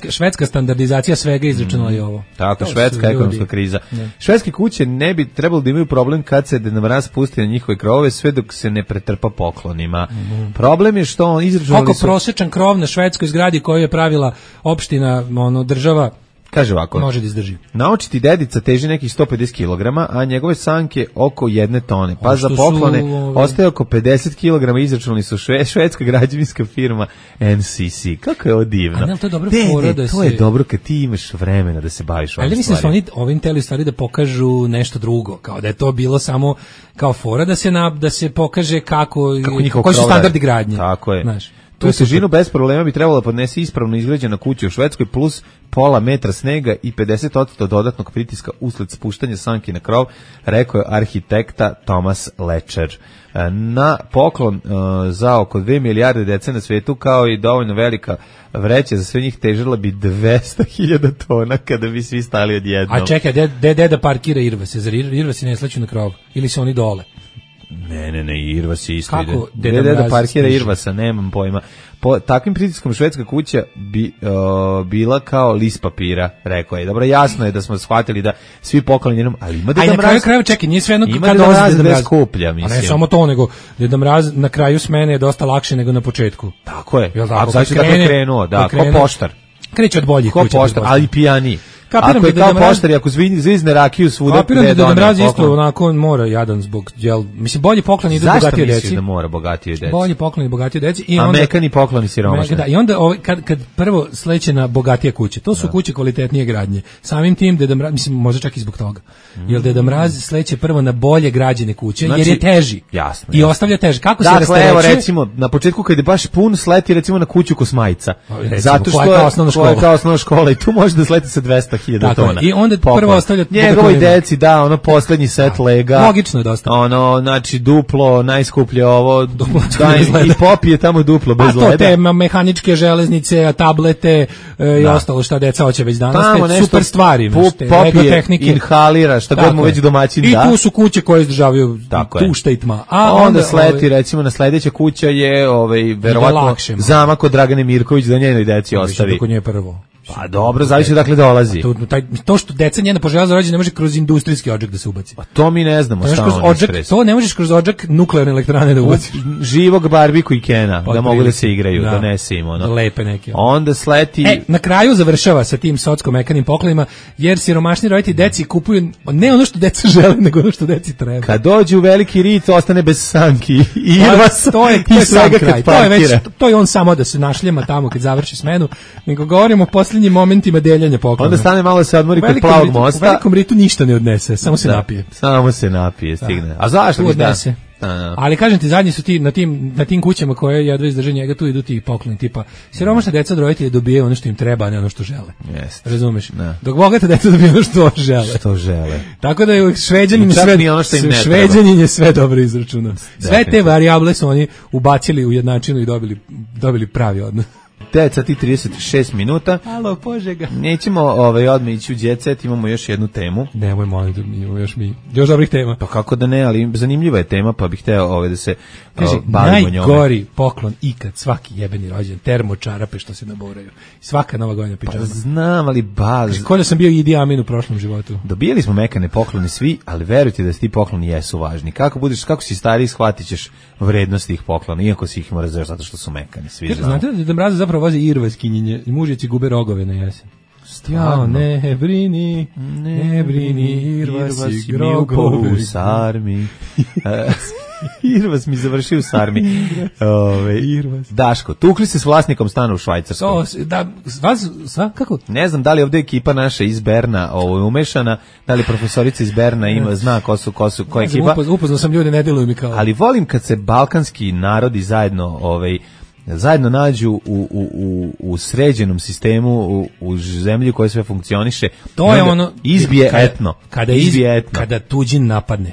Švedska standardizacija svega izračunala i ovo. Tako, švedska ekonomska kriza. Švedske kuće ne bi trebalo da imaju problem kad se Deda Mraz pusti na njihove krovove, sve dok se ne pretrpa poklonima. Problem je što on izračunali su... Oko prosječan krov na švedskoj zgradi koju je pravila opština, država, kaže ovako, može da izdrži. Naočiti dedica teži nekih 150 kg, a njegove sanke oko 1 tone. Pa za poklone ostaje oko 50 kg, izračunali su švedska građevinska firma NCC. Kako je ovo divno. A ne, to je dobro fora da se... To je dobro kad ti imaš vremena da se baviš ovim stvarima. Ali mislim da su oni ovim teli stvari da pokažu nešto drugo, kao da je to bilo samo kao fora da se pokaže koji su standardi gradnje. Tako je. Znaš, tu težinu bez problema bi trebalo da podnese ispravno izgrađena kuća u Švedskoj plus pola metra snega i 50% dodatnog pritiska usled spuštanja sanki na krov, rekao je arhitekta Thomas Lečer. Na poklon za oko 2 milijarde dece na svetu, kao i dovoljno velika vreća za sve njih, težila bi 200.000 tona kada bi svi stali odjednom. A čekaj, deda parkira Irvase, zar Irvasi ne sleću na krov? Ili su oni dole? Ne, Irvas je isto. Kako ide. Deda parkira Irvasa, nemam pojma. Po takvim pritiskom švedska kuća bi bila kao list papira, rekao je. Dobro, jasno je da smo shvatili da svi pokloni jednom, ali ima Deda Mraz. Na kraju čekaj, nije sve jedno kad dolazi Deda Mraz skuplja, mislim. A ne samo to, nego Deda Mraz na kraju smene je dosta lakše nego na početku. Tako je. A znači da je krenuo, da, ko poštar. Kreće od boljih kuća. Ko poštar, ali pijaniji. Ako je kao poštar i ako zvizne rakiju svuda... Kapiram da Deda Mraz isto onako mora jadan zbog... Mislim, bolji pokloni idu bogatije deci. Zašto misliš da mora bogatije deci? Bolji pokloni bogatije deci. A mekani pokloni siromašni. Da, i onda kad prvo sleće na bogatije kuće, to su kuće kvalitetnije gradnje. Samim tim Deda Mraz, mislim, možda čak i zbog toga. Jer Deda Mraz sleće prvo na bolje građene kuće, jer je teži. Jasno. I ostavlja teži. Kako se rasterećuje? Dakle, evo recimo, na početku kad je baš pun, sleti recimo na kuću Kosmajca. Zato što je kao osnovna škola i tu može da sleti sa 200.000 tona. Onda prvo ostavlja njegovoj deci, da, ono poslednji set lega. Logično je dosta. Ono, znači duplo, najskuplje ovo, i popije tamo duplo bez leda. A to te mehaničke železnice, tablete i ostalo šta deca hoće već danas, te super stvari. Popije, inhalira, šta god mu već domaćin da. I tu su kuće koje izdržavaju tušta i tma. A onda sleti, recimo, na sledeća kuća je verovatno zamak od Dragane Mirković da njenoj deci ostavi. Kako nje prvo. Pa dobro, zavisi dakle dolazi. To što deca njena poželjela za rođendan ne može kroz industrijski odžak da se ubaci. Pa to mi ne znamo šta on ispres. To ne možeš kroz odžak nuklearne elektrane da ubaciš. Živog Barbiku i Kena, da mogu da se igraju, donese im ono. Lepe neke. Onda sleti... Na kraju završava sa tim socko-mekanim poklonima, jer siromašni roditelji deci kupuju ne ono što deca žele, nego ono što deci treba. Kad dođe u veliki rit, ostane bez sanki i Irvas i svega kad parkira. To je on samo da se našljema tamo kad završi smenu, nego govorimo o momentima deljenja poklona. Onda stane malo se odmori kod Plavog mosta. U velikom ritu ništa ne odnese, samo se napije. Samo se napije, stigne. A zašto bi odnese? Ali kažem ti, zadnji su ti na tim kućama koje jedva izdrže njega, tu idu ti pokloni tipa siromašna deca od roditelja dobijaju ono što im treba, a ne ono što žele. Razumeš? Dok bogata deca dobijaju ono što žele. Tako da je Šveđanin je sve dobro izračunao. Sve te varijable su oni ubacili u jednačinu i dobili pravi odnos. 9 sati 36 minuta. Alo, Požega. Nećemo odmah ići u Jet Set, imamo još jednu temu. Nemoj, molim te, imamo još dobrih tema. Pa kako da ne, ali zanimljiva je tema, pa bih hteo da se bavimo njome. Najgori poklon ikad, svaki jebeni rođen, termočarape što se naboraju. Svaka nova godina pičama. Pa znam, ali Kolja sam bio Idi Amin u prošlom životu. Dobijali smo mekane poklone svi, ali verujte da ti pokloni jesu važni. Kako si stariji, shvatit ćeš vrednost tih poklona, iako si ih mora zašto zato što su mekani. Svi znate da Mraza zapravo vozi irvaskinjenje i mužjeci gube rogove na jesen. Ja, ne brini, Irvasi, grogovi u sarmi. Irvas mi završio u sarmi. Daško, tukli se s vlasnikom stana u Švajcarskoj. Kako? Ne znam da li ovdje ekipa naša iz Berna umešana, da li profesorica iz Berna zna ko je ekipa. Upoznao sam ljude, ne deluju mi kao. Ali volim kad se balkanski narodi zajedno nađu u sređenom sistemu, u zemlji koja sve funkcioniše. To je ono izbije etno. Kada tuđin napadne.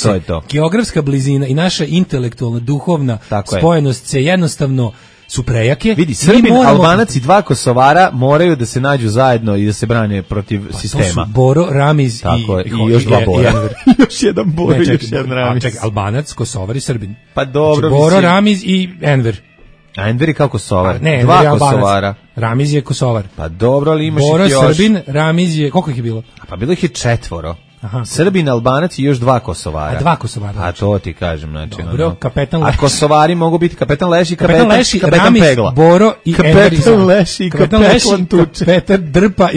To je to. Geografska blizina i naša intelektualna, duhovna spojenost se jednostavno su prejake. Vidi, Srbin, Albanac i dva Kosovara moraju da se nađu zajedno i da se brane protiv sistema. To su Boro, Ramiz i još dva Bora. Još jedan Boro i još jedan Ramiz. Albanac, Kosovar i Srbin. Pa dobro. Znači, Boro, Ramiz i Enver. A Enver je kao Kosovar. Ne, dva Kosovara. Ramiz je Kosovar. Pa dobro, ali imaš Boro, ih još. Srbin, Ramiz je, koliko ih je bilo? Pa bilo ih je 4. Aha. Srbin, Albanac i još 2 Kosovara. A 2 Kosovara. A to ti kažem, znači. Dobro, kapetan Leši. A Kosovari mogu biti kapetan Leši, kapetan Ramiz, Pegla. Boro i kapetan Leši i kapetan Tuče. Kapetan Drpa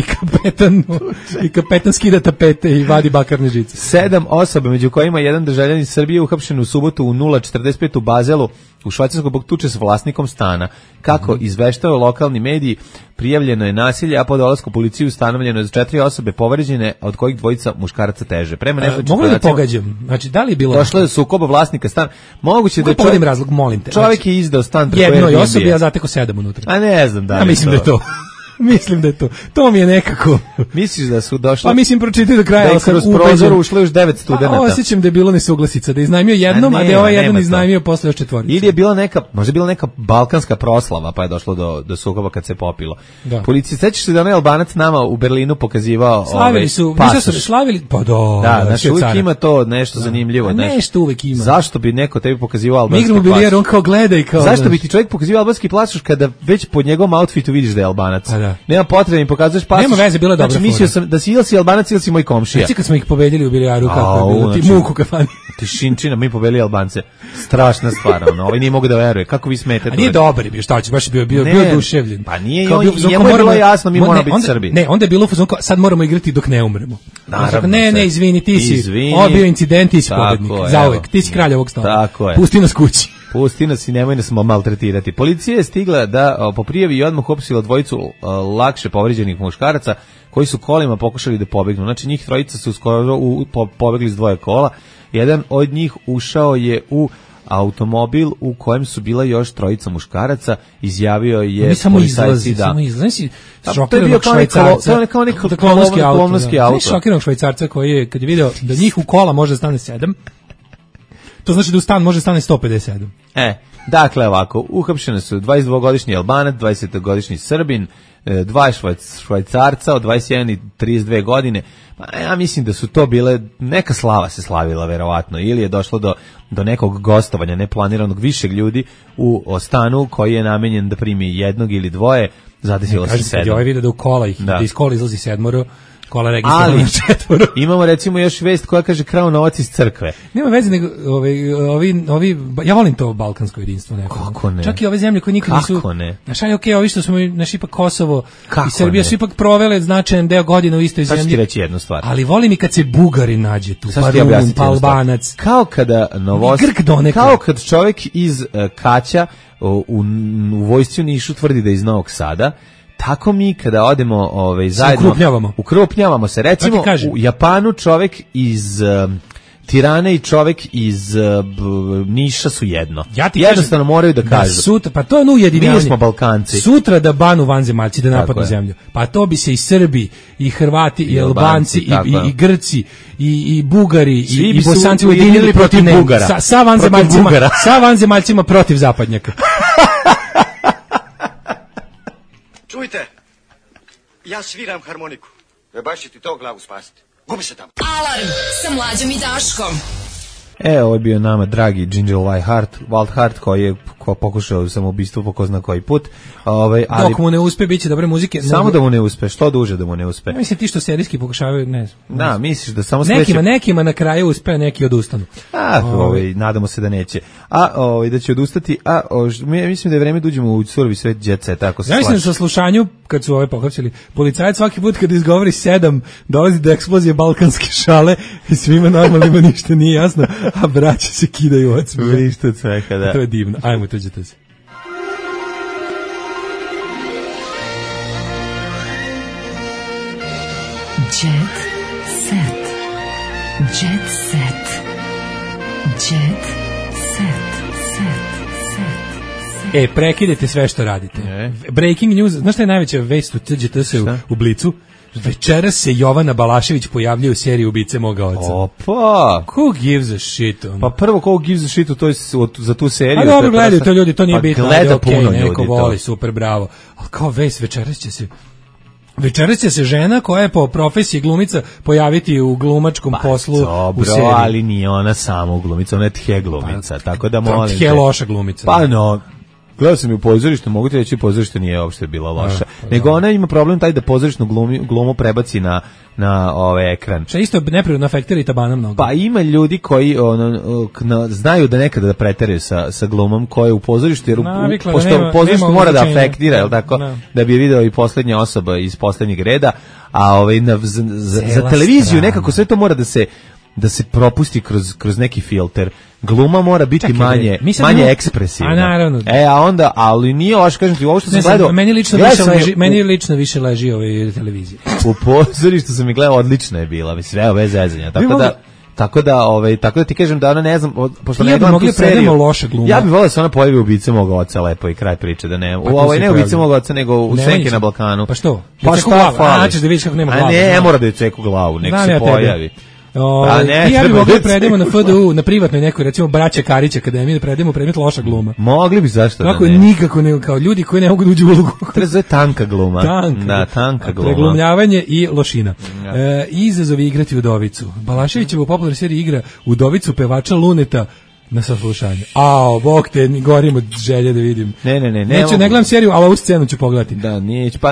i kapetan skida tapete i vadi bakarne žice. 7 osoba, među kojima jedan državljanin Srbije uhapšen u subotu u 0:45 u Bazelu u Švajcarskoj zbog tuče s vlasnikom stana. Kako izveštavaju lokalni mediji, prijavljeno je nasilje, a po dolasku policije ustanovljeno je 4 osobe povređene, od kojih 2 muškaraca teže. Prema mogu da pogađam? Znači, da li je bilo... Došlo je sukoba vlasnika stana. Moguće da je razlog, molim te. Čovjek je izdao stan preko jednoj osobi, ja zateko 7 unutra. A ne znam da li. Ja mislim da je to. Mislim da je to. To mi je nekako. Misliš da su došli? Pa mislim pročitaj do kraja. Da kroz prozor ušlo još 9 studenata. Pa osjećam da je bilo nesuglasica, da je iznajmio jednom, a da je ovaj jedan iznajmio posle još 4. Ili je bila možda bila neka balkanska proslava, pa je došlo do sukoba kad se popilo. Policija, sećaš se da onaj Albanac nama u Berlinu pokazivao slavili su, slavili, pa da, znači uvijek ima to nešto zanimljivo. Nešto uvijek ima. Zašto bi neko tebi pokazivao albanski pasoš? Mi igramo bilijer, on kao gleda i kao... Zašto bi ti čovjek pokazivao albanski pasoš kada već po njegovom outfitu vidiš da je Albanac? Nema potrebe da mi pokazuješ pasoš. Nema veze, bilo je dobro. Znači mislio sam da si ili si Albanac ili si moj komšija. Znači kad smo ih pobedili u bilijaru, kako je bilo, ti muku kafani. Tišinčina, mi pobedili Albance. Strašna stvar, ovaj nije mogu da veruje. Kako vi smetate? A nije dobar bio, šta će, baš bio oduševljen. Pa nije, njemu je bilo jasno, mi moramo biti Srbi. Ne, onda je bilo fazon, sad moramo igrati dok ne umremo. Ne, izvini, ti si, ovo bio incident, ti si pobednik, zauvek, ti si kralj ovog stava. Pusti nas kući. Pusti nas i nemoj nas maltretirati. Policija je stigla da po prijavi i odmah uhapsila 2 lakše povređenih muškaraca koji su kolima pokušali da pobegnu. Znači njih 3 su skoro pobegli s 2 kola. Jedan od njih ušao je u automobil u kojem su bila još 3 muškaraca, izjavio je policajci da... To je bio kao neki kolonovski auto. Šokiranog Švajcarca koji je, kad je video da njih u kola može stane 7, to znači da u stan može stane 157. Dakle, ovako, uhapšene su 22-godišnji Albanac, 20-godišnji Srbin, 2 Švajcarca od 21 i 32 godine. Pa ja mislim da su to bile, neka slava se slavila verovatno, ili je došlo do nekog gostovanja neplaniranog višeg ljudi u stanu koji je namenjen da primi 1 ili 2, zadesilo se 7. Ovaj vidio da u kola da iz kola izlazi 7, kola registrovano 4. Imamo recimo još vest koja kaže krao novac iz crkve. Nema veze, nego ovi ja volim to balkansko jedinstvo nekako. Kako ne? Čak i ove zemlje koje nikad nisu. Kako ne? Znaš, ali ovi što smo naš ipak Kosovo i Srbija su ipak provele značajan deo godina u istoj zemlji. Sad ću ti reći jednu stvar. Ali volim i kad se Bugari nađe tu, pa Rumun, pa Albanac. Kao kada kao kad čovjek iz Kaća u vojsci u Nišu tvrdi da je iz Novog Sada. Tako mi kada odemo zajedno ukrupnjavamo se. Recimo u Japanu čovjek iz Tirane i čovjek iz Niša su jedno. Jednostavno moraju da kažu. Sutra, pa to je ujedinjavanje. Mi smo Balkanci. Sutra da banu vanzemaljci da napadnu zemlju. Pa to bi se i Srbi, i Hrvati, i Albanci, i Grci, i Bugari, i Bosanci ujedinili protiv Bugara. Sa vanzemaljcima protiv zapadnjaka. Čujte, ja sviram harmoniku. Baš će ti to glavu spasiti. Gubi se tamo. Alarm sa Mlađom i Daškom. Ovo je bio nama dragi Ginger Wildheart koji je pokušao samoubistvo po ko zna koji put. Ali dok mu ne uspe, bit će dobre muzike. Samo da mu ne uspe, što duže da mu ne uspe. Mislim ti što serijski pokušavaju, ne znam. Da, misliš da samo nekima na kraju uspe, neki odustanu. Nadamo se da neće. Da će odustati. Mislim da je vreme da uđemo u surovi svet jet set, tako se slaže. Ja mislim sa slušanju, kad su pohapsili, policajac svaki put kad izgovori 7, dolazi do eksplozije balkanske šale i svima normalnima ništa nije jasno, a braća se kidaju od smeha. Ništa od smeha, da. To je divno. Ajmo, tuđete se. Jet set. Jet set. Jet set. Prekidajte sve što radite. Breaking news, znaš šta je najveća vest u TGTS u Blicu? Večeras se Jovana Balašević pojavljuje u seriji Ubice moga oca. Opa! Who gives a shit? Pa prvo, who gives a shit, to je za tu seriju. A dobro, gledaju to ljudi, to nije bitno. Gleda puno ljudi. Neko voli, super, bravo. Ali kao vest, večeras će se žena koja je po profesiji glumica pojaviti u glumačkom poslu u seriji. Ali nije ona samo glumica, ona je tje glumica, tako da molim te. Tje loša glumica. Pa no, gledao sam ju u pozorištu, mogu ti reći pozorište nije uopšte bila loša. Nego ona ima problem taj da pozorišnu glumu prebaci na ekran. Što isto neprirodno afektira i tabana mnogo. Pa ima ljudi koji znaju da nekada da preteraju sa glumom koja je u pozorištu, jer pošto pozorištu mora da afektira, jel tako, da bi je video i posljednja osoba iz posljednjeg reda, a za televiziju nekako sve to mora da se propusti kroz neki filter. Gluma mora biti manje ekspresivna. A naravno. A onda, ali nije ovo, kažem ti, ovo što sam gledao... Meni lično više leži televizije. U pozorištu sam i gledao, odlična je bila, sve bez zezanja. Tako da ti kažem da ona ne znam, pošto ne gledam tu seriju, ja bih volio da se ona pojavi u Ubice moga oca, lepo i kraj priče, da ne, ne Ubice moga oca, nego u Senke na Balkanu. Pa što? Pa šta fali? Da vidiš kako nema glavu. A ne mora da je ceku glavu, nek se pojavi. Ja bih mogli predemo na FDU, na privatnoj nekoj, recimo Braća Karić akademiji, da predemo predmet loša gluma. Mogli bi, zašto da ne? Kako nikako ne, kao ljudi koji ne mogu da uđu u ulogu. To je tanka gluma. Tanka gluma. Preglumljavanje i lošina. Izazovi igrati Udovicu. Balaševićeva u popularnoj seriji igra Udovicu pevača Luneta na saslušanju. Bog te, gorim od želje da vidim. Ne gledam seriju, ali ovu scenu ću pogledati. Da,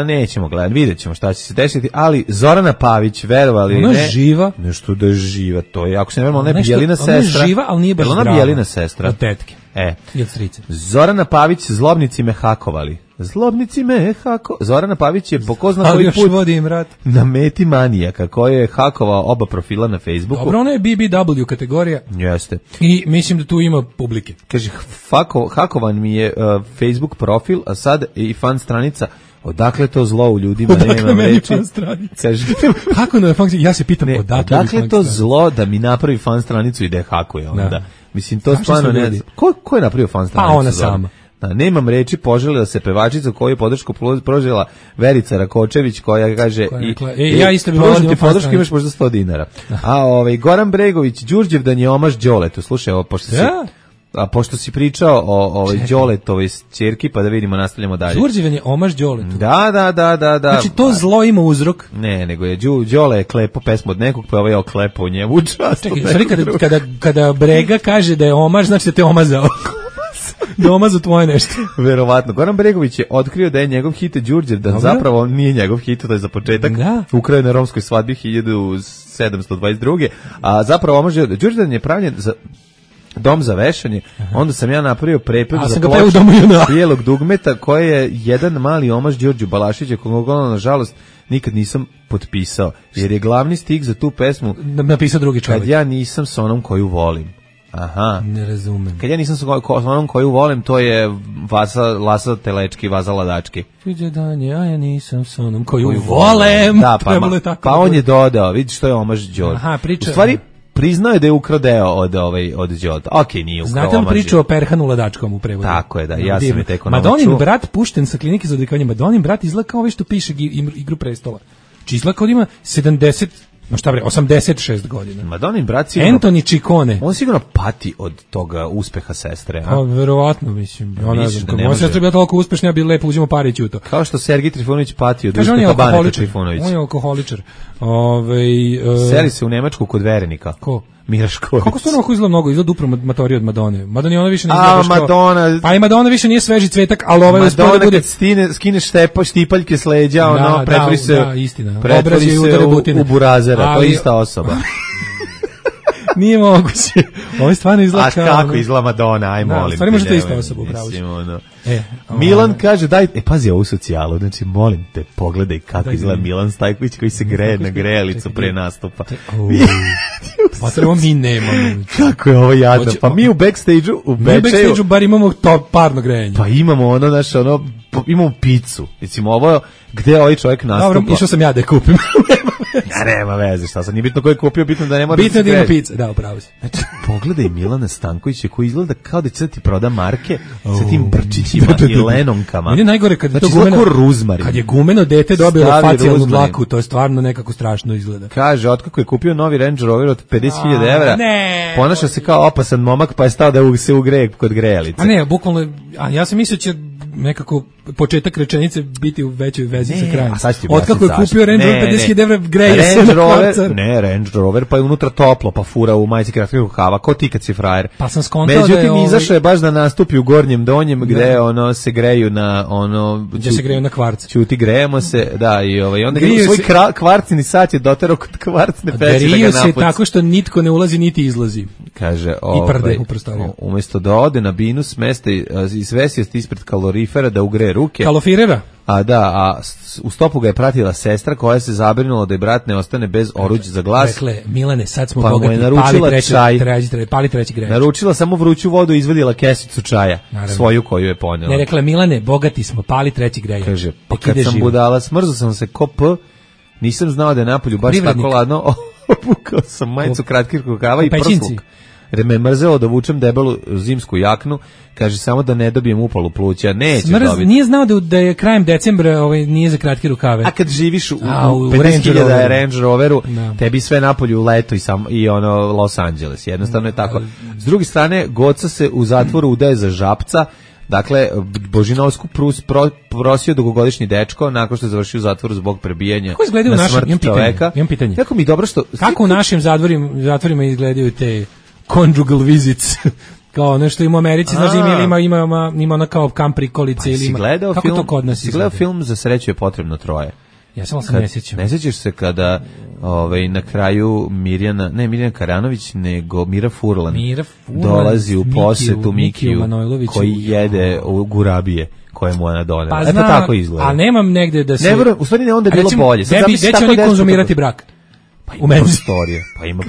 nećemo gledati, vidjet ćemo šta će se desiti, ali Zorana Pavić, verovali ona ne? Ona živa? Nešto da je živa, to je, ako se ne verujem, ona je Bijelina sestra. Ona je živa, ali nije baš zdrava. Ona Bijelina sestra. Od tetke. I od strice. Zorana Pavić, zlobnici me hakovali. Zorana Pavić je po ko zna koji put na meti manijaka koji je hakovao oba profila na Facebooku. Dobro, ona je BBW kategorija. Jeste. I mislim da tu ima publike. Kaže, hakovan mi je Facebook profil, a sad i fan stranica. Odakle to zlo u ljudima? Odakle meni fan stranica? Kako na fan stranica? Ja se pitam odakle to zlo da mi napravi fan stranicu i da je hakuje onda. Mislim, to stvarno ne znam. Ko je napravio fan stranicu? Pa ona sama. Nemam reči, poželila se pevačica koju je podršku prožela Verica Rakočević koja kaže ja isto bih volio podršku, imaš možda 100 dinara. Goran Bregović, Đurđevdan je omaž Đoletu. Slušaj, pošto si pričao o Đoletovoj ćerki, pa da vidimo, nastavljamo dalje. Đurđevdan je omaž Đoletu. Da. Znači to zlo ima uzrok. Ne, nego je Đole je klepo pesmu od nekog, pa je ovaj oklepo u njemu čast. Kada Brega kaže da je omaž, znači da te omazao. Doma za tvoje nešto. Verovatno. Goran Bregović je otkrio da je njegov hit Đurđevdan zapravo nije njegov hit, to je za početak. Ukrao je na romskoj svadbi 1722. A zapravo Đurđevdan je pravljen za dom za vešanje, onda sam ja napravio prepев za ploču bijelog dugmeta koji je jedan mali omaž Đorđu Balašića koga nažalost nikad nisam potpisao, jer je glavni stih za tu pesmu napisao drugi čovjek. Kad ja nisam s onom koju volim. Aha. Ne razumem. Kad ja nisam s onom koju volim, to je Lasa Telečki, Vaza Ladački. Viđe danje, a ja nisam s onom koju volem. Da, pa on je dodao, vidi što je omaž Đorđe. Aha, priča. U stvari, priznao je da je ukrao deo od Đorđa. Okej, nije ukrao. Znate li priču o Perhanu Ladačkom u prevodu? Tako je, da, ja sam je teko naučio. Madonin brat pušten sa klinike za odvikavanje. Madonin brat izgleda kao što piše Igru prestola. Či izgleda kao da ima 70 No šta bre, 86 godina. Madonna i brat sigurno... Anthony Ciccone. On sigurno pati od toga uspeha sestre. Pa, verovatno, mislim. Ona znam, da moja sestra bila toliko uspešna, ja bi lepo uzimo pare i ćuto. Kao što Sergij Trifunović pati od kaže, uspeha Baneta Trifunovića. On je alkoholičar. Seli se u Nemačku kod verenika. Ko? Mira Šković. Kako stvarno ovako izgleda mnogo? Izgleda upravo matorija od Madone. Madonna ona više ne izgleda što... Madonna... Pa i Madonna više nije sveži cvetak, ali ovaj uspio da bude... Madonna kad skine štipaljke s leđa, ono, pretvori se u burazera. To je ista osoba. Nije moguće. Ovo je stvarno izgleda kao... A kako izgleda Madonna, aj molim. Stvarno možete ista osoba, upravo si. Milan kaže, pazi ovu socijalu, znači molim te, pogledaj kako izgleda Milan Stajković koji se greje na grejalicu pre nastupa. Pa treba mi nemamo. Kako je ovo jadno? Pa mi u backstage-u, u Bečeju... Mi u backstage-u bar imamo to parno grejanje. Pa imamo ono, naše, ono, imamo picu. Recimo, ovo, gde ovaj čovjek nastupa? Dobro, išao sam ja da je kupim. Ja nema veze, šta sam, nije bitno ko je kupio, bitno da ne mora bitno da ima pizza, da, upravo si. Znači, pogledaj Milana Stankovića koji izgleda kao da će da ti proda marke sa tim brčićima i lenonkama. Meni je najgore kad je znači, to gumeno, ruzmarin. Kad je gumeno dete dobilo facijalnu dlaku, to je stvarno nekako strašno izgleda. Kaže, otkako je kupio novi Range Rover od 50.000 evra, ponaša se kao opasan momak, pa je stao da se ugreje kod grejalice. A ne, bukvalno, ja sam mislio će nekako početak rečenice biti u većoj vezi sa krajem. Otkako je kupio Range Rover 50.000 evra, greje se na kvarcar. Ne, Range Rover, pa je unutra toplo, pa fura u majici kratkih rukava, ko ti kad si frajer. Pa sam skontao da je... Međutim, izašao je baš da nastupi u gornjem donjem, gde ono se greju na ono... Gde se greju na kvarc. Čuti, grejemo se, da, i onda svoj kvarcini sat je doterao kod kvarcne peći da ga napuci. Griju se tako što nitko ne ulazi, niti izlazi. Kaže, i prde u prostoriju. Umjesto da ode na binu, smesta i svesijest ispred kalorifera da ugreje ruke. Kalorifera? A u stopu ga je pratila sestra koja se zabrinula da je brat ne ostane bez oruđa za glas. Rekle, Milane, sad smo pa bogati, pali treći grejč. Naručila samo vruću vodu i izvadila kesicu čaja, svoju koju je ponela. Ne, rekla, Milane, bogati smo, pali treći grejč. Kaže, pa kad sam budala, smrzao sam se ko p, nisam znao da je napolju baš tako ladno, obukao sam majicu kratkih rukava i prsluk. Jer me mrzelo da vučem debelu zimsku jaknu, kaže samo da ne dobijem upalu pluća, neće dobiti. Nije znao da je krajem decembra nije za kratke rukave. A kad živiš u 50.000 Range Roveru, tebi sve napolju leto i ono Los Angeles, jednostavno je tako. S druge strane, Goca se u zatvoru udaje za žapca. Dakle, Božinovsku prosio dugogodišnji dečko nakon što je završio u zatvoru zbog prebijanja na smrt čoveka. Imam pitanje. Kako mi dobro što... Kako u našim zatvorima izgledaju te conjugal visits? Kao nešto ima u Americi, znaš, ima ona kao kamp prikolice ili ima... Kako to kod nas izgleda? Si gledao film Za sreću je potrebno troje? Ja sam se ne sjećam. Ne sjećaš se kada na kraju Mirjana Karanović, nego Mira Furlan dolazi u posetu Mikiju koji jede gurabije koje mu ona donela. Pa eto tako izgleda. A nemam negde da se... U stvari ne, onda je bilo bolje. Gde će oni konzumirati brak? Pa ima prostorije. Pa ima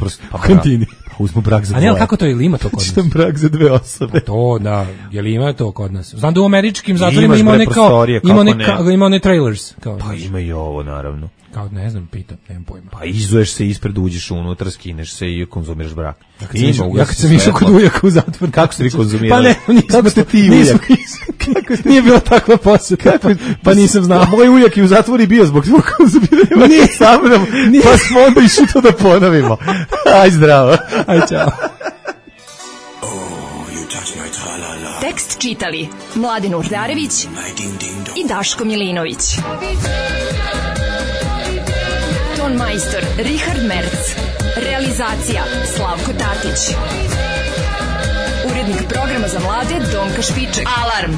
kantini. Pa uzmu brak za dvoje. A ne, kako to ili ima to kod nas? Čitam brak za dve osobe. To, da. Je li ima to kod nas? Znam da u američkim zatvorima ima one trailers. Pa ima i ovo, naravno. Kao, ne znam, pitam, nemam pojma. Pa izuješ se ispred, uđeš unutra, skineš se i konzumiraš brak. Ja kad sam išao kod ujaka u zatvor. Kako ste vi konzumirali? Pa ne, kako ste ti ujak? Nije bila takva posjeta, pa nisam znao. Moj ujak je u zatvoru bio zbog svog konzumiranja. Nije sa mnom, pa smo onda išli to da ponovimo. Aj zdravo. Aj čao. Tekst čitali Mladen Urdarević i Daško Milinović. Ton majstor Richard Merc. Realizacija Slavko Tatić. Urednik programa za mlade Donka Špiček. Alarm!